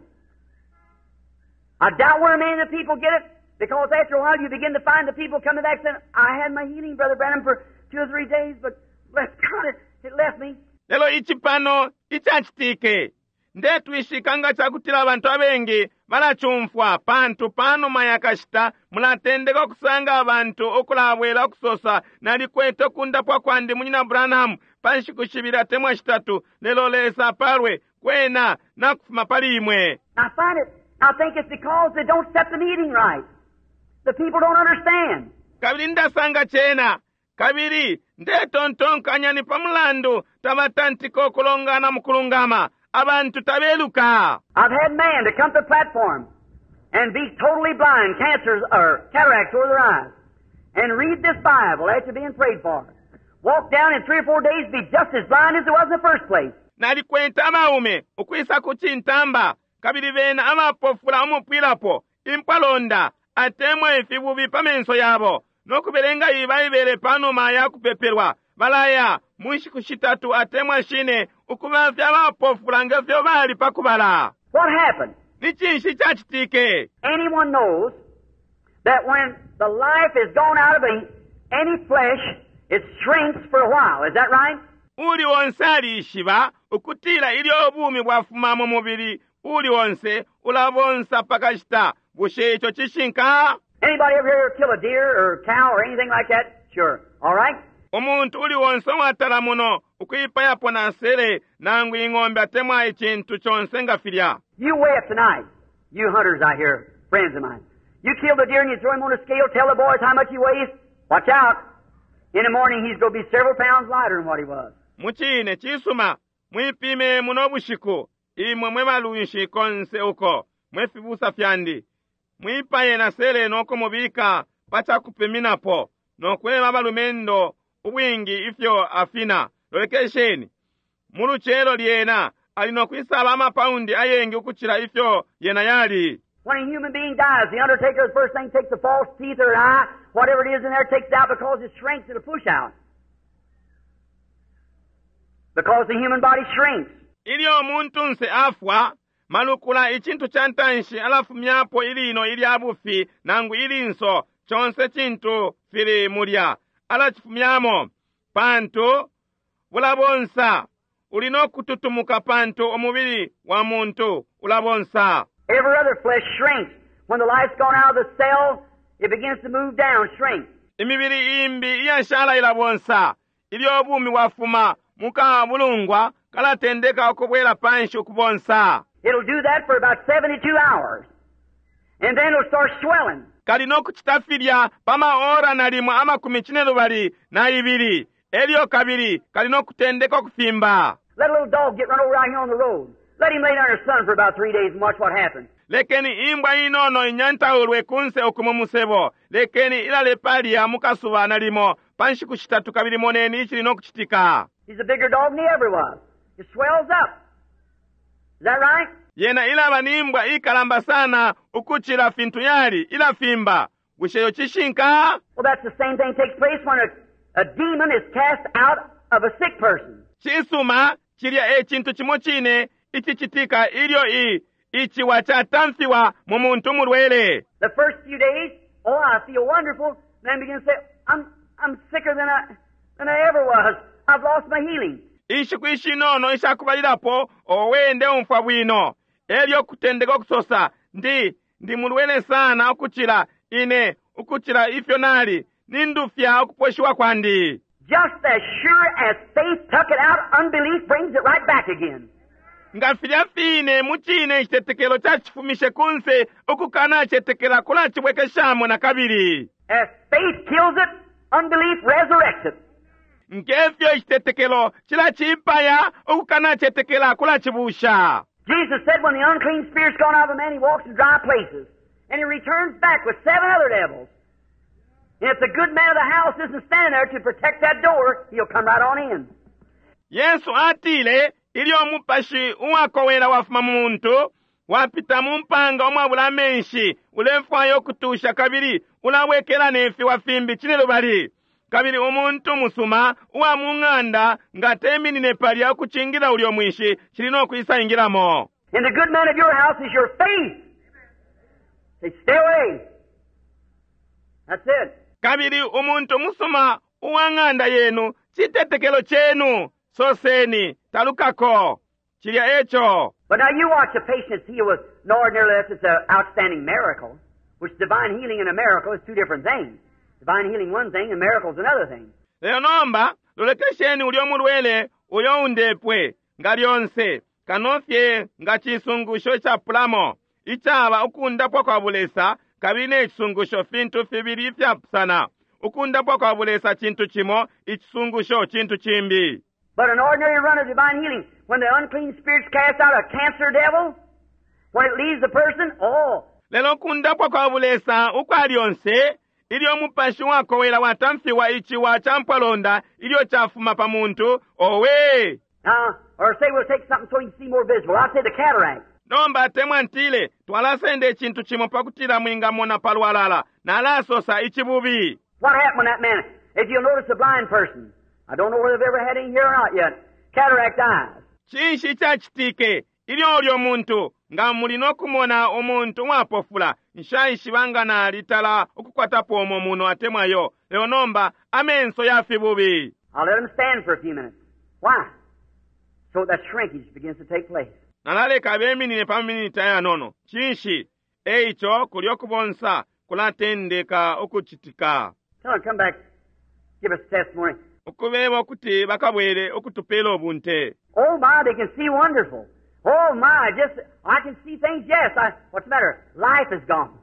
I doubt where many of the people get it, because after a while you begin to find the people coming back saying, I had my healing, Brother Branham, for two or three days, but bless God, it, it left me. Lelo ichi pano ichachitike ndetwishika nga chakutila abantu abengi balachumfwa pantu panuma yakashita mulatendeka okusanga abantu okulabwela okusosa nalikwete okundapwa kwandi munyina Branham pa nshiku shibili atemwa shitatu lelo Lesa apalwe kwena nakufuma pali imwe. I find it, I think it's because they don't set the meeting right. The people don't understand. Kabili ndasanga chena kabili ndetontonkanya ni pamulandu tabatantika okulongana mukulungama abantu tabeluka. I've had men to come to the platform and be totally blind, cancers or cataracts over their eyes, and read this Bible after being prayed for. Walk down in three or four days, be just as blind as it was in the first place. Nalikwenta abaume ukwisa ku cintamba kabili bena abapofula umupwilapo impwalonda atemwa ifibubi pa menso yabo nokubelenga iyi Baibele panuma ya kupepelwa balaya mu nshiku shitatu atemwa shine ukubafya abapofula ngefyo bali pakubala. What happened? Ni cinshi cacitike? Anyone knows that when the life is gone out of a, any flesh, it shrinks for a while. Is that right? Uli onse alishiba ukutila ilyo ubumi bwafuma mu mubili uli onse ulabonsa pakashita. Bushe ico cishinka? Anybody ever here kill a deer or cow or anything like that? Sure. All right? Umuntu uli onse watala muno ukuipayapo na nsele nangu ing'ombe atemwa icintu conse nga filya. You weigh it tonight. You hunters out here, friends of mine. You kill the deer and you throw him on the scale, tell the boys how much he weighs. Watch out. In the morning he's gonna be several pounds lighter than what he was. Mucine cisuma mwipime muno bushiku imwe mwe balunshi konse uko mwe fibusa fyandi mwipaye na sele nokumubika pa cakupiminapo nokweba abalumendo ubwingi ifyo afina. Lolekesheni mu lucelo lyena ali nokwisaba amapaundi ayengi ukucila ifyo yena yali. When a human being dies, the undertaker, the first thing, takes the false teeth or an eye, whatever it is in there, takes it out because it shrinks, it'll push out. Because the human body shrinks. Ilyo umuntunse afwa malukula icintu ca ntanshi alafumyapo ilino ilya bufi nangu ilinso conse cintu fili mulya alacifumyamo pantu bulabonsa uli nokututumuka pantu umubili wa muntu ulabonsa. Every other flesh shrinks. When the life's gone out of the cell, it begins to move down, shrink. Imibili imbi iyashala ilabonsa ilyo ubumi bwafuma mukabulungwa kalatendeka ukubwela panshi ukubonsa. It'll do that for about seventy-two hours. And then it'll start swelling. Kali nokucita filya pa maora nalimo amakumi cinelubali na ibili. Elyo kabili kali nokutendeka ukufimba. Let a little dog get run over out here on the road. Let him lay down in the sun for about three days and watch what happens. Lekeni imbwa inono inyantaulwe kunse okumu musebo. Lekeni ilale palya mukasuba nalimo pa nshiku shitatu kabili moneni icili nokucitika. He's a bigger dog than he ever was. It swells up. Is that right? Yena ilaba ni imbwa ikalamba sana ukucila fintu yali ilafimba. Bushe yo cishinka? Well, that's the same thing takes place when a, a demon is cast out of a sick person. Cisuma cilya e cintu cimo cine icicitika ilyo i Iciwa catamfiwa mu muntu mulwele. The first few days, oh, I feel wonderful. Then begin to say, I'm, I'm sicker than I, than I ever was. I've lost my healing. Inshiku ishinono ishakubalilapo owe ndeumfwa bwino elyo kutendeka ukusosa ndi ndi mulwele sana ukucila ine ukucila ifyo nali nindufya ukuposhiwa kwandi. Just as sure as faith took it out, unbelief brings it right back again. Nga filya fine mu cine icitetekelo cacifumishe kunse ukukanacetekela kulacibwekeshamo na kabili. As faith kills it, unbelief resurrects it. Ngefyo icitetekelo cilacipaya ukukanacetekela kulacibusha. Jesus said when the unclean spirit's gone out of a man, he walks in dry places. And he returns back with seven other devils. And if the good man of the house isn't standing there to protect that door, he'll come right on in. Yesu atile ilyo umupashi uwakowela wafuma mu muntu wapita mu mpanga umwabula amenshi ulefwaya ukutusha kabili ulabwekela ne fiwa fimbi cine lubali kabili umuntu musuma uwa mu ng'anda nga teminine palya ukucingila ulyo mwinshi cili no kwisa ingilamo. And the good man of your house is your faith. Say, stay away. That's it. Kabili umuntu musuma uwa ng'anda yenu citetekelo chenu soseni talukako cilya eco. But now you watch a patient heal with no ordinarily it's an outstanding miracle, which divine healing and a miracle is two different things. Divine healing one thing and miracle's another thing. Lelo nomba lolekesheni ulyo mulwele uyo undepwe nga lyonse kanofye nga cisungusho icapulamo icaba ukundapwa kwa bulesa kabili ne cisungusho fintu fibili ifyapusana. Ukundapwa kwa bulesa cintu cimo, icisungusho cintu cimbi. But an ordinary run of divine healing, when the unclean spirits cast out a cancer devil, when it leaves the person, oh. Lelo ukundapwa kwa bulesa ukwa lyonse ilyo umupashi wakowela watamfiwa iciwa ca mpwalonda ilyo cafuma pa muntu owe. Now, or say we'll take something so you can see more visible. I'll say the cataract. Nomba temwa ntile twalasenda icintu cimo pakutila mwingamona palwalala nalasosa icibubi. What happened when that man, if you'll notice a blind person, I don't know whether they've ever had any here or not yet, cataract eyes. Cinshi icacitike ilyo ulyo muntu nga muli no kumona umuntu uwapofula nshaishiba nga nalitala ukukwatapo umo muno atemwayo lelo nomba amenso ya fibubi. I'll let them stand for a few minutes. Why? So that shrinkage begins to take place. Nalaleka beminine pa minita yanono. Cinshi? Eico kulyo kubonsa kulatendeka ukucitika. Tell them come back, give us testimony. Ukubeba ukuti bakabwele ukutupela ubunte. Oh my, they can see wonderful. Oh my, just I can see things. Yes, I, what's the matter? Life is gone.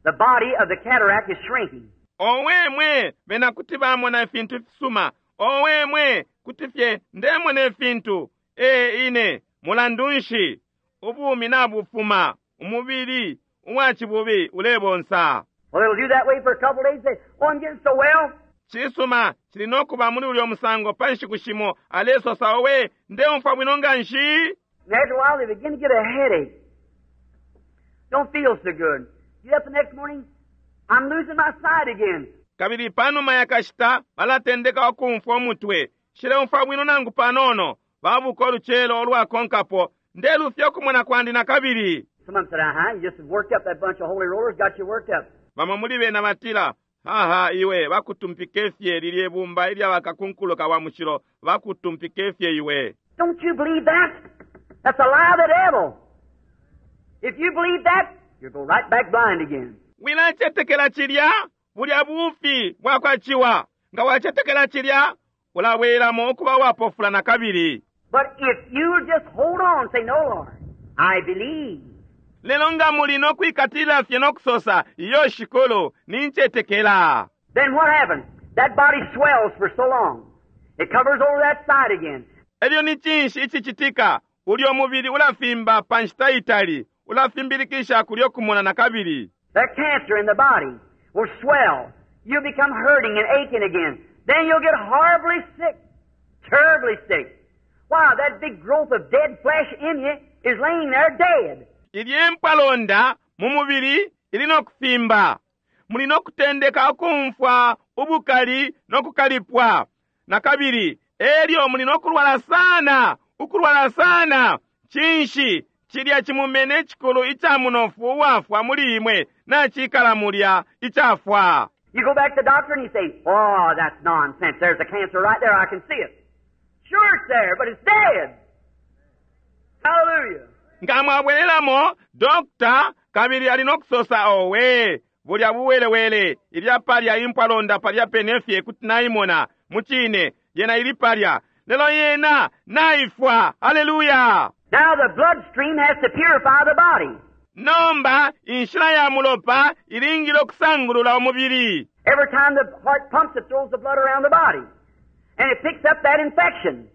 The body of the cataract is shrinking. Owe mwe bena kuti bamona ifintu fisuma. Owe mwe kuti fye ndemona ifintu. E ine mulandu nshi ubumi nabufuma umubili uwacibubi ulebonsa. Well, it'll do that way for a couple of days. Say, oh, I'm getting so well. Cisuma cili nokuba muli ulyo musango pa nshiku shimo alesosa owe ndeumfwa bwino nga nshi. And after a while, they begin to get a headache. Don't feel so good. Get up the next morning, I'm losing my sight again. Kabili panuma yakashita balatendeka ukumfwa umutwe shileumfwa bwino nangu panono babuka oluchelo olwakonkapo ndelufya okumona kwandi na kabili. Some of them said, uh-huh, you just worked up that bunch of holy rollers, got you worked up. Bamo muli bena batila haha iwe bakutumpike fye lilye bumba ilya bakakunkuluka wa mushilo bakutumpike fye iwe. Don't you believe that? That's a lie of the devil. If you believe that, you'll go right back blind again. Wilacetekela cilya bulya bufi bwakwaciwa nga wacetekela cilya ulabwelamo ukuba wapofula na kabili. But if you just hold on, say, no, Lord, I believe. Lelo nga muli no kwikatilila fye no kusosa iyo shikulu nincetekela. Then what happens? That body swells for so long. It covers over that side again. Elyo ni cinshi icicitika ulyo mubili ulafimba pa nshita itali ulafimbilikisha kulyo kumona na kabili. That cancer in the body will swell. You become hurting and aching again. Then you'll get horribly sick, terribly sick. Why, that big growth of dead flesh in you is laying there dead. Ilye mpwalonda mu mubili ili no kufimba. Muli no kutendeka ukumfwa ubukali no kukalipwa. Na kabili, elyo muli no kulwala sana, ukulwala sana. Cinshi Cilya cimumena icikulu ica munofu uwafwa muli imwe nacikala mulya icafwa. You go back to the doctor and he say, "Oh, that's nonsense. There's a cancer right there. I can see it." Sure, it's there, but it's dead. Hallelujah. Nga mwabwelelamo dokta kabili ali nokusosa, "Owe, bulya buwelewele, ilya palya impwalonda palya pene fye kuti naimona mucine yena ili palya, lelo yena naifwa." Haleluya! Now the bloodstream has to purify the body. Nomba inshila ya mulopa ilingile okusangulula umubili. Every time the heart pumps, it throws the blood around the body. And it picks up that infection.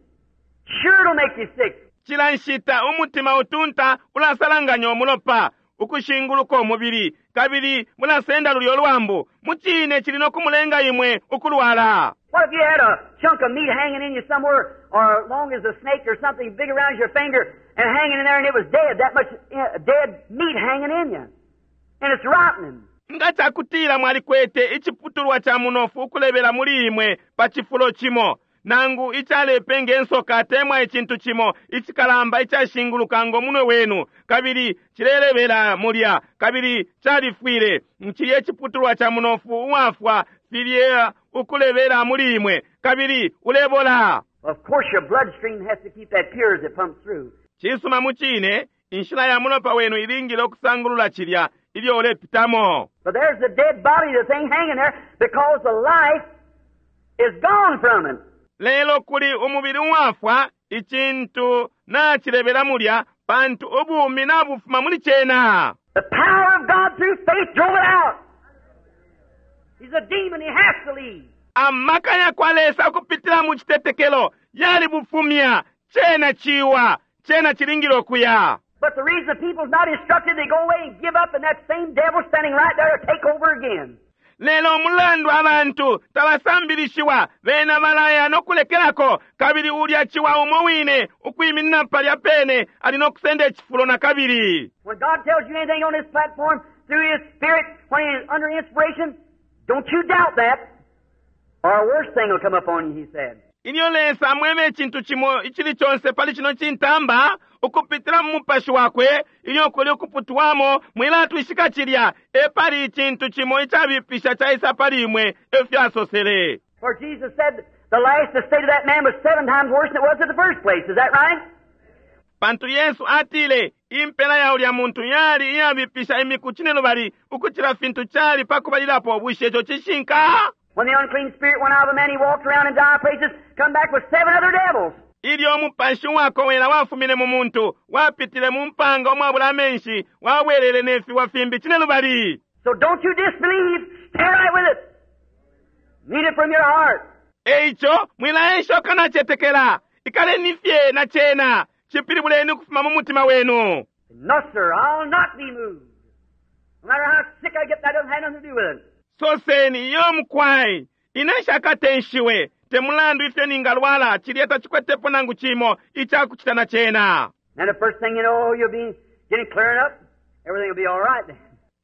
Sure, it'll make you sick. Cila nshita umutima utunta ulasalanganya umulopa ukushinguluka umubili, kabili mulasenda lulyo lwambu. Mucine cili nokumulenga imwe ukulwala. What if you had a chunk of meat hanging in you somewhere, or long as a snake or something big around your finger, and hanging in there, and it was dead, that much uh, dead meat hanging in you? And it's rotting. Nga cakutila mwalikwete iciputulwa ca munofu ukulebela muli imwe pa cifulo cimo, nangu icalepe nge nsoka atemwa icintu cimo icikalamba icashinguluka ngo munwe wenu, kabili cilelebela mulya, kabili califwile, cilye iciputulwa ca munofu uwafwa filye ukulebela muli imwe, kabili ulebola. Of course, your bloodstream has to keep that pure as it pumps through. Cisuma, mucine inshila ya mulopa wenu ilingile okusangulula cilya ilyo ulepitamo. But there's the dead body, the thing hanging there, because the life is gone from it. Lelo kuli umubili uwafwa, icintu nacilebela mulya, pantu ubumi nabufuma muli cena. The power of God through faith drove it out. He's a demon, he has to leave. Amaka ya kwa Lesa ukupitila mu citetekelo yalibufumya. Cena ciwa, cena cilingile okuya. But the reason the people's not instructed, they go away and give up, and that same devil standing right there to take over again. Lelo umulandu abantu tabasambilishiwa, bena balaya nokulekelako, kabili ulya ciwa umo wine ukwiminina palya pene ali nokusenda icifulo na kabili. When God tells you anything on this platform through His Spirit, when He's under inspiration, don't you doubt that, or a worse thing will come upon you, He said. Ilyo Lesa amwebe icintu cimo icili conse pali cino cintamba ukupitila mu mupashi wakwe, ilyo kuli ukuputwamo, mwilatwishika cilya, epali icintu cimo icabipisha caisa pali imwe, efyo asosele. For Jesus said the last the state of that man was seven times worse than it was in the first place. Is that right? Pantu Yesu atile impela ya ulya muntu yali iyabipisha imiku cinelubali ukucila fintu cali pakubalilapo. Bushe ico cishinka? When the unclean spirit went out of a man, he walked around in dry places, come back with seven other devils. Ilyo umupashi uwakowela wafumine mu muntu, wapitile mu mpanga umwabula amenshi, wabwelele ne fiwa fimbi cinelubali. So don't you disbelieve. Stay right with it. Mean it from your heart. Eico mwilaesha ukanacetekela, ikaleni fye na cena, cipilibuleni ukufuma mu mutima wenu. No, sir, I'll not be moved. No matter how sick I get, that doesn't have nothing to do with it. Soseni, "Iyo mukwai, ine nshakatenshiwe, te mulandu ifyo ningalwala, cilya tacikwetepo nangu cimo icakucita na cena." And the first thing you know, you'll be getting clearing up. Everything will be all right then.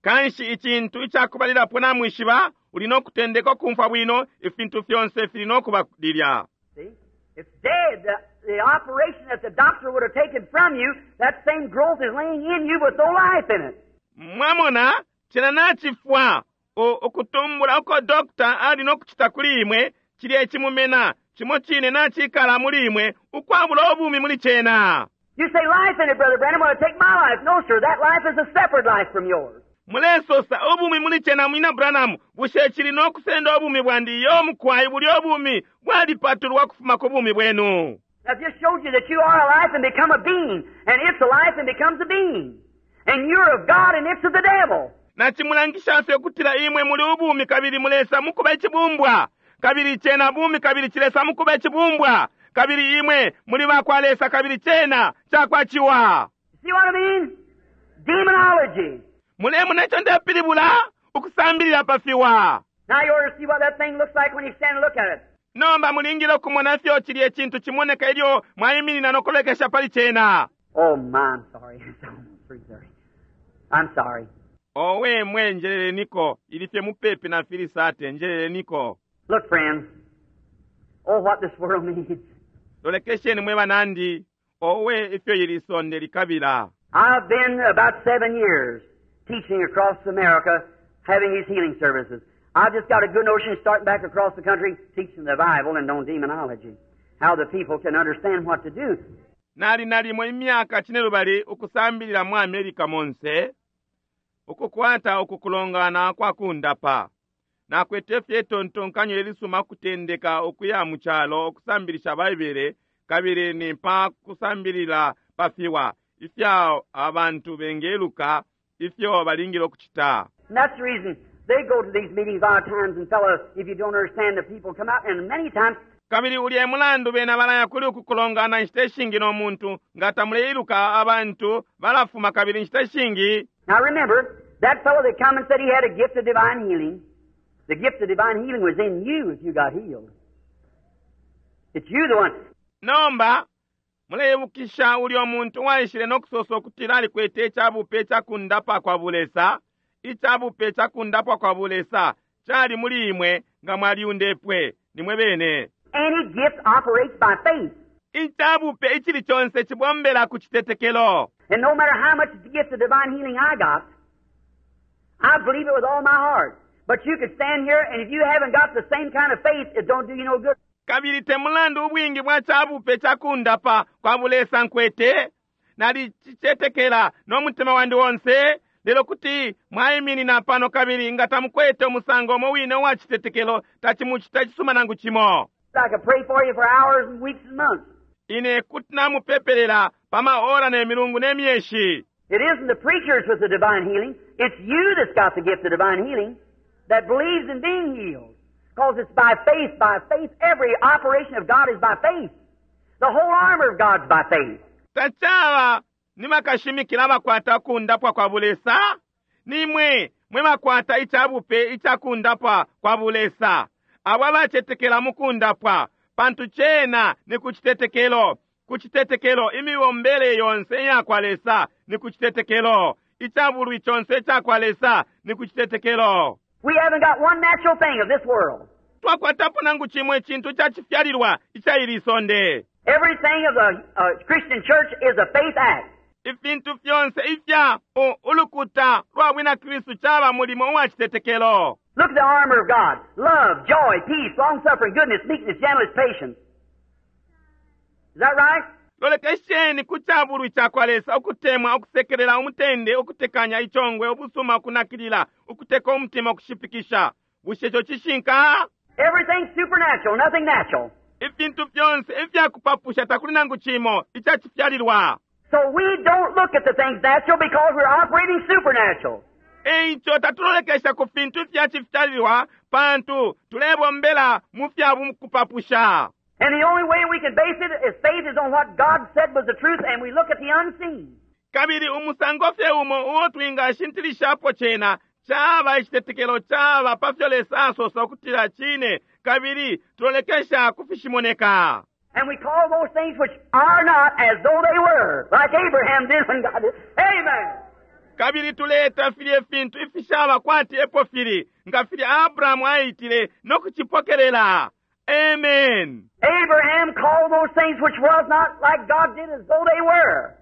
Kanshi icintu icakubalilapo namwishiba, uli nokutendeka ukumfwa bwino, ifintu fyonse fili nokuba lilya. See? It's dead. The, the operation that the doctor would have taken from you, that same growth is laying in you with no life in it. Mwamona, cena nacifwa. Ukutumbula uko dokta ali nokucita kuli imwe, cilya icimumena cimo cine nacikala muli imwe ukwabula ubumi muli cena. You say life in it, Brother Branham, want to take my life. No, sir, that life is a separate life from yours. Mulesosa ubumi muli cena, mwina Branham, bushe cili nokusenda ubumi bwandi? Iyo mukwai, bulya ubumi bwalipatulwa kufuma ku bumi bwenu. That just showed you that you are a life and become a being, and it's a life and becomes a being. And you're of God and it's of the devil. Nacimulangisha fye ukutila imwe muli ubumi kabili mulesa mukuba icibumbwa, kabili cena bumi kabili cilesa mukuba icibumbwa, kabili imwe muli bakwa Lesa kabili cena cakwa ciwa. See what I mean? Demonology. Mulemona ico ndepilibula? Ukusambilila pa fiwa. Now you ought to see what that thing looks like when you stand and look at it. Nomba mulingile ukumona fyo cilya icintu cimoneka ilyo mwaiminina nokulekesha pali cena. Oh my, I'm sorry. It's almost three thirty. I'm sorry. Owe mwe, njeleleniko, ili fye mupepi na filisate, njeleleniko. Look, friends. Oh, what this world needs. Lolekesheni mwe banandi, owe ifyo ili sonde likabila. I've been about seven years teaching across America, having these healing services. I've just got a good notion of starting back across the country teaching the Bible and on demonology, how the people can understand what to do. Nali nalimo imyaka cinelubali ukusambilila mu America monse ukukwata ukukulongana kwa kundapa. Nakwete fye itontonkanyo ilisuma kutendeka ukuya mu calo ukusambilisha Baibele kabili ni pa kusambilila pa fiwa ifya abantu bengeluka ifyo balingile ukucita. And that's the reason they go to these meetings a lot of times and fellows, if you don't understand the people come out and many times kabili ulya e mulandu bena balaya kuli uku kulongana inshita ishingi no muntu nga tamuleiluka abantu balafuma kabili inshita ishingi. Now remember, that fellow that come and said he had a gift of divine healing, the gift of divine healing was in you if you got healed. It's you the one. Nomba muleibukisha ulya muntu waishile no kusosa ukutila alikwete icabupe icakundapa kwa bulesa. Icabupe icakundapwa kwa bulesa cali muli imwe nga mwaliundepwe nimwe bene. Any gift operates by faith. Icabupe icili conse cibombela ku citetekelo. And no matter how much the gift of divine healing I got, I believe it with all my heart. But you could stand here, and if you haven't got the same kind of faith, it don't do you no good. Kabili te mulandu ubwingi bwa cabupe cakundapa kwa bulesa nkwete, nalicicetekela no mutima wandi wonse, lelo kuti mwaiminina pano kabili nga tamukwete umusango umo wine uwa citetekelo, tacimucita cisuma nangu cimo. I could pray for you for hours and weeks and months. Ine kuti namupepelela pa maora ne milungu ne myeshi. It isn't the preachers with the divine healing. It's you that's got the gift of divine healing that believes in being healed. Because it's by faith, by faith. Every operation of God is by faith. The whole armor of God's by faith. Tacaba ni bakashimikila bakwata kundapwa kwa bulesa, nimwe mwe bakwata icabupe icakundapwa kwa bulesa. Abo abacetekela mu kundapwa, pantu cena ni ku citetekelo, ku citetekelo imibombele yonse iya kwa Lesa ni ku citetekelo, icabulwi conse ica kwa Lesa ni ku citetekelo. We haven't got one natural thing of this world. Twakwatapo nangu cimwe icintu ca cifyalilwa ica ili sonde. Everything of the uh, Christian church is a faith act. Ifintu fyonse ifya ulukuta lwa bwina Kristu caba mulimo uwa citetekelo. Look at the armor of God. Love, joy, peace, long-suffering, goodness, meekness, gentleness, patience. Is that right? Lolekesheni ku cabulwi ca kwa Lesa, ukutemwa, ukusekelela, umutende, ukutekanya, icongwe, ubusuma, ukunakilila, ukuteka umutima, ukushipikisha. Bushe ico cishinka? Everything's supernatural, nothing natural. Ifintu fyonse ifyakupapusha takuli nangu cimo icacifyalilwa. So we don't look at the things natural because we're operating supernatural. Eico tatulolekesha ku fintu ifyacifyalilwa pantu tulebombela mu fya kupapusha. And the only way we can base it is faith is on what God said was the truth, and we look at the unseen. Kabili umusango fye umo uo twingashintilishapo cena caba icitetekelo caba pa fyo Lesa asosa ukutila cine, kabili tulolekesha ku fishimoneka. And we call those things which are not as though they were, like Abraham did when God did. Amen. Kabili tuleta filye fintu ifishaba kwati epo fili, nga filya Abrahamu aitile no kucipokelela. Amen. Abraham called those things which was not like God did as though they were.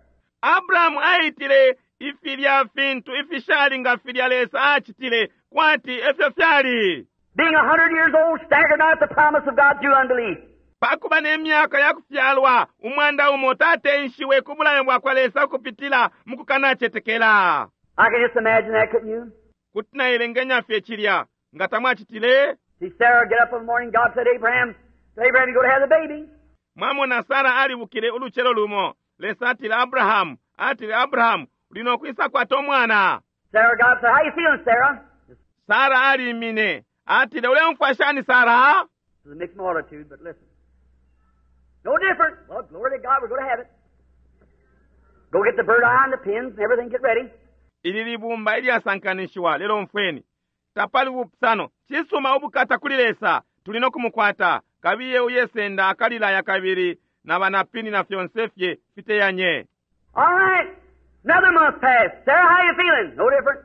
Abrahamu aitile ifilya fintu ifishali nga filya Lesa acitile kwati efyo fyali. Being a hundred years old, staggered not at the promise of God through unbelief. Pakuba ne myaka ya kufyalwa umwanda umo tatenshiwe ku bulayo bwa kwa Lesa ukupitila mu kukanacetekela. I can just imagine that, couldn't you? Kuti naelenganya fye cilya, nga tamwacitile? See Sarah get up in the morning, God said, Abraham, Abraham, you go to have the baby. Mwamona Sara alibukile ulucelo lumo, Lesa atile Abrahamu, atile Abrahamu, uli no kwisa kwata umwana. Sarah, God said, how you feeling, Sarah? Sara alimine, atile, uleumfwa shani Sara? It's a mixed multitude, but listen. No different. Well, glory to God, we're going to have it. Go get the bird eye and the pins and everything, get ready. Ili libumba ilyasankanishiwa, lelo umfweni. Tapali bupusano. Cisuma, ubukata kuli Lesa, tuli no kumukwata. Kabiye uyesenda akalilaya kabili na banapini na fyonse fye fiteyanye. All right. Another month passed. Sarah, how you feeling? No different.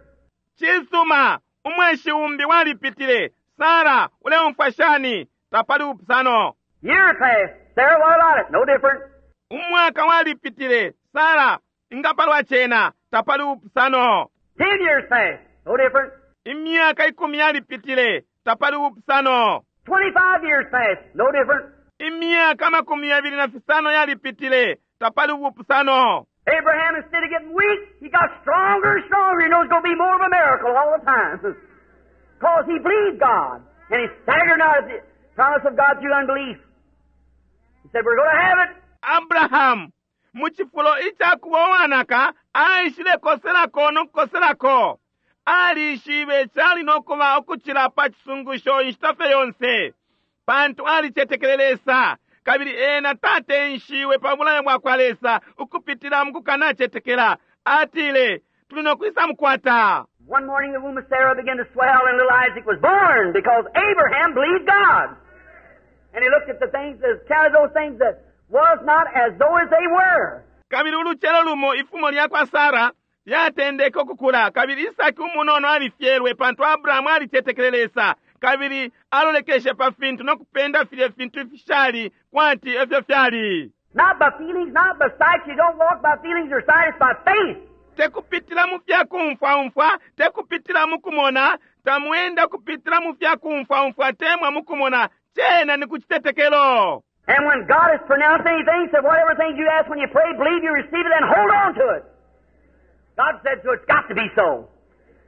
Cisuma, umweshi umbi walipitile. Sara, uleumfwa shani? Tapali bupusano. Year passed. Sarah, what about it? No different. Umwaka walipitile. Sara, Inga palwa cena tapali ubupusano. Ten years passed, no different. Imyaka ikumi yalipitile tapali ubupusano. Twenty-five years passed, no different. Imyaka amakumi yabili na fisano yalipitile tapali ubupusano. Abraham, instead of getting weak, he got stronger and stronger. He knows it's going to be more of a miracle all the time. Because he believed God. And he staggered not at the promise of God through unbelief. He said, we're going to have it. Abrahamu mu cifulo icakuba uwanaka aishile koselako no kukoselako. Alishibe cali no kuba ukucila pa cisungusho inshita fye yonse, pantu alicetekele Lesa, kabili ena tatenshiwe pa bulayo bwa kwa Lesa ukupitila mu kukanacetekela. Atile, tuli no kwisa mukwata. One morning the womb of Sarah began to swell and little Isaac was born because Abraham believed God. And he looked at the things, as counted those things that was not as though as they were. Kabili ulucelo lumo ifumo lya kwa Sara lyatendeke ukukula, kabili Isaki umunono alifyelwe pantu Abrahamu alicetekele Lesa, kabili alolekeshe pa fintu no kupenda filye fintu ifishali kwati efyo fyali. Not by feelings, not by sight. You don't walk by feelings or sight, it's by faith. Tekupitila mu fya kumfwaumfwa, tekupitila mu kumona, tamwenda kupitila mu fya kumfwaumfwa temwa mu kumona, cena ni ku citetekelo. And when God has pronounced anything, said whatever things you ask when you pray, believe you receive it, and hold on to it. God said so, it's got to be so.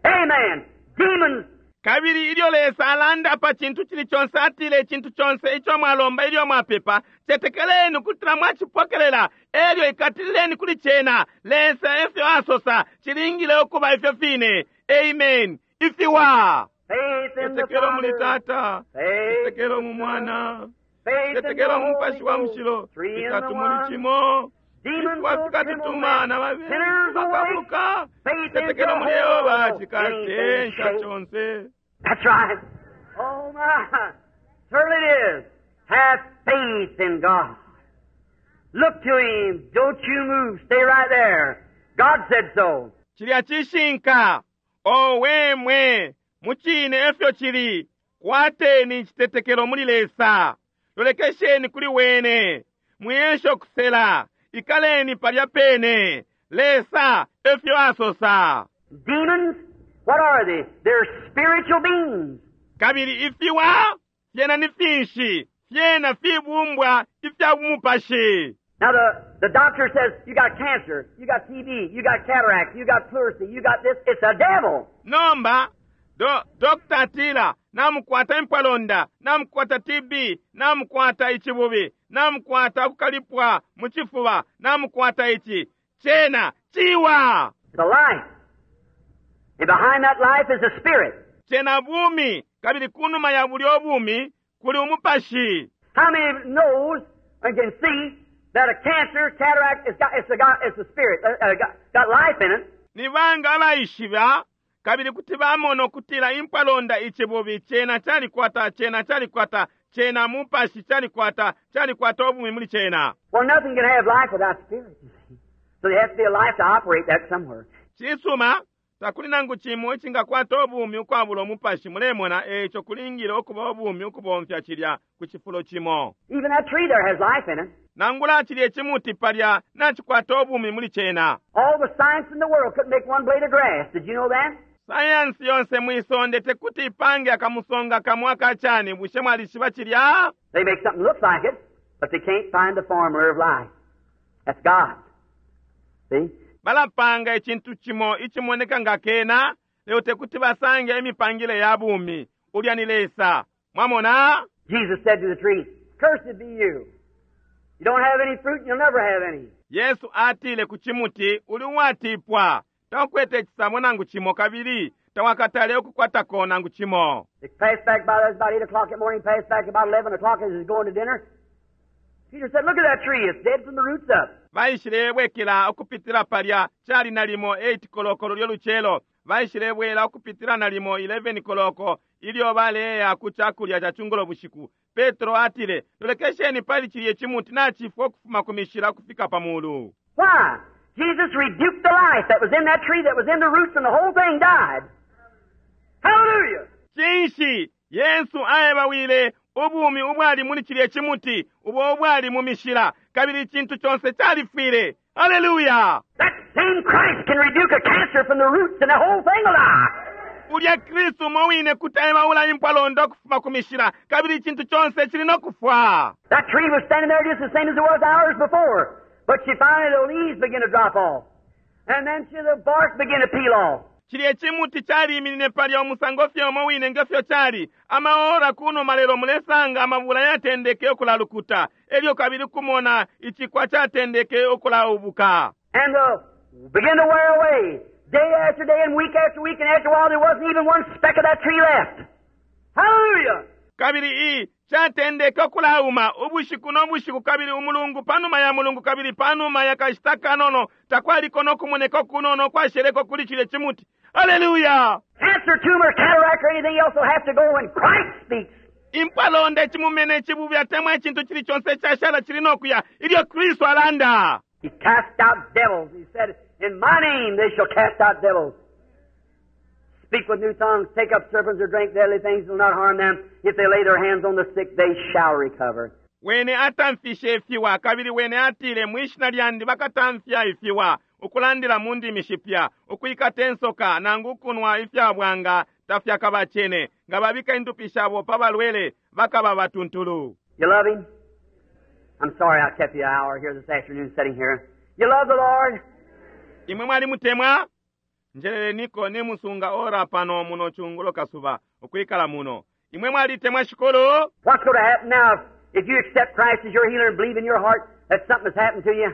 Amen. Demons. Kabili ilyo Lesa alanda pa cintu cili conse, atile icintu conse ico mwalomba ilyo mwapepa, cetekeleni ukutila mwacipokelela, elyo ikatilileni kuli cena. Lesa efyo asosa, cilingile ukuba ifyo fine. Amen. Ifiwa. Faith in the Cetekelo muli Father. Tata, Faith cetekelo in mu the Mwana, Son. Faith in the cetekelo mu Mupashi wa Holy Mushilo, Ghost. Three in the itatu muli one. cimo. Demons Ifiwa will tremble fikatutuma na when babembu sinners awake. bakabuka. Faith in Cetekelo muli Yehova Jehovah. cikatensha Anything conse. That's right. Oh my. Certainly it is. Have faith in God. Look to Him. Don't you move. Stay right there. God said so. Cilya cishinka. Owe mwe, mucine efyo cili. Kwateni icitetekelo muli Lesa. Lolekesheni kuli wene. Mwiyesho kusela. Ikaleni palya pene. Lesa efyo asosa. Demons, what are they? They're spiritual beings. Kabili ifiwa fyena ni finshi? Fyena fibumbwa ifya bumupashi. Now the, the doctor says, you got cancer, you got T B, you got cataract, you got pleurisy, you got this. It's a devil. Nomba, do, Doctor atila, namukwata impwalonda, namukwata T B, namukwata ichibubi, namukwata kukalipwa muchifuba, namukwata ichi. Chena, chiwa. It's a life. And behind that life is a spirit. Chena bumi, kabili kunuma ya buli obumi, kuli umupashi. How many knows and can see that a cancer, cataract, it's got, it's a, got, it's a spirit, uh, uh, got, got life in it? Ni banga abaishiba, kabili kuti bamona okutila impwalonda ichibubi, chena chalikwata, chena chalikwata, chena mupashi chalikwata, chalikwata obumi muli chena. Well, nothing can have life without spirit, you see. So there has to be a life to operate that somewhere. Chisuma, takuli nangu chimo ichingakwata obumi ukwabula omupashi, mulemona echo kulingile okuba obumi ukubomfya chilya ku chifulo chimo. Even that tree there has life in it. Nangula chilye chimuti palya nachikwata obumi muli chena. All the science in the world couldn't make one blade of grass. Did you know that? Sayansi yonse mwisonde tekuti ipange akamusonga kamwe akachani, bushe mwalishiba chilya? They make something look like it, but they can't find the formula of life. That's God. See? Balapanga ichintu chimo ichimoneka nga kena, leo tekuti basange imipangile ya bumi. Ulya ni Lesa. Mwamona? Jesus said to the tree, cursed be you. You don't have any fruit, you'll never have any. Yesu atile ku chimuti, uli watipwa. Takwete chisamo nangu chimo kabili, tawakatale okukwatako nangu chimo. They passed back by, that was about eight o'clock that morning, passed back about eleven o'clock as he was going to dinner. Peter said, look at that tree, it's dead from the roots up. Baishilebwekela okupitila palya, chali nalimo eight kolokolo lyoluchelo. Baishilebwela okupitila nalimo eleven koloko, ilyo baleya ku chakulya cha chungulo bushiku. Petro atile, lolekesheni pali chilye chimuti nachifwa okufuma ku mishila okufika pamulu. Why? Jesus rebuked the life that was in that tree, that was in the roots, and the whole thing died. Hallelujah! Chinshi, Yesu aebawile ubumi ubwali muli chilye chimuti, ubo ubwali mu mishila, kabili chintu chonse chalifwile. Hallelujah! That same Christ can rebuke a cancer from the roots and the whole thing will die. Ulya Kristu umo wine kuti aebaula impwalonda ukufuma ku mishila, kabili icintu conse cili no kufwa. That tree was standing there just the same as it was hours before. But she finally, the leaves began to drop off. And then she, the bark began to peel off. Cilye cimuti caliiminine palya umusango fye umo wine ngefyo cali amaora kunuma, lelo mulesanga amabula yatendeke ukulalukuta, elyo kabili kumona icikwa catendeke ukulaubuka. And the, began to wear away. Day after day and week after week, and after a while there wasn't even one speck of that tree left. Hallelujah! Kabili i catendeke ukulauma ubushiku no bushiku, kabili umulungu panuma ya mulungu, kabili panuma ya kashita kanono takwaliko no kumoneka kunono kwasheleko kuli cilye cimuti. Haleluya! Cancer, tumor, cataract, or anything else will have to go when Christ speaks. Impwalonda, icimumene, icibubi, atemwa icintu cili conse icashala cili no kuya ilyo Kristu alanda. He cast out devils. He said, "In my name they shall cast out devils. Speak with new tongues, take up serpents or drink deadly things will not harm them. If they lay their hands on the sick, they shall recover." Wene atamfishe ifiwa, kabili wene atile, "Mwishina lyandi bakatamfya ifiwa, ukulandila mu ndimi shipya, ukwikata insoka nangu ukunwa ifya bwanga tafyakabacene. Nga babika indupi shabo pa balwele bakaba batuntulu." You love Him? I'm sorry I kept you an hour here this afternoon sitting here. You love the Lord? Imwe mwalimutemwa? Njeleleniko nimusunga ora pano muno chungulo kasuba ukwikala muno. Imwe mwalitemwa Shikulu? What's going to happen now if, if you accept Christ as your healer and believe in your heart that something has happened to you,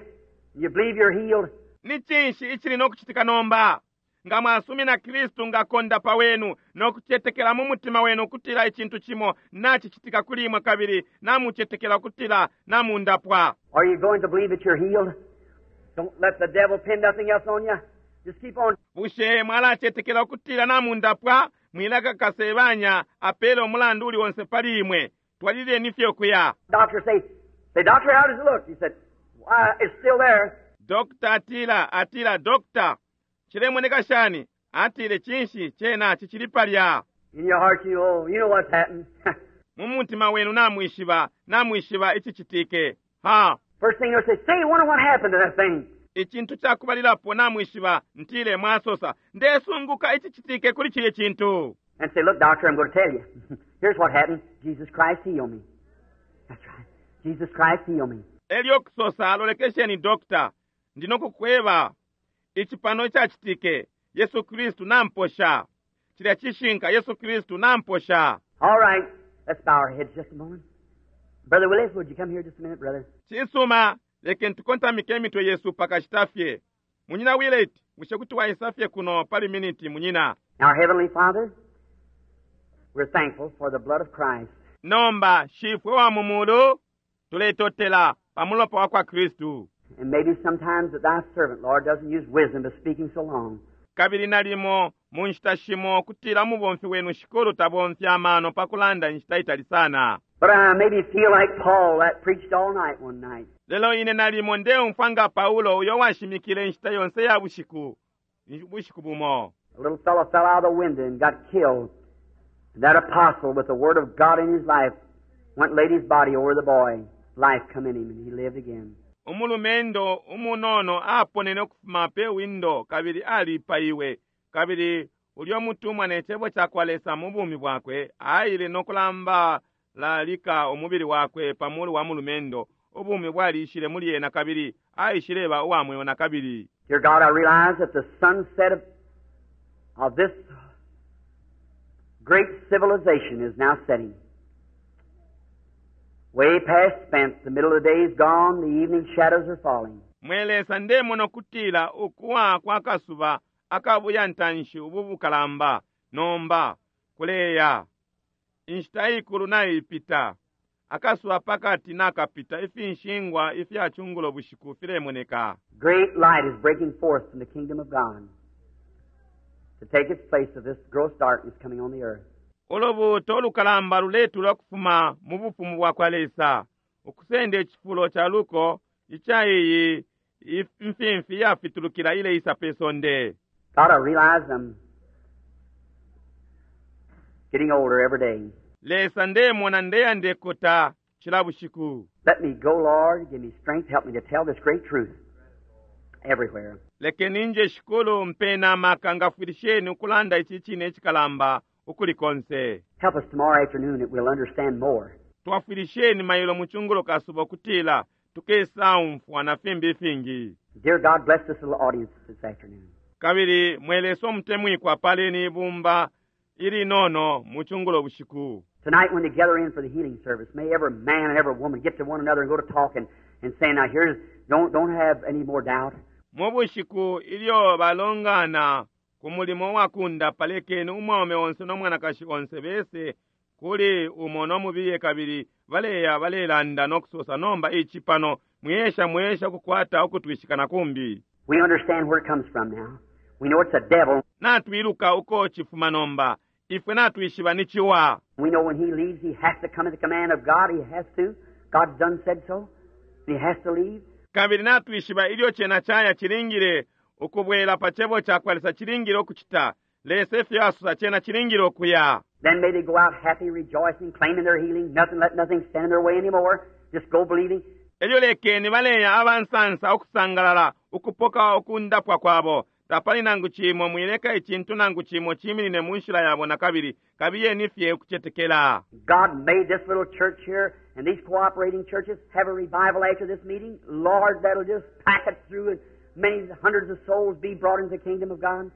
and you believe you're healed? Ni cinshi icili no kucitika nomba nga mwasumina Kristu nga kondapa wenu no kucetekela mu mutima wenu ukutila icintu cimo nacicitika kuli imwe, kabili namucetekela ukutila namundapwa? Are you going to believe that you're healed? Don't let the devil pin nothing else on you. Just keep on. Bushe mwalacetekela ukutila namundapwa? Mwileka Kasebanya apele umulandu uli onse pali imwe. Twalileni fye ukuya. Doctor say, say, "Doctor, how does it look?" He said, "Why, it's still there." Dokta atila atila "Dokta, cilemoneka shani?" Atile, "Cinshi, cena cicili palya." In your heart, you know, you know what's happened. Mu mutima wenu namwishiba namwishiba icicitike ha. First thing you'll say, say, "Wonder what happened to that thing." Icintu cakubalilapo namwishiba, ntile mwasosa, "Ndesunguka icicitike kuli cilye cintu." And say, "Look, doctor, I'm going to tell you. Here's what happened. Jesus Christ healed me. That's right. Jesus Christ healed me." Elyo kusosa, "Lolekesheni dokta, ndinokukweba ici pano icacitike. Yesu Kristu namposha. Cilya cishinka, Yesu Kristu namposha." All right. Let's bow our heads just a moment. Brother Willis, would you come here just a minute, brother? Cisuma, lekeni tukontamike imitwe yesu pakashita fye. Munyina Willet, bushe kuti waisa fye kuno pali miniti, munyina? Our Heavenly Father, we're thankful for the blood of Christ. Nomba Shifwe wa mu mulu, tuletotela pa mulopa wa kwa Kristu. And maybe sometimes that thy servant, Lord, doesn't use wisdom to speaking so long. Kabili nalimo mu nshita shimo kutila mubomfi wenu, Shikulu, tabomfya amano pa kulanda inshita itali sana. But I maybe feel like Paul that preached all night one night. Lelo ine nalimo ndeumfwa nga Paulo uyo washimikile inshita yonse ya bushiku bushiku bumo. A little fellow fell out of the window and got killed. And that apostle, with the Word of God in his life, went and laid his body over the boy. Life come in him, and he lived again. Umulumendo umunono aponene ukufuma pe windo kabili alipaiwe, kabili ulyo mutumwa ne cebo ca kwa Lesa mu bumi bwakwe aile no kulambalalika umubili wakwe pa mulu wa mulumendo. Ubumi bwalishile muli ena kabili aishileba uwa mweo na kabili. Dear God, I realize that the sunset of, of this great civilization is now setting. Way past spent, the middle of the day is gone, the evening shadows are falling. Mwe Lesa, ndemona ukutila ukuwa kwa kasuba akabuya ntanshi ubu bukalamba nomba kuleya. Inshita ikulu naipita, akasuba pakati nakapita, ifinshingwa ifya chungulo bushiku filemoneka. Great light is breaking forth from the kingdom of God to take its place of this gross darkness coming on the earth. Ulubuuto ulukalamba luletulwa kufuma mu bufumu bwa kwa Lesa ukusenda icifulo ca luko ica iyi imfimfi yafitulukila ileisa pe sonde. God, I realize I'm getting older every day. Lesa, ndemona ndeya ndekota cila bushiku. Let me go, Lord. Give me strength. Help me to tell this great truth everywhere. Lekeni nje shikulu mpena amaka ngafwilisheni ukulanda ici cine icikalamba ukuli konse. Help us tomorrow afternoon that we'll understand more. Twafwilisheni mailo mu chungulo kasuba ukutila tukesaumfwa na fimbi ifingi. Dear God, bless this little audience this afternoon. Kabili mwe Lesa umutemwikwa paleni ibumba ilinono mu chungulo bushiku. Tonight when they gather in for the healing service, may every man and every woman get to one another and go to talking and saying, now here's, don't, don't have any more doubt. Mu bushiku ilyo balongana ku mulimo wa kundapa, lekeni umwaume onse no mwanakashi onse bese kuli umo no mubiye kabili baleya balelanda no kusosa nomba ici pano mwiyesha mwiyesha ukukwata ukutwishika na kumbi. We understand where it comes from now. We know it's a devil. Natwiluka uko chifuma nomba. Ifwe natwishiba ni chiwa. We know when he leaves, he has to come at the command of God. He has to. God's done said so. He has to leave. Kabili natwishiba ilyo chena chaya chilingile ukubwela pa chebo cha kwa Lesa chilingile ukuchita. Lesa efyo asosa chena chilingile ukuya. Then may they go out happy, rejoicing, claiming their healing. Nothing, let nothing stand in their way anymore. Just go believing. Elyo lekeni baleya abansansa ukusangalala ukupoka ukundapwa kwabo. Tapali nangu chimo mwileka icintu nangu chimo chiminine mu nshila yabo na kabili kabiyeni fye ukucetekela. God made this little church here and these cooperating churches have a revival after this meeting. Lord, that'll just pack it through and many hundreds of souls be brought into the kingdom of God.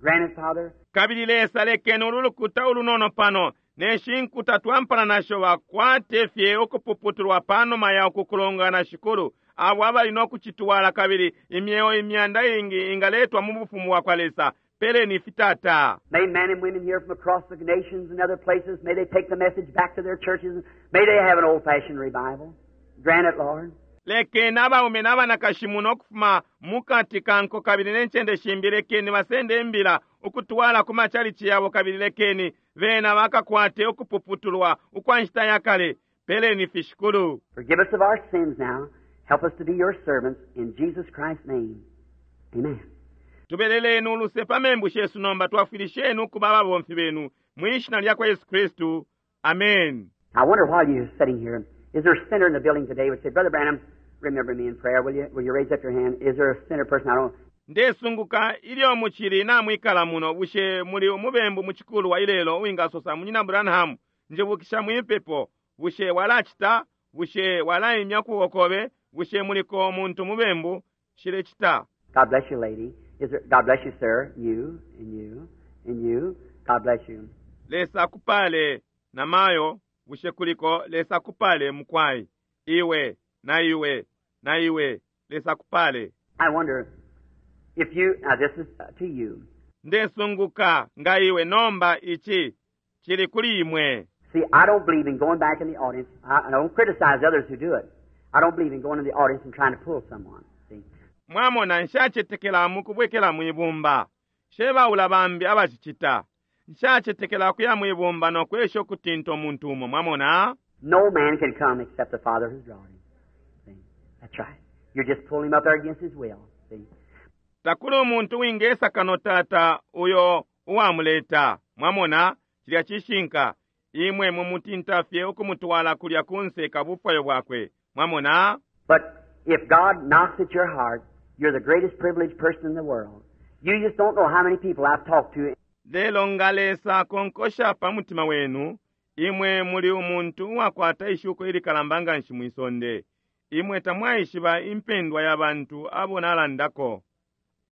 Grant it, Father. Kabili Lesa lekeni ulu lukuta ulunono pano ne shinkuta twampana nasho bakwate fye ukupuputulwa panuma ya ukukulongana shikulu abo abali no kuchitwala kabili imyeo imyanda ingi ingaletwa mu bufumu bwa kwa Lesa. Peleni fitata. May men and women here from across the nations and other places, may they take the message back to their churches. May they have an old-fashioned revival. Grant it, Lord. Lekeni abaume n'abanakashi muno okufuma mukati kanko kabili n'enchende shimbi lekeni basende imbila ukutwala ku machalichi yabo kabili lekeni bena bakakwate ukupuputulwa ukwa nshita ya kale. Peleni fishikulu. Forgive us of our sins now. Help us to be your servants in Jesus Christ's name. Amen. Tubeleleni uluse pa membu shesu nomba twafwilisheni ukuba ababomfi benu mwishina lya kwa Yesu Kristu. Amen. I wonder while you're sitting here, is there a sinner in the building today who would say, Brother Branham, remember me in prayer, will you? Will you raise up your hand? Is there a sinner person? I don't. Ndesunguka ilyo muchili namwikala muno bushe muli umubembu muchikulu wa ilelo uwingasosa munyina Branham njibukisha mwipepo bushe walachita bushe walaimya kuwokobe bushe muliko omuntu mubembu shilecita. God bless you, lady. Is there, God bless you, sir. You and you and you. God bless you. Lesa kupale namayo bushe kuliko Lesa kupale mukwai iwe na iwe na iwe Lesa kupale. I wonder if you, now this is to you. Ndesunguka nga iwe nomba ichi chili kuli imwe. See, I don't believe in going back in the audience. I, I don't criticize others who do it. I don't believe in going in the audience and trying to pull someone. See? Mwamona nshachetekela mukubwekela mwibumba. Shebaula bambi abachichita. Nshachetekela kuya mwibumba no kwesha okutinta omuntu umo. Mwamona? No man can come except the Father who's drawn him. See? That's right. You're just pulling him up there against his will. See? Takuli umuntu wingesa kano tata uyo uwamuleta. Mwamona? Chilya chishinka. Imwe mumutinta fye okumutwala kulya kunse kabufwayo bwakwe. Mwamona? But if God knocks at your heart, you're the greatest privileged person in the world. You just don't know how many people I've talked to. Lelo nga Lesa konkosha pa mutima wenu, imwe muli umuntu uwakwata ishuko ilikalamba nga nshi mwisonde. Imwe tamwaishiba impendwa ya bantu abo nalandako.